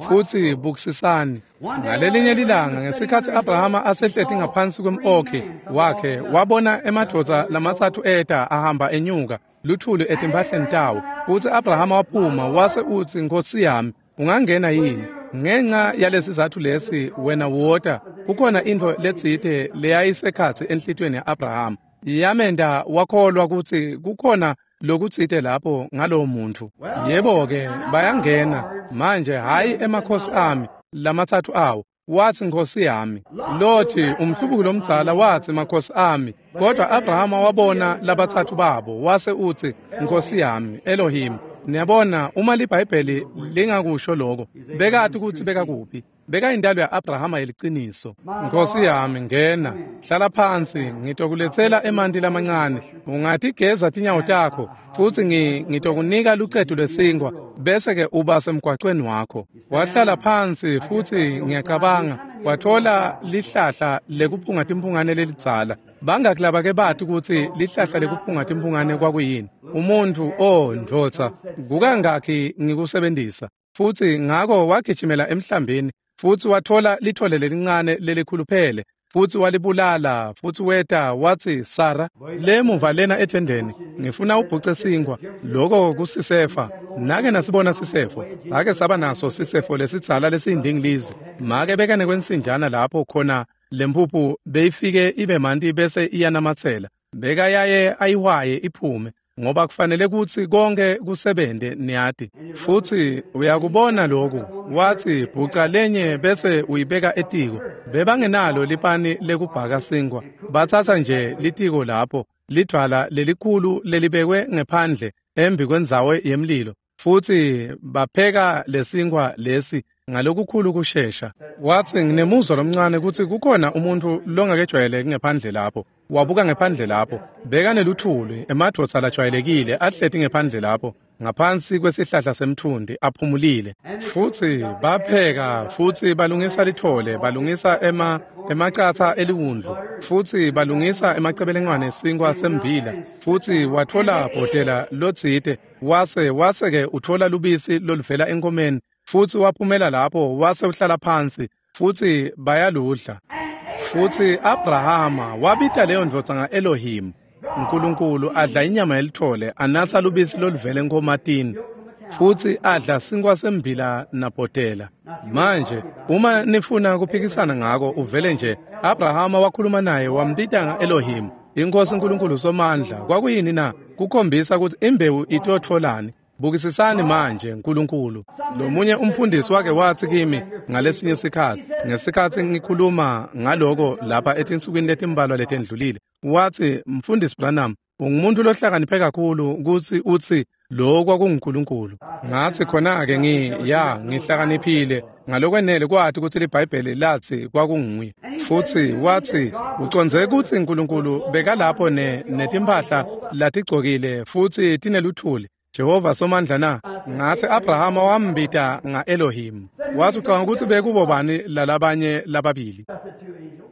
Futsi bukisisani. Ngalelinye lilanga ngesikhatsi Abrahama asehleti ngaphansi kwem-okhi wakhe wabona emadvodza lamatsatfu eta ahamba enyuka luthuli etimphahleni tawo. Futsi Abrahama waphuma wase utsi, Nkosi yami, ungangena yini? Ngenxa yalesizatfu lesi wena wota. Kukhona intfo letsite leyayisekhatsi enhlitiyweni ya-Abrahama yamenta wakholwa kutsi kukhona lokutsite lapho ngalowo muntfu. Yebo-ke, bayangena manje, hhayi emakhosi ami lamatsatfu awo. Watsi, Nkosi yami. Lothi umhlubuki lomdzala watsi, makhosi ami. Kodwa Abrahama wabona labatsatfu babo wase utsi, Nkosi yami, Elohim. Niyabona, uma liBhayibheli lingakusho lokho, bekati kutsi bekakuphi. Bekayintalo ya-Abrahama yeliciniso. Nkosi yami, ngena, hlala phansi, ngitokuletsela emanti lamancane. Ungatigeza tinyawo takho, futsi ngitokunika lucetu lwesinkwa, bese-ke uba semgwacweni wakho. Wahlala phansi, futsi ngiyacabanga watfola lihlahla lekuphunga timphungane lelidzala. Bangaki labake bati kutsi lihlahla lekuphunga timphungane kwakuyini? Umuntfu, oh ndvodza, kukangakhi ngikusebentisa. Futsi ngako wagijimela emhlambini, futsi watfola lithole lelincane lelikhuluphele, futsi walibulala, futsi weta watsi, Sara, lemuva lena ethendeni, ngifuna ubhuce sinkwa. Loko kusisefa. Nake nasibona sisefo, ake saba naso sisefo lesidzala lesiyindingilizi. Make bekane kwensinjana lapho khona lempuphu beyifike ibe manti bese iyanamatsela. Bekayaye ayihwaye iphume, ngoba kufanele kutsi konke kusebente, niyati. Futsi uyakubona lokhu, watsi bhuca lenye bese uyibeka etiko. Bebangenalo lipani lekubhaka sinkwa, batsatsa nje litiko lapho, lidvwala lelikhulu lelibekwe ngephandle embi kwendzawo yemlilo, futsi bapheka lesinkwa lesi ngalokukhulu kushesha. Watsi, nginemuzwa lomncane kutsi kukhona umuntfu longakejwayeleki ngephandle lapho. Wabuka ngephandle lapho, bekaneluthuli, emadvodza lajwayelekile ahleti ngephandle lapho ngaphansi kwesihlahla semtfundi aphumulile. Futsi bapheka, futsi balungisa lithole, balungisa ema emacatsa eliwundlu, futsi balungisa emacebelengwane esinkwa sembila. Futsi watfola bhotela lotsite, wase wase-ke utfola lubisi loluvela enkomeni, futsi waphumela lapho wase uhlala phansi, futsi bayaludla. Futsi Abrahama wabita leyo ndvodza nga-Elohim, Nkulunkulu, adla inyama yelithole, anatsa lubisi loluvela enkomatini, futsi adla sinkwa sembila nabhotela. Manje uma nifuna kuphikisana ngako, uvele nje. Abrahama wakhuluma naye, wambita nga-Elohim, iNkosi Nkulunkulu Somandla. Kwakuyini na? Kukhombisa kutsi imbewu itotfolani. Bukisisani manje Nkulunkulu. Lomunye umfundisi wake watsi kimi ngalesinye sikhatsi, ngesikhatsi ngikhuluma ngaloko lapha etinsukwini letimbalwa letendlulile, watsi, Mfundisi Branham, ungumuntu lohlakaniphe kakhulu kutsi utsi lo kwakunguNkulunkulu. Ngatsi, khona-ke ngi ya ngihlakaniphile ngalokwenele kwati kutsi liBhayibheli latsi kwakunguye. Futsi watsi, ucondze kutsi Nkulunkulu bekalapho ne netimphahla latigcokile futsi tineluthuli, Jehova Somandla na? Ngatsi, Abrahama wambita nga-Elohim. Watsi, ucabanga kutsi bekubo bani lalabanye lababili?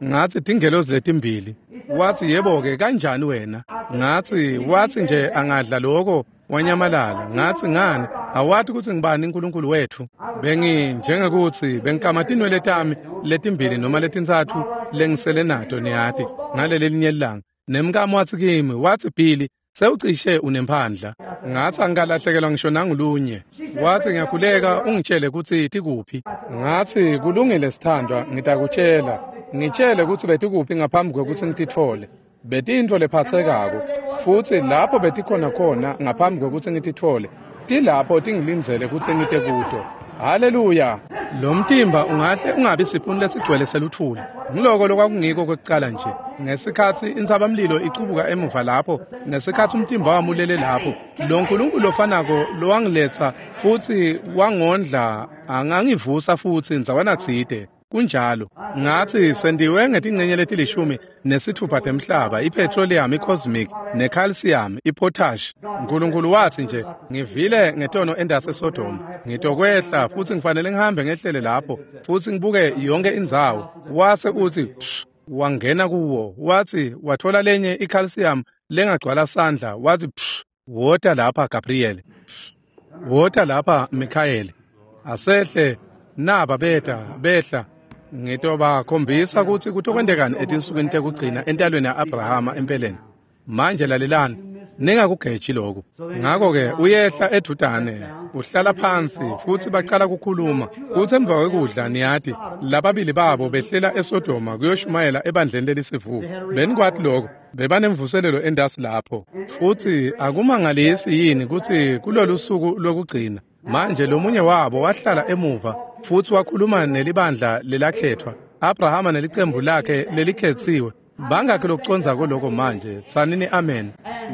Ngatsi, tingelozi letimbili. Watsi, yebo-ke, kanjani wena? Ngatsi, watsi nje angadla loko wanyamalala. Ngatsi, ngani? Awati kutsi ngibani uNkulunkulu wetfu? Bengi njengekutsi bengikama tinwele tami letimbili noma letintsatfu lengisele nato, niyati, ngaleli linye lilanga. Nemkami watsi kimi, watsi, Billy, sewucishe unemphandla. Ngatsi, angikalahlekelwa ngisho nangulunye. Watsi, ngiyakhuleka ungitshele kutsi tikuphi. Ngatsi, kulungile sithandwa, ngitakutshela. Ngitshele kutsi betikuphi ngaphambi kwekutsi ngititfole. Betiyintfo lephatsekako, futsi lapho betikhona khona ngaphambi kwekutsi ngititfole, tilapho tingilindzele kutsi ngite kuto. Haleluya! Lo mtimba ungahle ungabi siphuni lesigcwele seluthuli. Ngiloko lokwakungiko kwekucala nje. Ngesikhatsi intsabamlilo icubuka emuva lapho, ngesikhatsi umtimba wami ulele lapho, lo Nkulunkulu lofanako lowangiletsa futsi wangondla angangivusa futsi ndzawana tsite. Kunjalo. Ngathi sendiwe ngetingcenye letilishumi nesithupha temhlaba, ipetroleum, icosmic, necalcium, ipotash. Nkulunkulu wathi nje, ngivile ngetono endase Sodom. Ngitokwehla futhi ngifanele ngihambe ngehlele lapho futhi ngibuke yonke indzawo. Wase uthi psh, wangena kuwo. Wathi wathola lenye icalcium lengagcwala sandla. Wathi psh, wota lapha Gabriel. Wota lapha Michael. Asehle naba beta behla. Ngitobakhombisa ukuthi kutokwendekani etinsukwini tekugcina entalweni ya-Abrahama empeleni. Manje lalelani, ningakugeji lokhu. Ngakho-ke uyehla edudane, uhlala phansi futhi bacala ukukhuluma. Kuthi emva kwekudla niyati, lababili babo behlela eSodoma kuyoshumayela ebandleni lelisivuko. Benikwati lokho, bebanemvuselelo endasi lapho. Futhi akumangalisi yini ukuthi kulolu suku lokugcina manje lomunye wabo wahlala emuva futhi wakhuluma nelibandla lelakhethwa, Abrahama nelicembu lakhe lelikhethiwe. Bangakhi lokuconza kuloko manje? Tsanini amen.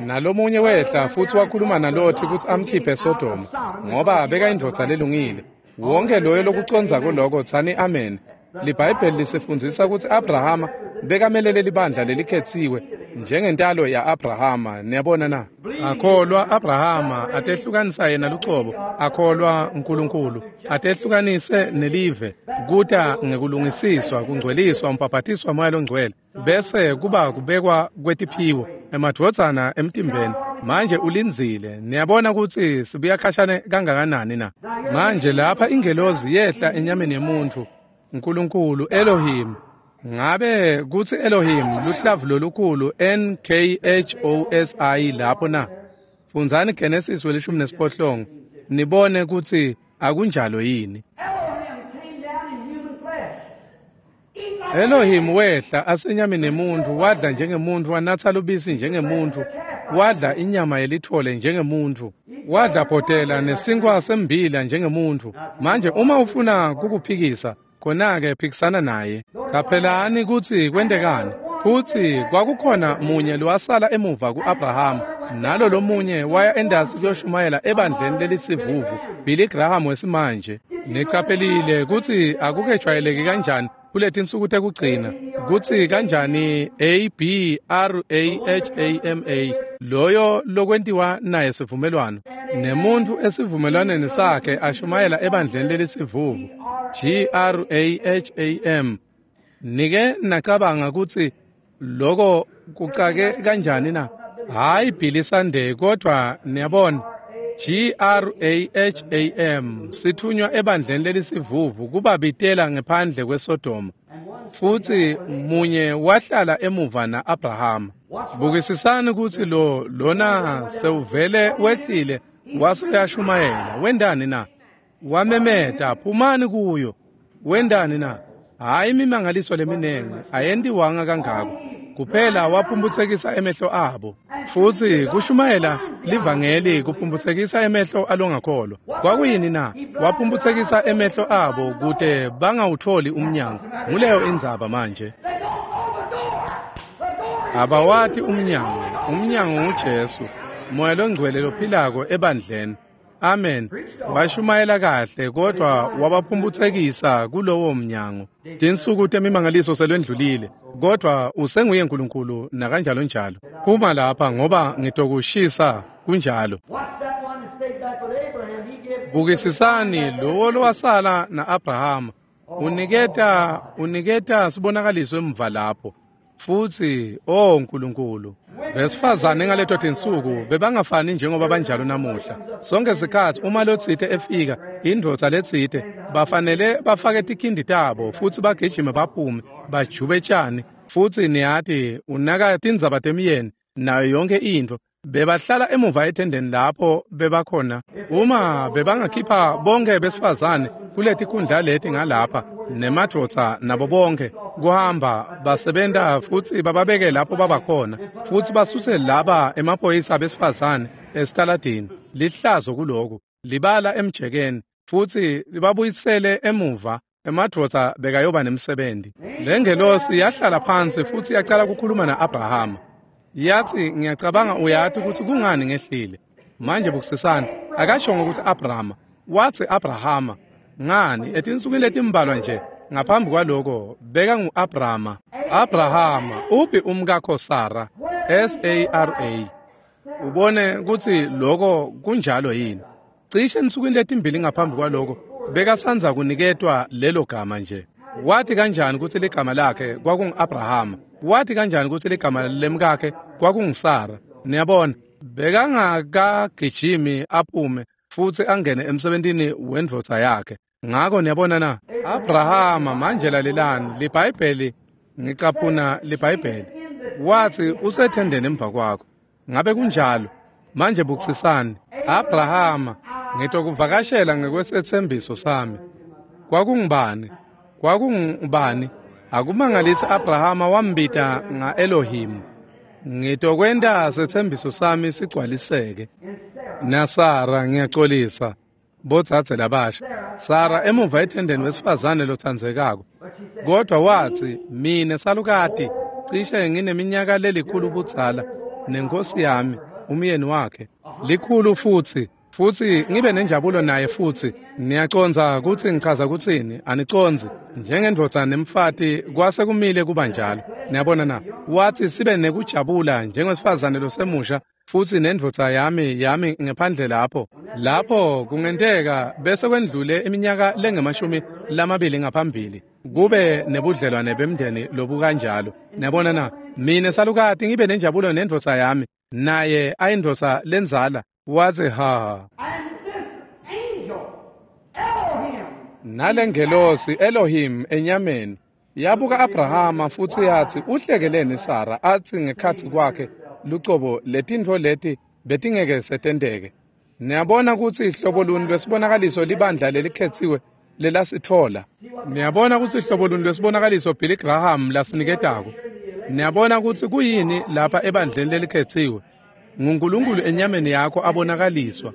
Nalomunye wehla futhi wakhuluma naLothi ukuthi amkhiphe eSodoma ngoba beka indvodza lelungile. Wonke loyo lokuconza kuloko tsani amen. LiBhayibheli lisifundzisa ukuthi Abrahama bekamelele libandla lelikhethiwe njengentalo ya-Abrahama. Niyabona na? Akholwa Abrahama atehlukanisa yena lucobo, akholwa uNkulunkulu atehlukanise nelive, kuta ngekulungisiswa, kungcweliswa, umbhabhatiswa moya longcwele, bese kuba kubekwa kwetiphiwo emadvodzana emtimbeni. Manje ulindzile. Niyabona ukuthi sibuya khashane kangakanani na? Manje lapha ingelozi yehla enyameni yemuntu, uNkulunkulu Elohim. Ngabe kuthi Elohim luhlavu lolukhulu N K H O S I lapho na? Fundzani Genesis welishumi nesiphohlongo nibone ukuthi akunjalo yini. Elohim wehla asenyameni yemuntu, wadla njengemuntu, wanatha lubisi njengemuntu, wadla inyama yelithole njengemuntu, wadla bhotela nesinkwa sembila njengemuntu. Manje uma ufuna kukuphikisa, khona-ke phikisana naye. Qaphelani ukuthi kwentekani. Futhi kwakukhona munye lowasala emuva ku-Abrahama, nalo lomunye waya endasi kuyoshumayela ebandleni lelisivuvu, Billy Graham wesimanje. Niqaphelile ukuthi akukejwayeleki kanjani kuletinsuku tekugcina, kutsi kanjani A B R A H A M A loyo lokwentiwa naye sivumelwano nemuntu esivumelwaneni sakhe ashumayela ebandleni lelisivuvu G R A H A M. Nike nacabanga kutsi loko kucake kanjani na? Hayi Billy Sunday, kodwa niyabona G R A H A M sithunywa ebandleni lelisivuvu kubabitela ngephandle kweSodoma. Futhi munye wahlala emuva na-Abrahama. Bukisisani ukuthi lo lona sewuvele wehlile wase uyashumayela. Wendani na? Wamemeta, phumani kuyo. Wendani na? Hayi imimangaliso leminengi ayentiwanga kangako. Kuphela waphumbuthekisa emehlo abo. Futhi kushumayela livangeli kuphumbuthekisa emehlo alongakholwa. Kwakuyini na? Waphumbuthekisa emehlo abo kute bangawutholi umnyango. Nguleyo indzaba manje. Abawati umnyango. Umnyango nguJesu, Moya longcwele lophilako ebandleni. Amen. Washumayela kahle kodwa wabaphumbuthekisa kulowo mnyango. Tinsuku temimangaliso selwendlulile, kodwa usenguye uNkulunkulu nakanjalo njalo. Phuma lapha ngoba ngitokushisa kunjalo. Bukisisani lowo lowasala na-Abrahama uniketa uniketa sibonakaliso emva lapho. Futhi oh uNkulunkulu, besifazane ngaleto tinsuku bebangafani njengoba banjalo namuhla. Sonke sikhathi uma lotsite efika, indvodza letsite, bafanele bafake tikhindi tabo futhi bagijime baphume bajube tshani. Futhi niyati unaka tindzaba temyeni nayo yonke into. Bebahlala emuva etendeni lapho bebakhona. Uma bebangakhipha bonke besifazane kuletikhundla leti ngalapha nemadvodza nabo bonke kuhamba basebenta futhi bababeke lapho babakhona, futhi basuse laba emaphoyisa besifazane esitaladini, lihlazo kuloku libala emjekeni, futhi libabuyisele emuva emadvodza bekayoba nemsebenzi. Lengelosi yahlala phansi futhi yaqala ukukhuluma na-Abrahama. Yathi, ngiyacabanga uyati ukuthi kungani ngehlile. Manje bukusisana, akashongo ukuthi Abrahama, wathi Abrahama. Ngani etinsukwini letimbalwa nje Ngaphambi kwaloko beka ngu-Abrama. Abrahama, uphi umkakho Sara? S A R A. Ubone kutsi loko kunjalo yini? Cishe ensukwini letimbili ngaphambi kwaloko bekasandza kuniketwa lelo gama nje. Wathi kanjani kutsi ligama lakhe kwakungu-Abrahama? Wathi kanjani kutsi ligama lemkakhe kwakunguSara? Niyabona, bekangakagijimi aphume futsi angene emsebentini wendvodza yakhe. Ngako niyabona na, Abrahama manje lalelani, liBhayibheli, ngicaphuna liBhayibheli. Wathi usethendeni emva kwakho. Ngabe kunjalo? Manje bukisisani. Abrahama, ngitokuvakashela ngekwesethembiso sami. Kwakungubani? Kwakungubani? Akumangalisi Abrahama wambita nga-Elohim. Ngitokwenta sethembiso sami sigcwaliseke. NaSara ngiyacolisa, bodzadze labasha. Sara emuva ethendeni wesifazane lotsandzekako. Kodwa wathi, mine salukati, cishe ngineminyaka lelikhulu budzala, nenkosi yami, umyeni wakhe, likhulu futsi, futsi ngibe nenjabulo naye futsi. Niyacondza kutsi ngichaza kutsini? Anicondzi. Njengendvodza nemfati kwase kumile kuba njalo. Niyabona na? Wathi sibe nekujabula njengowesifazane losemusha futsi nendvodza yami yami ngephandle lapho. Lapho kungenteka bese kwendlule iminyaka lengemashumi lamabili ngaphambili. Kube nebudlelwane bemndeni lobukanjalo. Niyabona na? Mine salukati ngibe nenjabulo nendvodza yami, naye ayindvodza lenzala. Wathi ha. Nalengelosi Elohim enyameni yabuka Abrahama futsi yathi uhlekeleni Sara, athi ngekhatsi kwakhe lucobo letintfo leti betingeke setenteke. Niyabona kutsi ihlobo luni lwesibonakaliso libandla lelikhetsiwe lelasitfola. Niyabona kutsi ihlobo luni lwesibonakaliso Billy Graham lasiniketako. Niyabona kutsi kuyini lapha ebandleni lelikhetsiwe. NguNkulunkulu enyameni yakho abonakaliswa.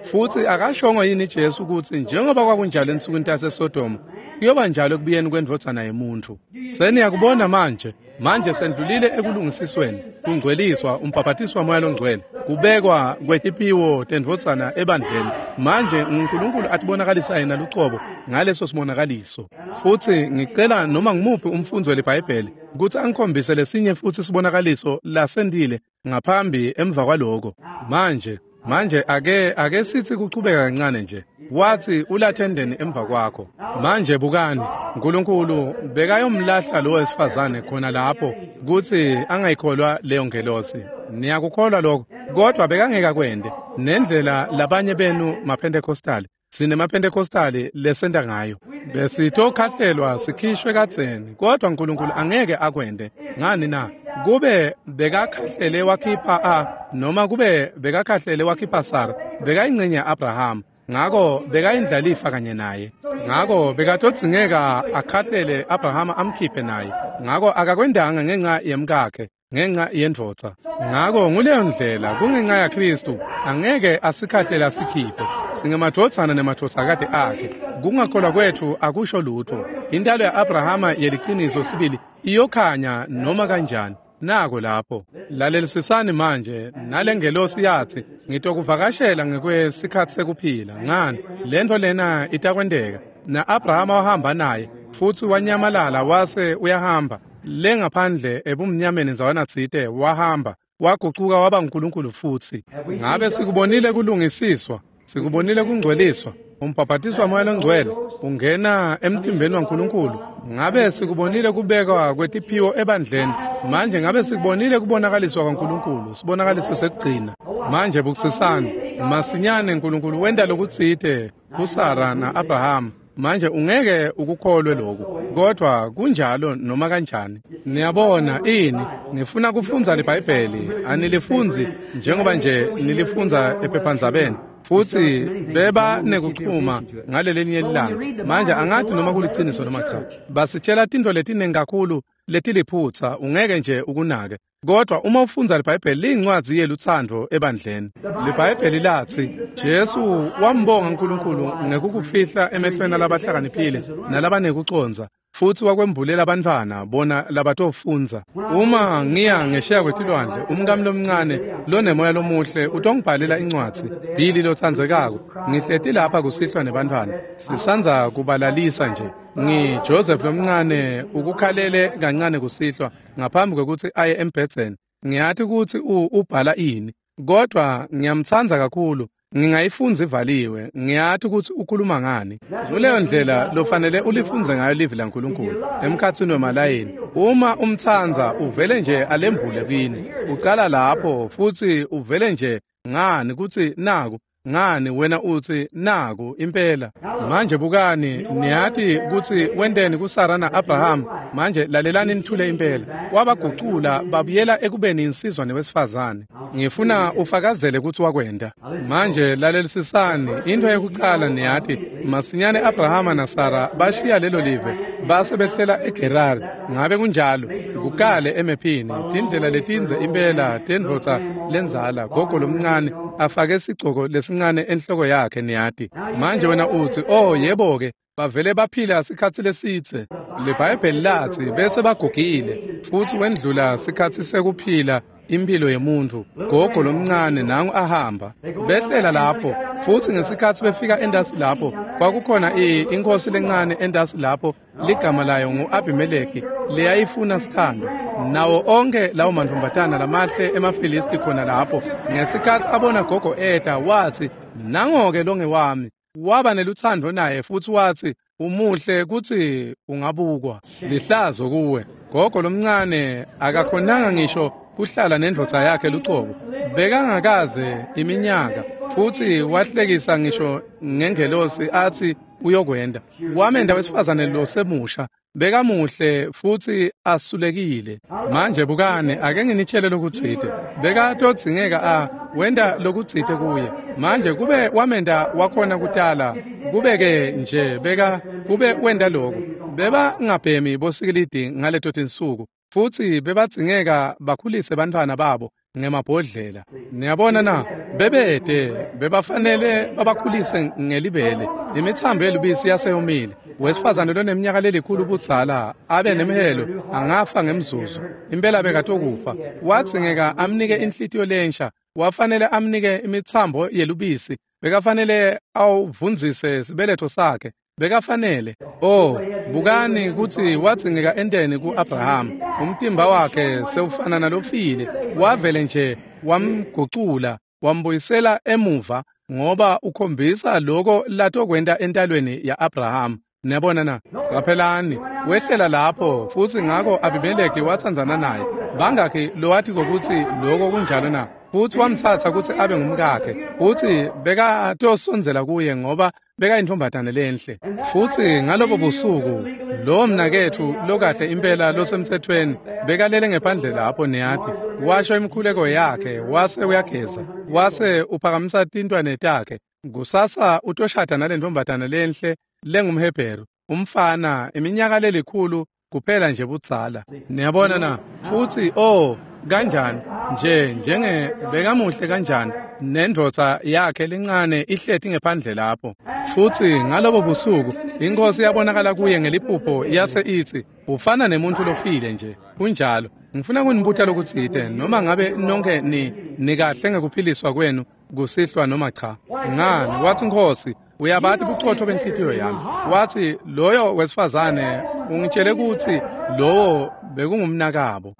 Futsi akashongo yini Jesu kutsi njengoba kwakunjalo ensukwini taseSodoma, kuyoba njalo ekubuyeni kwendvodzana yemuntfu. Seniyakubona manje. Manje sendlulile ekulungisisweni, kungcweliswa, umbhabhatiswa waMoya loNgcwele, kubekwa kwetipiwo tendvodzana ebandleni. Manje uNkulunkulu atibonakalisa yena lucobo ngaleso sibonakaliso. Futsi ngicela noma ngimuphi umfundzi weliBhayibheli kutsi angikhombise lesinye futsi sibonakaliso lasendile ngaphambi emva kwaloko. Manje Manje ake ake sithi kuchubeka kancane nje. Wathi ulathendeni emva kwakho. Manje bukani, uNkulunkulu bekayomlahla lo wesifazane khona lapho kutsi angayikholwa leyo ngelosi. Niyakukholwa lokho, kodwa bekangeke akwente. Nendlela labanye benu maPentecostal, sinemaPentecostal lesenta ngayo. Besitokhahlelwa sikhishwe kadzeni, kodwa uNkulunkulu angeke akwente. Ngani na? Kube bekakhahlele wakhipha a noma kube bekakhahlele wakhipha Sara, bekayingcenye ya-Abraham, ngako bekayindlalifa kanye naye. Ngako bekatodzingeka akhahlele Abraham amkhiphe naye. Ngako akakwendanga ngenxa yemkakhe, ngenxa yendvodza. Ngako nguleyo ndlela kungenxa yaKristu angeke asikhahlele asikhiphe. Singemadvodzana nemadvodzakati akhe. Kungakholwa kwetfu akusho lutho. Intalo ya-Abrahama yeliciniso sibili iyokhanya noma kanjani. Nako lapho. Lalelisisani manje, nalengelosi yathi ngitokuvakashela ngekwesikhatsi sekuphila. Ngani? Lento lena itakwenteka. Na-Abrahama wahamba naye futsi wanyamalala wase uyahamba. Le ngaphandle ebumnyameni ndzawana tsite wahamba, wagucuka waba nguNkulunkulu futsi. Ngabe sikubonile kulungisiswa, sikubonile kungcweliswa, umbhabhatiswa waMoya loNgcwele ungena emtimbeni waNkulunkulu. Ngabe sikubonile kubekwa kwetiphiwo ebandleni. Manje ngabe sikubonile kubonakaliswa kwaNkulunkulu, sibonakaliso sekugcina. Manje bukisisani, masinyane uNkulunkulu wenta lokutsite kuSara na-Abraham. Manje ungeke ukukholwe lokhu, kodwa kunjalo noma kanjani. Niyabona ini? Ngifuna kufundza liBhayibheli, anilifundzi njengoba nje nilifundza ephephandzabeni. Futsi beba nekuchuma ngalelinye ilanga. Manje angathi noma kuliciniso noma cha. Basitshela tintfo letiningi kakhulu letiliphutsa, ungeke nje ukunake. Kodwa uma ufundza liBhayibheli liyincwadzi yelutsandvo ebandleni. LiBhayibheli latsi Jesu wambonga uNkulunkulu ngekukufihla emehlweni alabahlakaniphile nalabanekucondza, futsi wakwembulela abantwana bona labatofundza. Uma ngiya ngesheya kwetilwandle, umkami lomncane lonemoya lomuhle utongibhalela incwadzi, Billy lotsandzekako, ngihleti lapha kusihlwa nebantwana, sisandza kubalalisa nje. Ngi Joseph lomncane ukukhalele kancane kusihlwa ngaphambi kwekutsi aye embhedzeni. Ngiyati kutsi ubhala ini, kodwa ngiyamtsandza kakhulu. Ngingayifundza ivaliwe, ngiyati kutsi ukhuluma ngani. Kuleyo ndlela lofanele ulifundze ngayo livi laNkulunkulu emkhatsini wemalayini. Uma umtsandza uvele nje alembule kini. Ucala lapho futsi uvele nje ngani kutsi naku ngani wena utsi naku impela. Manje bukani, niyati kutsi wenteni kuSara na-Abraham. Manje lalelani nithule impela. Wabagucula babuyela ekubeni insizwa newesifazane. Ngifuna ufakazele kutsi wakwenta. Manje lalelisisani, into yekucala niyati, masinyane Abrahama naSara bashiya lelo live base behlela eGerari. Ngabe kunjalo? Kukale emephini, tindlela letindze impela tendvodza lendzala, gogo lomncane afake sigcoko lesincane enhloko yakhe niyati. Manje wena utsi, oh yebo ke, bavele baphila sikhatsi lesitse. LiBhayibheli latsi bese bagugile futsi wendlula sikhatsi sekuphila impilo yemuntu. Gogo lomncane nangu ahamba behlela lapho, futsi ngesikhatsi befika endasi lapho kwakukhona inkosi lencane endasi lapho ligama layo ngu-Abimeleki leyayifuna sithando. Nawo onke lawo mantombazana lamahle emaFilisti khona lapho. Ngesikhatsi abona gogo eta watsi, nango-ke longewami. Waba nelutsandvo naye futsi watsi, umuhle kutsi ungabukwa. Lihlazo kuwe. Gogo lomncane akakhonanga ngisho kuhlala nendvodza yakhe lucobo. Bekangakaze iminyaka futsi wahlekisa ngisho ngengelosi atsi uyokwenda. Wamenda wesifazane losemusha. Bekamuhle futsi asulekile. Manje bukane, ake nginitshele lokutsite. Bekatodzingeka a wenda lokutsite kuye. Manje kube wamenda wakhona kutala, kube-ke nje beka kube wenda lokho. Beba ngabhemi bosikilidi ngaleto tinsuku, futsi bebadzingeka bakhulise bantfwana babo ngemabhodlela. Niyabona na, bebede bebafanele babakhulise ngelibele. Imithambo yelubisi yaseyomile. Wesifazane loneminyaka lelikhulu budzala abe nemhelo angafa ngemzuzu. Impela bekatokufa. Wadzingeka amnike inhlitiyo lensha. Wafanele amnike imithambo yelubisi. Bekafanele awuvundzise sibeletho sakhe. Bekafanele. Oh, bukani kutsi wadzingeka enteni ku-Abraham. Umtimba wakhe sewufana nalofile. Wavele nje wamgucula, wambuyisela emuva ngoba ukhombisa lokho latokwenta entalweni ya-Abraham. Niyabona na? Qaphelani, wehlela lapho futsi ngako Abimeleki watsandzana naye. Bangakhi lowati kokutsi lokho kunjalo na? Futsi wamtsatsa kutsi abe ngumkakhe, futsi bekatosondzela kuye ngoba bekayintombazane lenhle. Futsi ngalobo busuku lo mnaketfu lokahle impela losemtsetfweni bekalele ngephandle lapho niyati, washo imikhuleko yakhe wase uyageza, wase uphakamisa tintwane takhe. Kusasa utoshada nalentombazane lenhle lengumHebheru, umfana iminyaka lelikhulu kuphela nje budzala. Niyabona na? Futsi oh kanjani nje njenge bekamuhle kanjani nendvodza yakhe lencane ihleti ngephandle lapho. Futsi ngalobo busuku inkosi yabonakala kuye ngeliphupho yase itsi, ufana nemuntu lofile nje. Kunjalo. Ngifuna kunibuta lokutsite, noma ngabe nonke ni nikahle ngekuphiliswa kwenu kusihlwa noma cha. Ngani? Watsi Nkosi, uyabati bucotfo benhlitiyo yami. Watsi loyo wesifazane ungitshele kutsi lowo bekungumnakabo.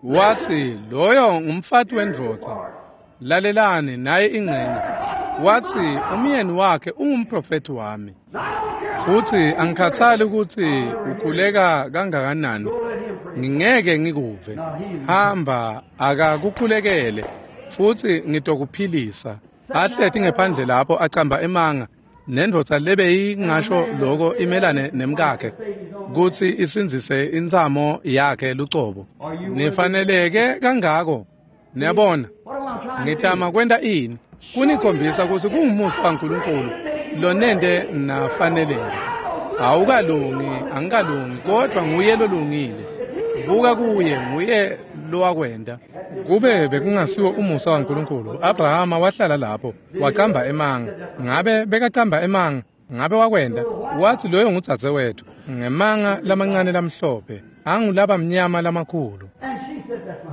Watsi loyo ngumfati wendvodza. Lalelani naye ingcenye. Watsi umyeni wakhe ungumprofeti wami. Futsi angikhathali kutsi ukhuleka kangakanani, ngingeke ngikuve. Hamba akakukhulekele futsi ngitokuphilisa. Ahleti ngephandle lapho acamba emanga nendvodza lebeyingasho lokho imelane nemkakhe kutsi isindzise intsamo yakhe lucobo. Nifaneleke kangako. Niyabona, ngitama kwenta ini? Kunikhombisa kutsi kungumusa kaNkulunkulu lonente nafaneleke. Awukalungi, angikalungi, kodwa nguye lolungile. Buka kuye, nguye lowakwenda. Kube bekungasiwo umusa waNkulunkulu, Abrahama wahlala lapho, wacamba emanga. Ngabe bekacamba emanga? Ngabe wakwenda? Wathi loyo ngudzadzewethu, ngemanga lamancane lamhlophe, angulaba mnyama lamakhulu.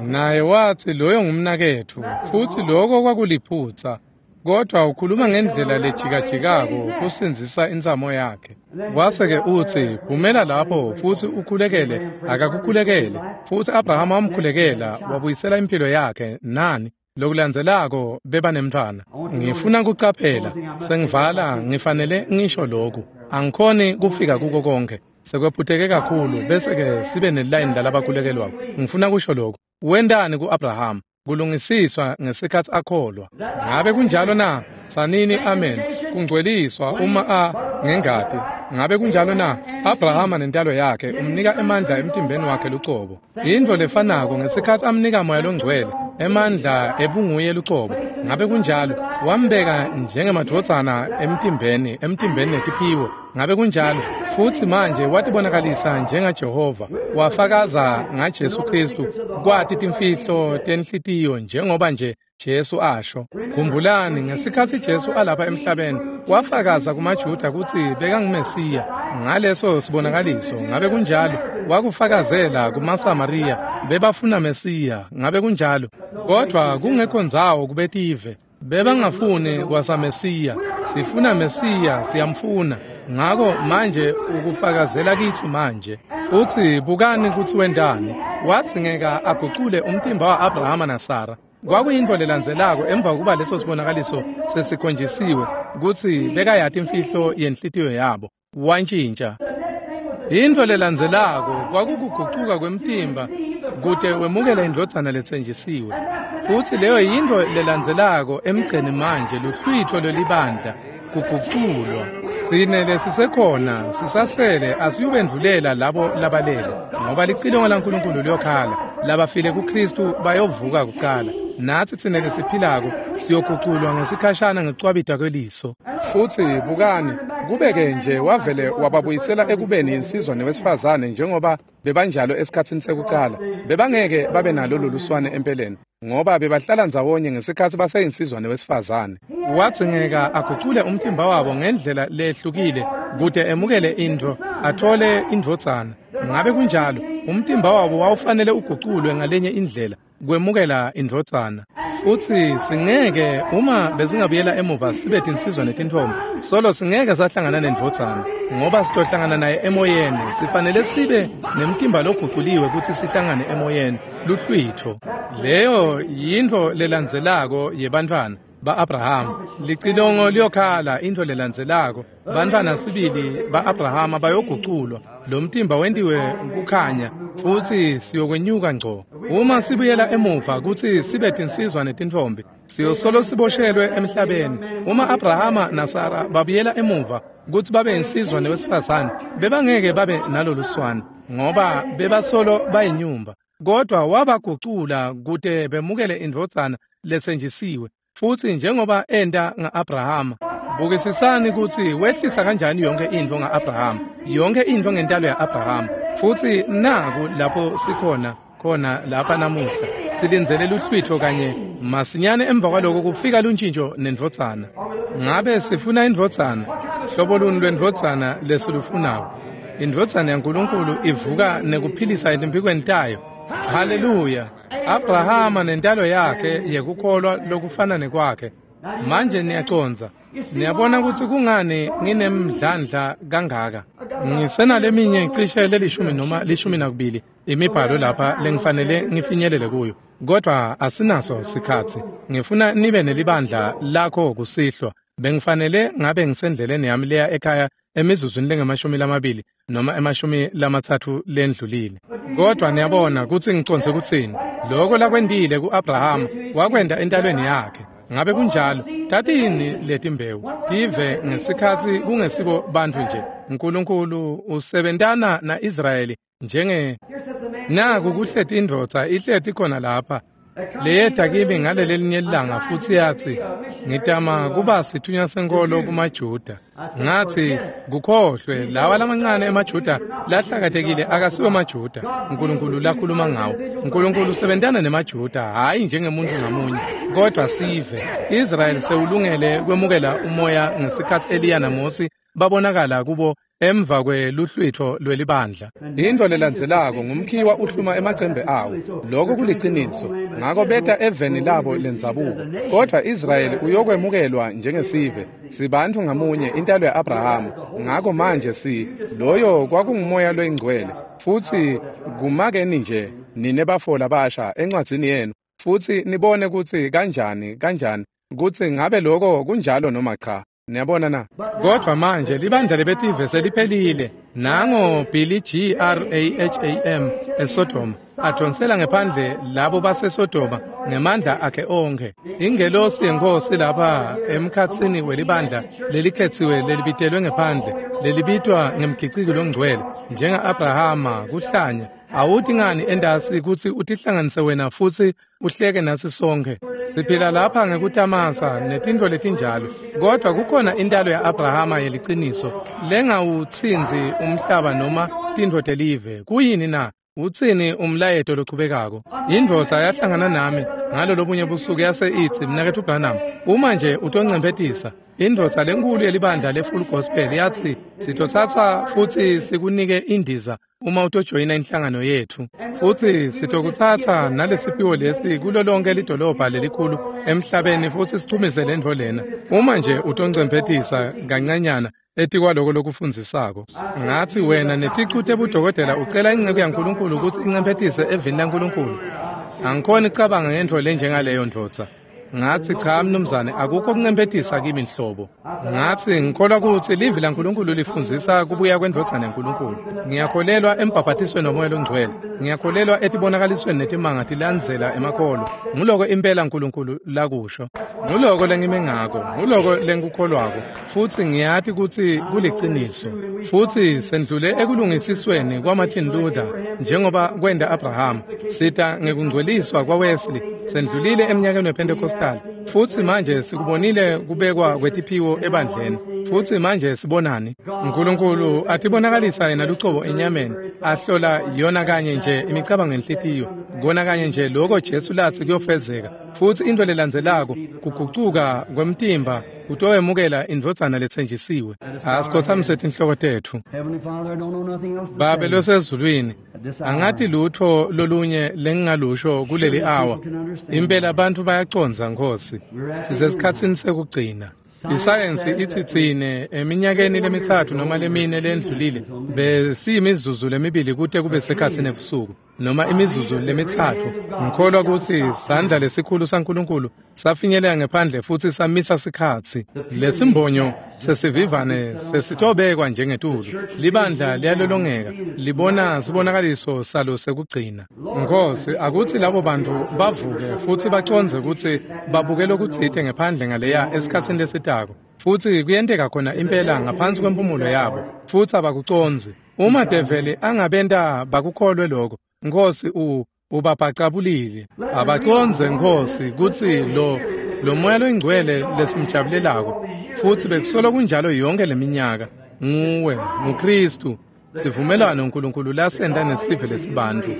Naye wathi loyo ngumnaketfu, futhi lokho kwakuliphutsa. Kodwa ukhuluma ngendlela lejikajikako kusindzisa intsamo yakhe. Kwase-ke utsi, phumela lapho futhi ukhulekele, akakukhulekele. Futhi Abrahama wamkhulekela, wabuyisela impilo yakhe, nani? Lokulandzelako beba nemntfwana. Ngifuna kucaphela, sengivala, ngifanele ngisho lokhu. Angikhoni kufika kuko konke. Sekwephuteke kakhulu bese-ke sibe nelayini lalabakhulekelwako. Ngifuna kusho lokhu. Wentani ku-Abrahama? Kulungisiswa ngesikhatsi akholwa. Ngabe kunjalo na? Sanini amen. Kungcweliswa uma a ngengati. Ngabe kunjalo na? Abrahama nentalo yakhe umnika emandla emtimbeni wakhe lucobo. Intfo lefanako ngesikhatsi amnika Moya Longcwele, emandla ebunguye lucobo. Ngabe kunjalo? Wambeka njengemadvodzana emtimbeni, emtimbeni netiphiwo. Ngabe kunjalo? Futhi manje watibonakalisa njengaJehova, wafakaza ngaJesu Kristu, kwati timfihlo tenhlitiyo njengoba nje Jesu asho. Khumbulani ngesikhatsi Jesu alapha emhlabeni, wafakaza kumaJuda kutsi bekanguMesiya. Ngaleso sibonakaliso, ngabe kunjalo? Wakufakazela kumaSamariya, bebafuna Mesiya, ngabe kunjalo? Kodwa kungekho ndzawo kubetive, bebangafuni kwasaMesiya. Sifuna Mesiya, siyamfuna. Ngako manje ukufakazela kitsi manje. Futhi bukani kutsi wentani. Wadzingeka agucule umtimba wa-Abrahama naSara. Kwakuyintfo lelandzelako emva kokuba leso sibonakaliso sesikhonjisiwe kutsi bekayati imfihlo yenhlitiyo yabo. Wantjintja. Intfo lelandzelako kwakukugucuka kwemtimba kute wemukele indvodzana letsenjisiwe. Futsi leyo yintfo lelandzelako emgceni manje, luhlwitfo lwelibandla, kuguculwa. Tsine lesisekhona sisasele asiyubendvulela labo labalele, ngoba licilongo laNkulunkulu liyokhala. Labafile kuKristu bayovuka kucala. Natsi tsine lesiphilako siyoguculwa ngesikhashana ngekucwabita kweliso. Futsi bukani, kube-ke nje wavele wababuyisela ekubeni insizwa newesifazane njengoba bebanjalo esikhatsini sekucala. Bebangeke babe nalo loluswane empeleni, ngoba bebahlala ndzawonye ngesikhatsi baseyinsizwa newesifazane. Wadzingeka agucule umtimba wabo ngendlela lehlukile kute emukele intfo, athole indvodzana. Ngabe kunjalo? Umtimba wabo wawufanele uguculwe ngalenye indlela kwemukela indvodzana. Futsi singeke, uma besingabuyela emuva sibe tinsizwa netintfombi, solo singeke sahlangana nendvodzana, ngoba sitohlangana naye emoyeni. Sifanele sibe nemtimba loguculiwe kutsi sihlangane emoyeni, luhlwitfo. Leyo yintfo lelandzelako yebantfwana ba-Abrahama. Licilongo liyokhala, intfo lelandzelako. Bantfwana sibili ba-Abrahama bayoguculwa. Lo mtimba wentiwe kukhanya, futhi siyokwenyuka ngco. Uma sibuyela emuva kutsi sibe tinsizwa netintfombi, siyosolo siboshelwe emhlabeni. Uma Abrahama naSara babuyela emuva kutsi babe insizwa newesifazane, bebangeke babe naloluswane, ngoba bebasolo bayinyumba. Kodwa wabagucula kute bemukele indvodzana letsenjisiwe. Futsi njengoba enta nga-Abrahama, bukisisani kutsi wehlisa kanjani yonke intfo nga-Abrahama, yonke intfo ngentalo ya-Abrahama. Futsi naku lapho sikhona khona lapha namuhla, silindzele luhlwitfo kanye masinyane emva kwaloko kufika luntjintjo nendvodzana. Ngabe sifuna indvodzana? Hlobo luni lwendvodzana lesilufunako? Indvodzana yaNkulunkulu ivuka nekuphilisa etimphikweni tayo. Haleluya! Abrahama nentalo yakhe yekukholwa lokufana nekwakhe. Manje niyacondza. Niyabona kutsi kungani nginemdlandla kangaka. Ngisenaleminye cishe lelishumi noma lishumi nakubili imibhalo lapha lengifanele ngifinyelele kuyo. Kodwa asinaso sikhatsi. Ngifuna nibe nelibandla lakho kusihlwa. Bengifanele ngabe ngisendleleni yami leya ekhaya emizuzwini lengemashumi lamabili noma emashumi lamatsatfu lendlulile. Kodwa niyabona kutsi ngicondze kutsini. Loko lakwentile ku-Abrahama wakwenta entalweni yakhe. Ngabe kunjalo? Tatini letimbewu tive ngesikhatsi kungesibo bantfu nje. Nkulunkulu usebentana na-Israyeli njenge naku kuhleti indvodza ihleti khona lapha leyeta kimi ngalelelinye ilanga futsi yatsi, Ngitama kuba sithunywa senkolo kumaJuda. Ngathi kukhohlwe lawa lamancane emaJuda lahlakatekile akasiwo maJuda. uNkulunkulu lakhuluma ngawo. uNkulunkulu usebentana nemaJuda hayi njengemuntu ngamunye kodwa sive. Israel sewulungele kwemukela umoya ngesikhathi Eliya naMose babonakala kubo emva kweluhlwitho lwelibandla. Into lelandzelako ngumkhiwa uhluma emacembe awo. Lokho kuliciniso. Ngako beta eveni labo lendzabuko. Kodwa Israyeli uyokwemukelwa njengesive. Sibantu ngamunye intalo ya-Abrahamu. Ngako manje si loyo kwakungumoya loyingcwele. Futhi kumakeni nje nine bafo labasha encwadzini yenu futhi nibone kutsi kanjani kanjani kutsi ngabe lokho kunjalo noma cha. Niyabona na? Kodwa manje libandla lebetive seliphelile. Nango Billy G R A H A M eSodoma adonsela ngephandle labo baseSodoma ngemandla akhe onke. Ingelosi yenkosi lapha emkhatsini welibandla lelikhetsiwe lelibitelwe ngephandle lelibitwa ngemgiciki longcwele njenga-Abrahama kuhlanya. Awuthi ngani endasi kutsi utihlanganise wena futsi uhleke nasi sonke. Siphila lapha ngekutamasa netintfo letinjalo, kodwa kukhona intalo ya-Abrahama yeliciniso lengawutsinzi umhlaba noma tintfo telive. Kuyini na? Utsini umlayeto lochubekako? Indvodza yahlangana nami ngalo lobunye busuku yase itsi, Mnaketfu Branham, uma nje utoncemphetisa. Indvodza lenkulu yelibandla le-Full Gospel yathi, sitotsatsa futsi sikunike indiza uma utojoyina inhlangano yethu. Futsi sitokutsatsa nalesiphiwo lesi kulo lonke lidolobha lelikhulu emhlabeni futsi sichumise lentfo lena. Uma nje utoncemphetisa kancanyana etikwaloko lokufundzisako. Ngathi wena neticu tebudokotela ucela inceku yaNkulunkulu kutsi incemphetise evini laNkulunkulu. Angikhoni kucabanga ngentfo lenjengaleyo ndvodza. Ngathi cha mnumzane, akukho kuncemphetisa kimi nhlobo. Ngathi ngikholwa kutsi livi laNkulunkulu lifundzisa kubuya kwendvodzana yaNkulunkulu. Ngiyakholelwa embhabhatisweni womoya longcwele. Ngiyakholelwa etibonakalisweni netimanga tilandzela emakholwa. Nguloko impela uNkulunkulu lakusho. Nguloko lengime ngako, nguloko lengikukholwako. Futsi ngiyati kutsi kuliciniso. Futsi sendlule ekulungisisweni kwaMartin Luther njengoba kwenda Abraham. Sita ngekungcweliswa kwaWesley. Sendlulile eminyakeni wePentecostal. Futsi manje sikubonile kubekwa kwetiphiwo ebandleni. Futsi manje sibonani? uNkulunkulu atibonakalisa yena lucobo enyameni, ahlola yona kanye nje imicabango yenhlitiyo, kona kanye nje lokho Jesu latsi kuyofezeka. Futsi into lelandzelako kugucuka kwemtimba kutowemukela indvodzana letsenjisiwe. Asikhothamise tinhloko tetfu. Babe losezulwini, angati lutho lolunye lengingalusho kuleli awa. Impela abantu bayacondza Nkosi. Sisesikhatsini sekugcina. Isayensi ithi tsine eminyakeni lemitsatfu noma lemine lendlulile besiyimizuzu lemibili kute kube sekhatsini ebusuku noma imizuzu lemitsatfu. Ngikholwa kutsi sandla lesikhulu saNkulunkulu safinyelela ngephandle futsi samisa sikhatsi. Lesimbonyo sesivivane sesitobekwa njengetulu. Libandla liyalolongeka libona sibonakaliso salo sekugcina. Nkosi, akutsi labo bantu bavuke futsi bacondze kutsi babuke lokutsite ngephandle ngaleya esikhatsini lesitako. Futsi kuyenteka khona impela ngaphansi kwempumulo yabo futsi abakucondzi. Uma develi angabenta bakukholwe lokho, Nkosi u ubabhacabulile. Abacondze Nkosi kutsi lo lo moya loyingcwele lesimjabulelako futsi bekusolo kunjalo yonke leminyaka nguwe nguKristu. Sivumelwano uNkulunkulu lasenta nesive lesibantfu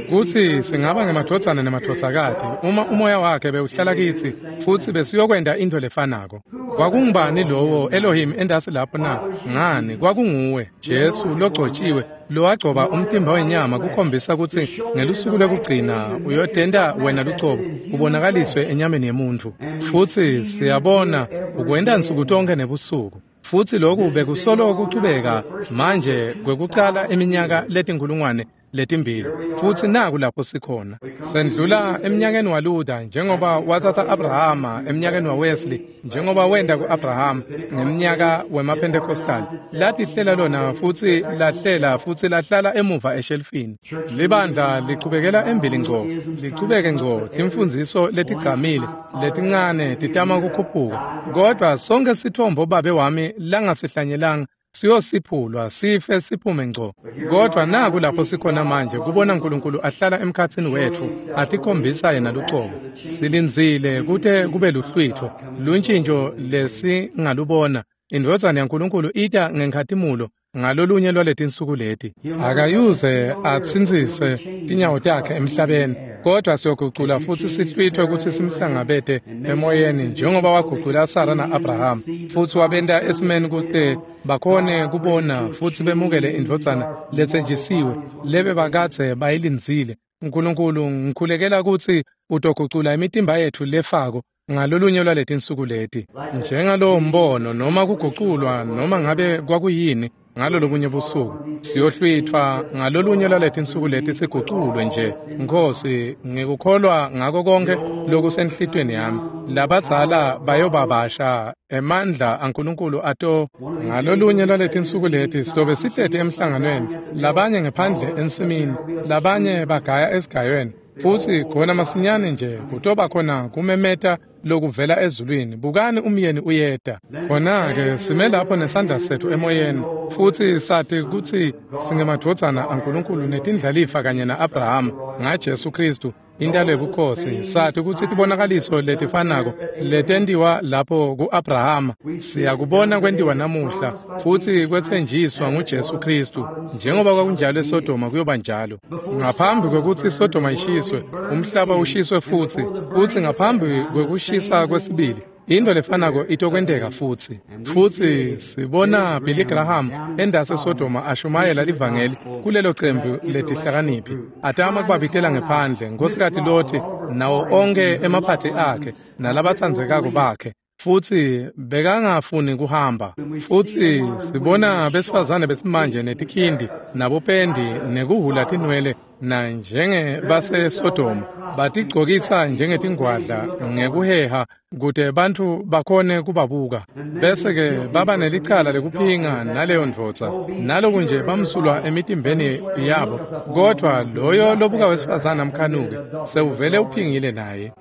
kutsi singaba ngemadvodzana nemadvodzakati uma umoya wakhe bewuhlala kitsi futsi besiyokwenta into lefanako. Kwakungubani lowo Elohim endasi lapho na? Ngani, kwakunguwe Jesu logcotshiwe lowagcoba umtimba wenyama kukhombisa kutsi ngelusuku lwekugcina uyotenta wena lucobo kubonakaliswe enyameni yemuntfu. Futsi siyabona ukwenta nsuku tonke nebusuku. Futsi lokhu bekusolo kuchubeka manje kwekucala iminyaka letinkulungwane letimbili. Futsi naku lapho sikhona. Sendlula eminyakeni waLuther njengoba watsatsa Abrahama, eminyakeni waWesley njengoba wenda ku-Abraham, ngeminyaka wemaPentecostal. Latihlela lona futsi lahlela futsi lahlala emuva eshelfini. Libandla lichubekela embili ngco, lichubeke ngco timfundziso letigcamile letincane titama kukhuphuka. Kodwa sonke sithombo babe wami langasihlanyelanga Siyosiphulwa sife siphume ngco. Kodwa naku lapho sikhona manje kubona uNkulunkulu ahlala emkhatsini wethu atikhombisa yena lucobo. Silindzile kute kube luhlwitfo luntshintsho lesingalubona. Indvodzana yaNkulunkulu ita ngenkhatimulo ngalolunye lwaletinsuku leti. Akayuze atsintsise tinyawo takhe emhlabeni, kodwa siyogucula futsi sihlwithwe kutsi simhlangabete emoyeni njengoba wagucula Sara na-Abraham futsi wabenta esimeni kute bakhone kubona futsi bemukele indvodzana letsenjisiwe lebebakadze bayilindzile. Nkulunkulu, ngikhulekela kutsi utogucula imitimba yetfu lefako ngalolunye lwaletinsuku leti, njengalowo mbono noma kuguculwa noma ngabe kwakuyini ngalolobunye busuku. Siyohlwithwa ngalolunye lwaletinsuku leti siguculwe nje. Nkhosi, ngikukholwa ngako konke lokusenhlitweni yami. Labadzala bayobabasha emandla aNkulunkulu ato. Ngalolunye lwaletinsuku leti sitobe sihleti emhlanganweni, labanye ngephandle ensimini, labanye bagaya esigayweni, futsi khona masinyane nje kutoba khona kumemeta lokuvela ezulwini, bukani umyeni uyeta. Khona-ke sime lapho nesandla sethu emoyeni futsi sati kutsi singemadvodzana aNkulunkulu netindlalifa kanye na-Abrahama ngaJesu Khristu intalo yebukhosi. Sati kutsi tibonakaliso letifanako letentiwa lapho ku-Abrahama siyakubona kwentiwa namuhla futsi kwetsenjiswa nguJesu Khristu. Njengoba kwakunjalo eSodoma kuyoba njalo. Ngaphambi kwekutsi iSodoma ishiswe, umhlaba ushiswe futsi, futsi ngaphambi kwekushisa kwesibili into lefanako itokwenteka futsi. Futsi sibona Billy Graham endase Sodoma ashumayela livangeli kulelo cembu letihlakaniphi, atama kubabitela ngephandle Nkhosikati Loti nawo onke emaphathi akhe nalabatsandzekako bakhe, futsi bekangafuni kuhamba. Futsi sibona besifazane besimanje netikhindi nabopendi nekuhhula tinwele na njenge baseSodoma batigcokisa njengetingwadla ngekuheha kute bantfu bakhone kubabuka, bese-ke baba nelicala lekuphinga naleyo ndvodza, naloku nje bamsulwa emitimbeni yabo. Kodwa loyo lobuka wesifazane amkhanuke sewuvele uphingile naye,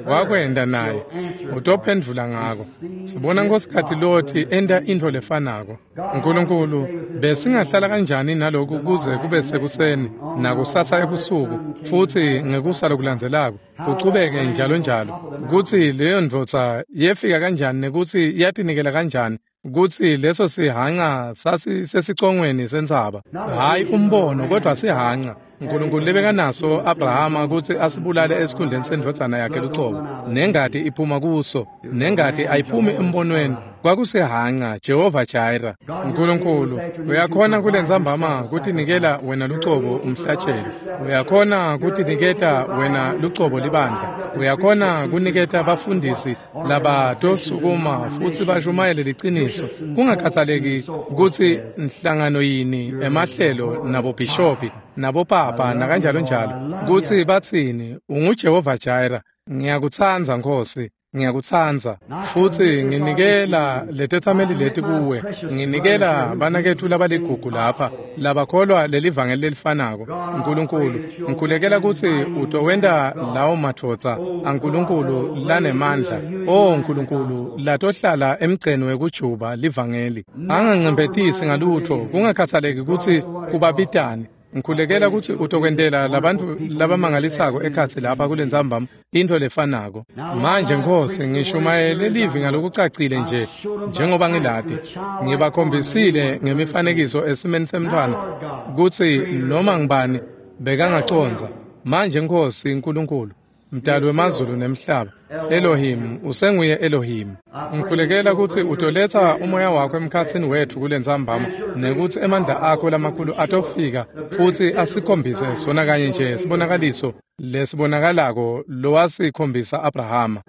wakwenda naye, utophendvula ngako. Sibona Nkhosikati Loti enta intfo lefanako. Nkulunkulu, besingahlala kanjani naloku kuze kube sekuseni nakusasa ebusuku futsi ngekusa lokulandzelako kuchubeke njalo njalo, kutsi leyo ndvodza yefika kanjani nekutsi yatinikela kanjani, kutsi leso sihanca sasisesicongweni sentsaba, hhayi umbono kodwa sihanca Nkulunkulu lebekanaso Abrahama kutsi asibulale esikhundleni sendvodzana yakhe lucobo, nengati iphuma kuso, nengati ayiphumi embonweni. Kwakusihanca Jehova Jireh. Nkulunkulu, uyakhona kulentsambama kutinikela wena lucobo umhlatshelo, uyakhona kutiniketa wena lucobo libandla, uyakhona kuniketa bafundisi labatosukuma futsi bashumayele liciniso, kungakhathaleki kutsi nhlangano yini, emahlelo nabobhishopi nabopapa nakanjalo njalo, kutsi batsini. UnguJehova Jireh. Ngiyakutsandza Nkhosi, ngiyakutsandza, futsi nginikela letetsameli leti kuwe. Nginikela banaketfu labaligugu lapha labakholwa lelivangeli lelifanako. Nkulunkulu, ngikhulekela kutsi utowenta lawo madvodza aNkulunkulu lanemandla, o Nkulunkulu, latohlala emgceni wekujuba livangeli, angancemphetisi ngalutfo, kungakhathaleki kutsi kubabitani. Ngikhulekela kutsi utokwentela labantfu labamangalisako ekhatsi lapha kulentsambama intfo lefanako. Manje Nkhosi, ngishumayele livi ngalokucacile nje njengoba ngilati. Ngibakhombisile ngemifanekiso esimeni semntfwana kutsi noma ngibani bekangacondza. Manje Nkhosi Nkulunkulu, Mdali wemazulu nemhlaba, Elohim, usenguye Elohim. Ngikhulekela kutsi utoletsa umoya wakho emkhatsini wetfu kulentsambama, nekutsi emandla akho lamakhulu atofika futsi asikhombise sona kanye nje sibonakaliso lesibonakalako lowasikhombisa Abrahama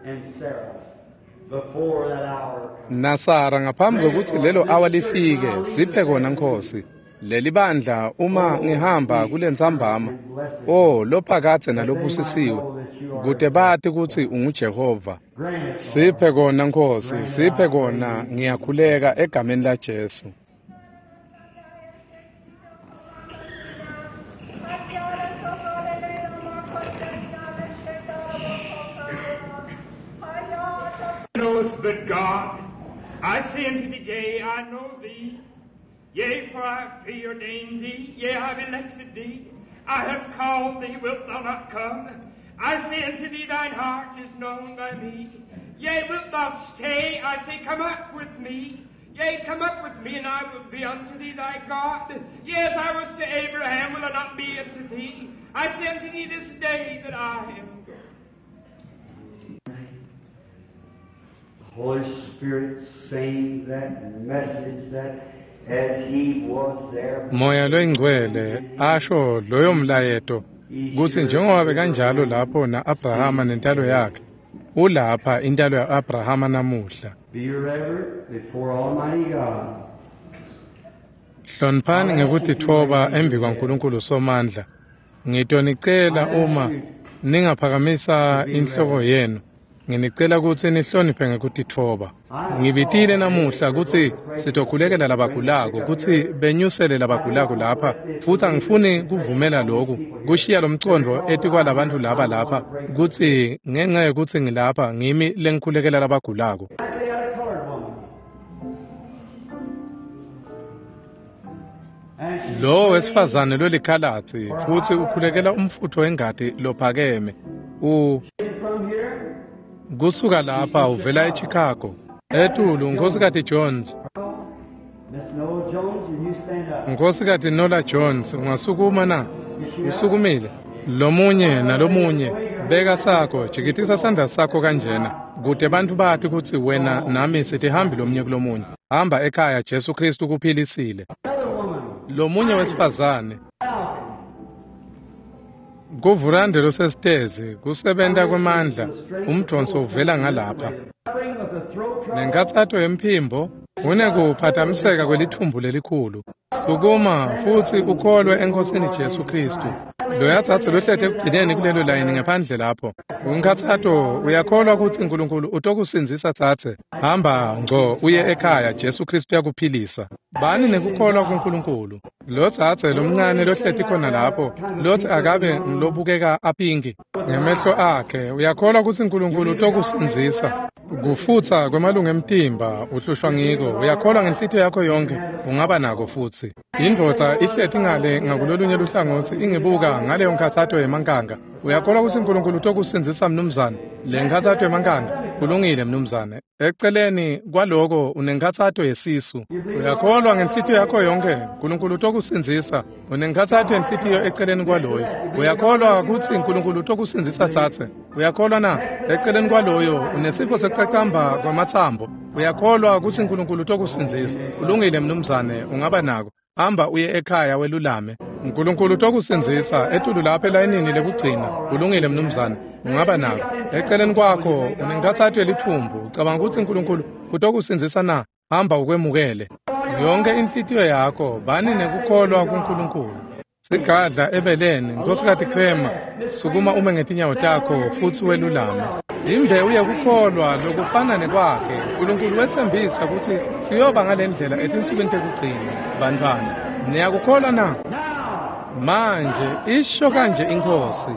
naSara ngaphambi kwekutsi lelo awa lifike. Siphe kona Nkhosi lelibandla uma ngihamba kulentsambama, o lophakadze nalobusisiwe, kute bati kutsi unguJehova. Siphe kona Nkhosi, siphe kona, ngiyakhuleka egameni laJesu. Knowest but God, I say unto thee, I know thee. Yea, for I have preordained thee, yea, I have elected thee. I have called thee, wilt thou not come? I say unto thee, thine heart is known by me. Yea, wilt thou stay? I say, come up with me. Yea, come up with me, and I will be unto thee thy God. Yea, as I was to Abraham, will I not be unto thee? I say unto thee this day that I am God. Holy Spirit saying that message that as he was there. Moya loyingcwele asho loyo mlayeto kutsi njengoba bekanjalo lapho na-Abrahama nentalo yakhe ulapha intalo ya-Abrahama namuhla. Be reverent before Almighty God. Hloniphani ngekutitfoba embi kwaNkulunkulu Somandla. Ngitonicela uma ningaphakamisa inhloko yenu. Nginicela kutsi nihloniphe ngekutitfoba. Ngibitile namuhla kutsi sitokhulekela labagulako kutsi benyusele labagulako lapha futsi angifuni kuvumela loku kushiya lomcondvo etikwalabantfu laba lapha kutsi ngenxa yekutsi ngilapha ngimi lengikhulekela labagulako. Lo wesifazane lolikhalatsi futsi ukhulekela umfutfo wengati lophakeme u kusuka lapha uvela eChicago etulu Nkhosikati Jones. Nkhosikati Nola Jones ungasukuma na? Usukumile lomunye nalomunye beka sakho jikitisa sandla sakho kanjena kute bantfu bati kutsi wena nami sitihambi lomunye kulomunye. Hamba ekhaya, Jesu Kristu kuphilisile. Lomunye wesifazane kuvurande losesitezi kusebenta kwemandla umdonso uvela ngalapha nenkatsato yemphimbo unekuphatamiseka kwelithumbu lelikhulu. Sukuma futsi ukholwe eNkosini Jesu Kristu. Loyatsatsa lohlete ekugcineni kulelo layini ngephandle lapho unkhatsato uyakholwa kutsi Nkulunkulu utokusindzisa tsatse. Hamba ngco uye ekhaya, Jesu Kristu uyakuphilisa. Bani nekukholwa kuNkulunkulu. Lo tsatse lomncane lohleti khona lapho lotsi akabe ngilobukeka apinki ngemehlo akhe uyakholwa kutsi Nkulunkulu utokusindzisa. Kufutsa kwemalunga emtimba uhlushwa ngiko uyakholwa ngenhlitiyo yakho yonke ungaba nako futsi. Indvodza ihleti ngale ngakulolunye luhlangotsi ingibuka ngaleyo nkhatsato yemankanga. Uyakholwa kutsi Nkulunkulu utokusindzisa mnumzane? Le nkhatsato yemankanga kulungile mnumzane. Eceleni kwaloko unenkhatsato yesisu. Uyakholwa ngenhlitiyo yakho yonke Nkulunkulu utokusindzisa. Unenkhatsato yenhlitiyo eceleni kwaloyo. Uyakholwa kutsi Nkulunkulu utokusindzisa tsatse? Uyakholwa na? Eceleni kwaloyo unesifo sekucacamba kwamatsambo. Uyakholwa kutsi Nkulunkulu utokusindzisa? Kulungile mnumzane, ungaba nako. Hamba uye ekhaya welulame. Nkulunkulu utokusindzisa etulu lapha elayinini lekugcina. Kulungile mnumzane, ungaba nako. Eceleni kwakho unenkhatsato yelithumbu. Ucabanga kutsi Nkulunkulu utokusindzisa na? Hamba ukwemukele. Yonke inhlitiyo yakho bani nekukholwa kuNkulunkulu. Sigadla ebeleni Nkhosikati Krema, sukuma ume ngetinyawo takho futsi welulame. Imbewu yekukholwa lokufana nekwakhe Nkulunkulu wetsembisa kutsi kuyoba ngalendlela etinsukwini tekugcina. Bantfwana, niyakukholwa na? Manje isho kanje iNkhosi.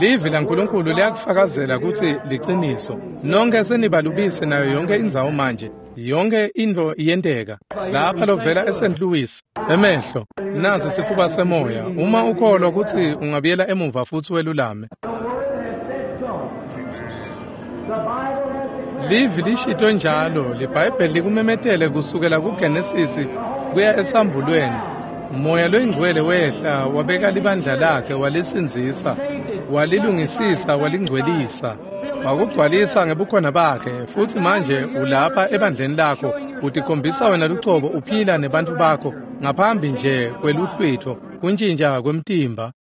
Livi laNkulunkulu liyakufakazela kutsi liciniso. Nonke senibalubise nayo yonke indzawo manje. Yonke intfo iyenteka. Lapha lovela eSaint Louis, emehlo, nasi sifuba semoya. Uma ukholwa kutsi ungabuyela emuva futsi welulame. Livi lishito njalo, liBhayibheli likumemetele kusukela kuGenesisi kuya esambulweni. Moya loyingcwele wehla wabeka libandla lakhe walisindzisa, walilungisisa, walingcwelisa, wakugcwalisa ngebukhona bakhe. Futsi manje ulapha ebandleni lakho utikhombisa wena lucobo uphila nebantfu bakho ngaphambi nje kweluhlwitfo kuntjintja kwemtimba.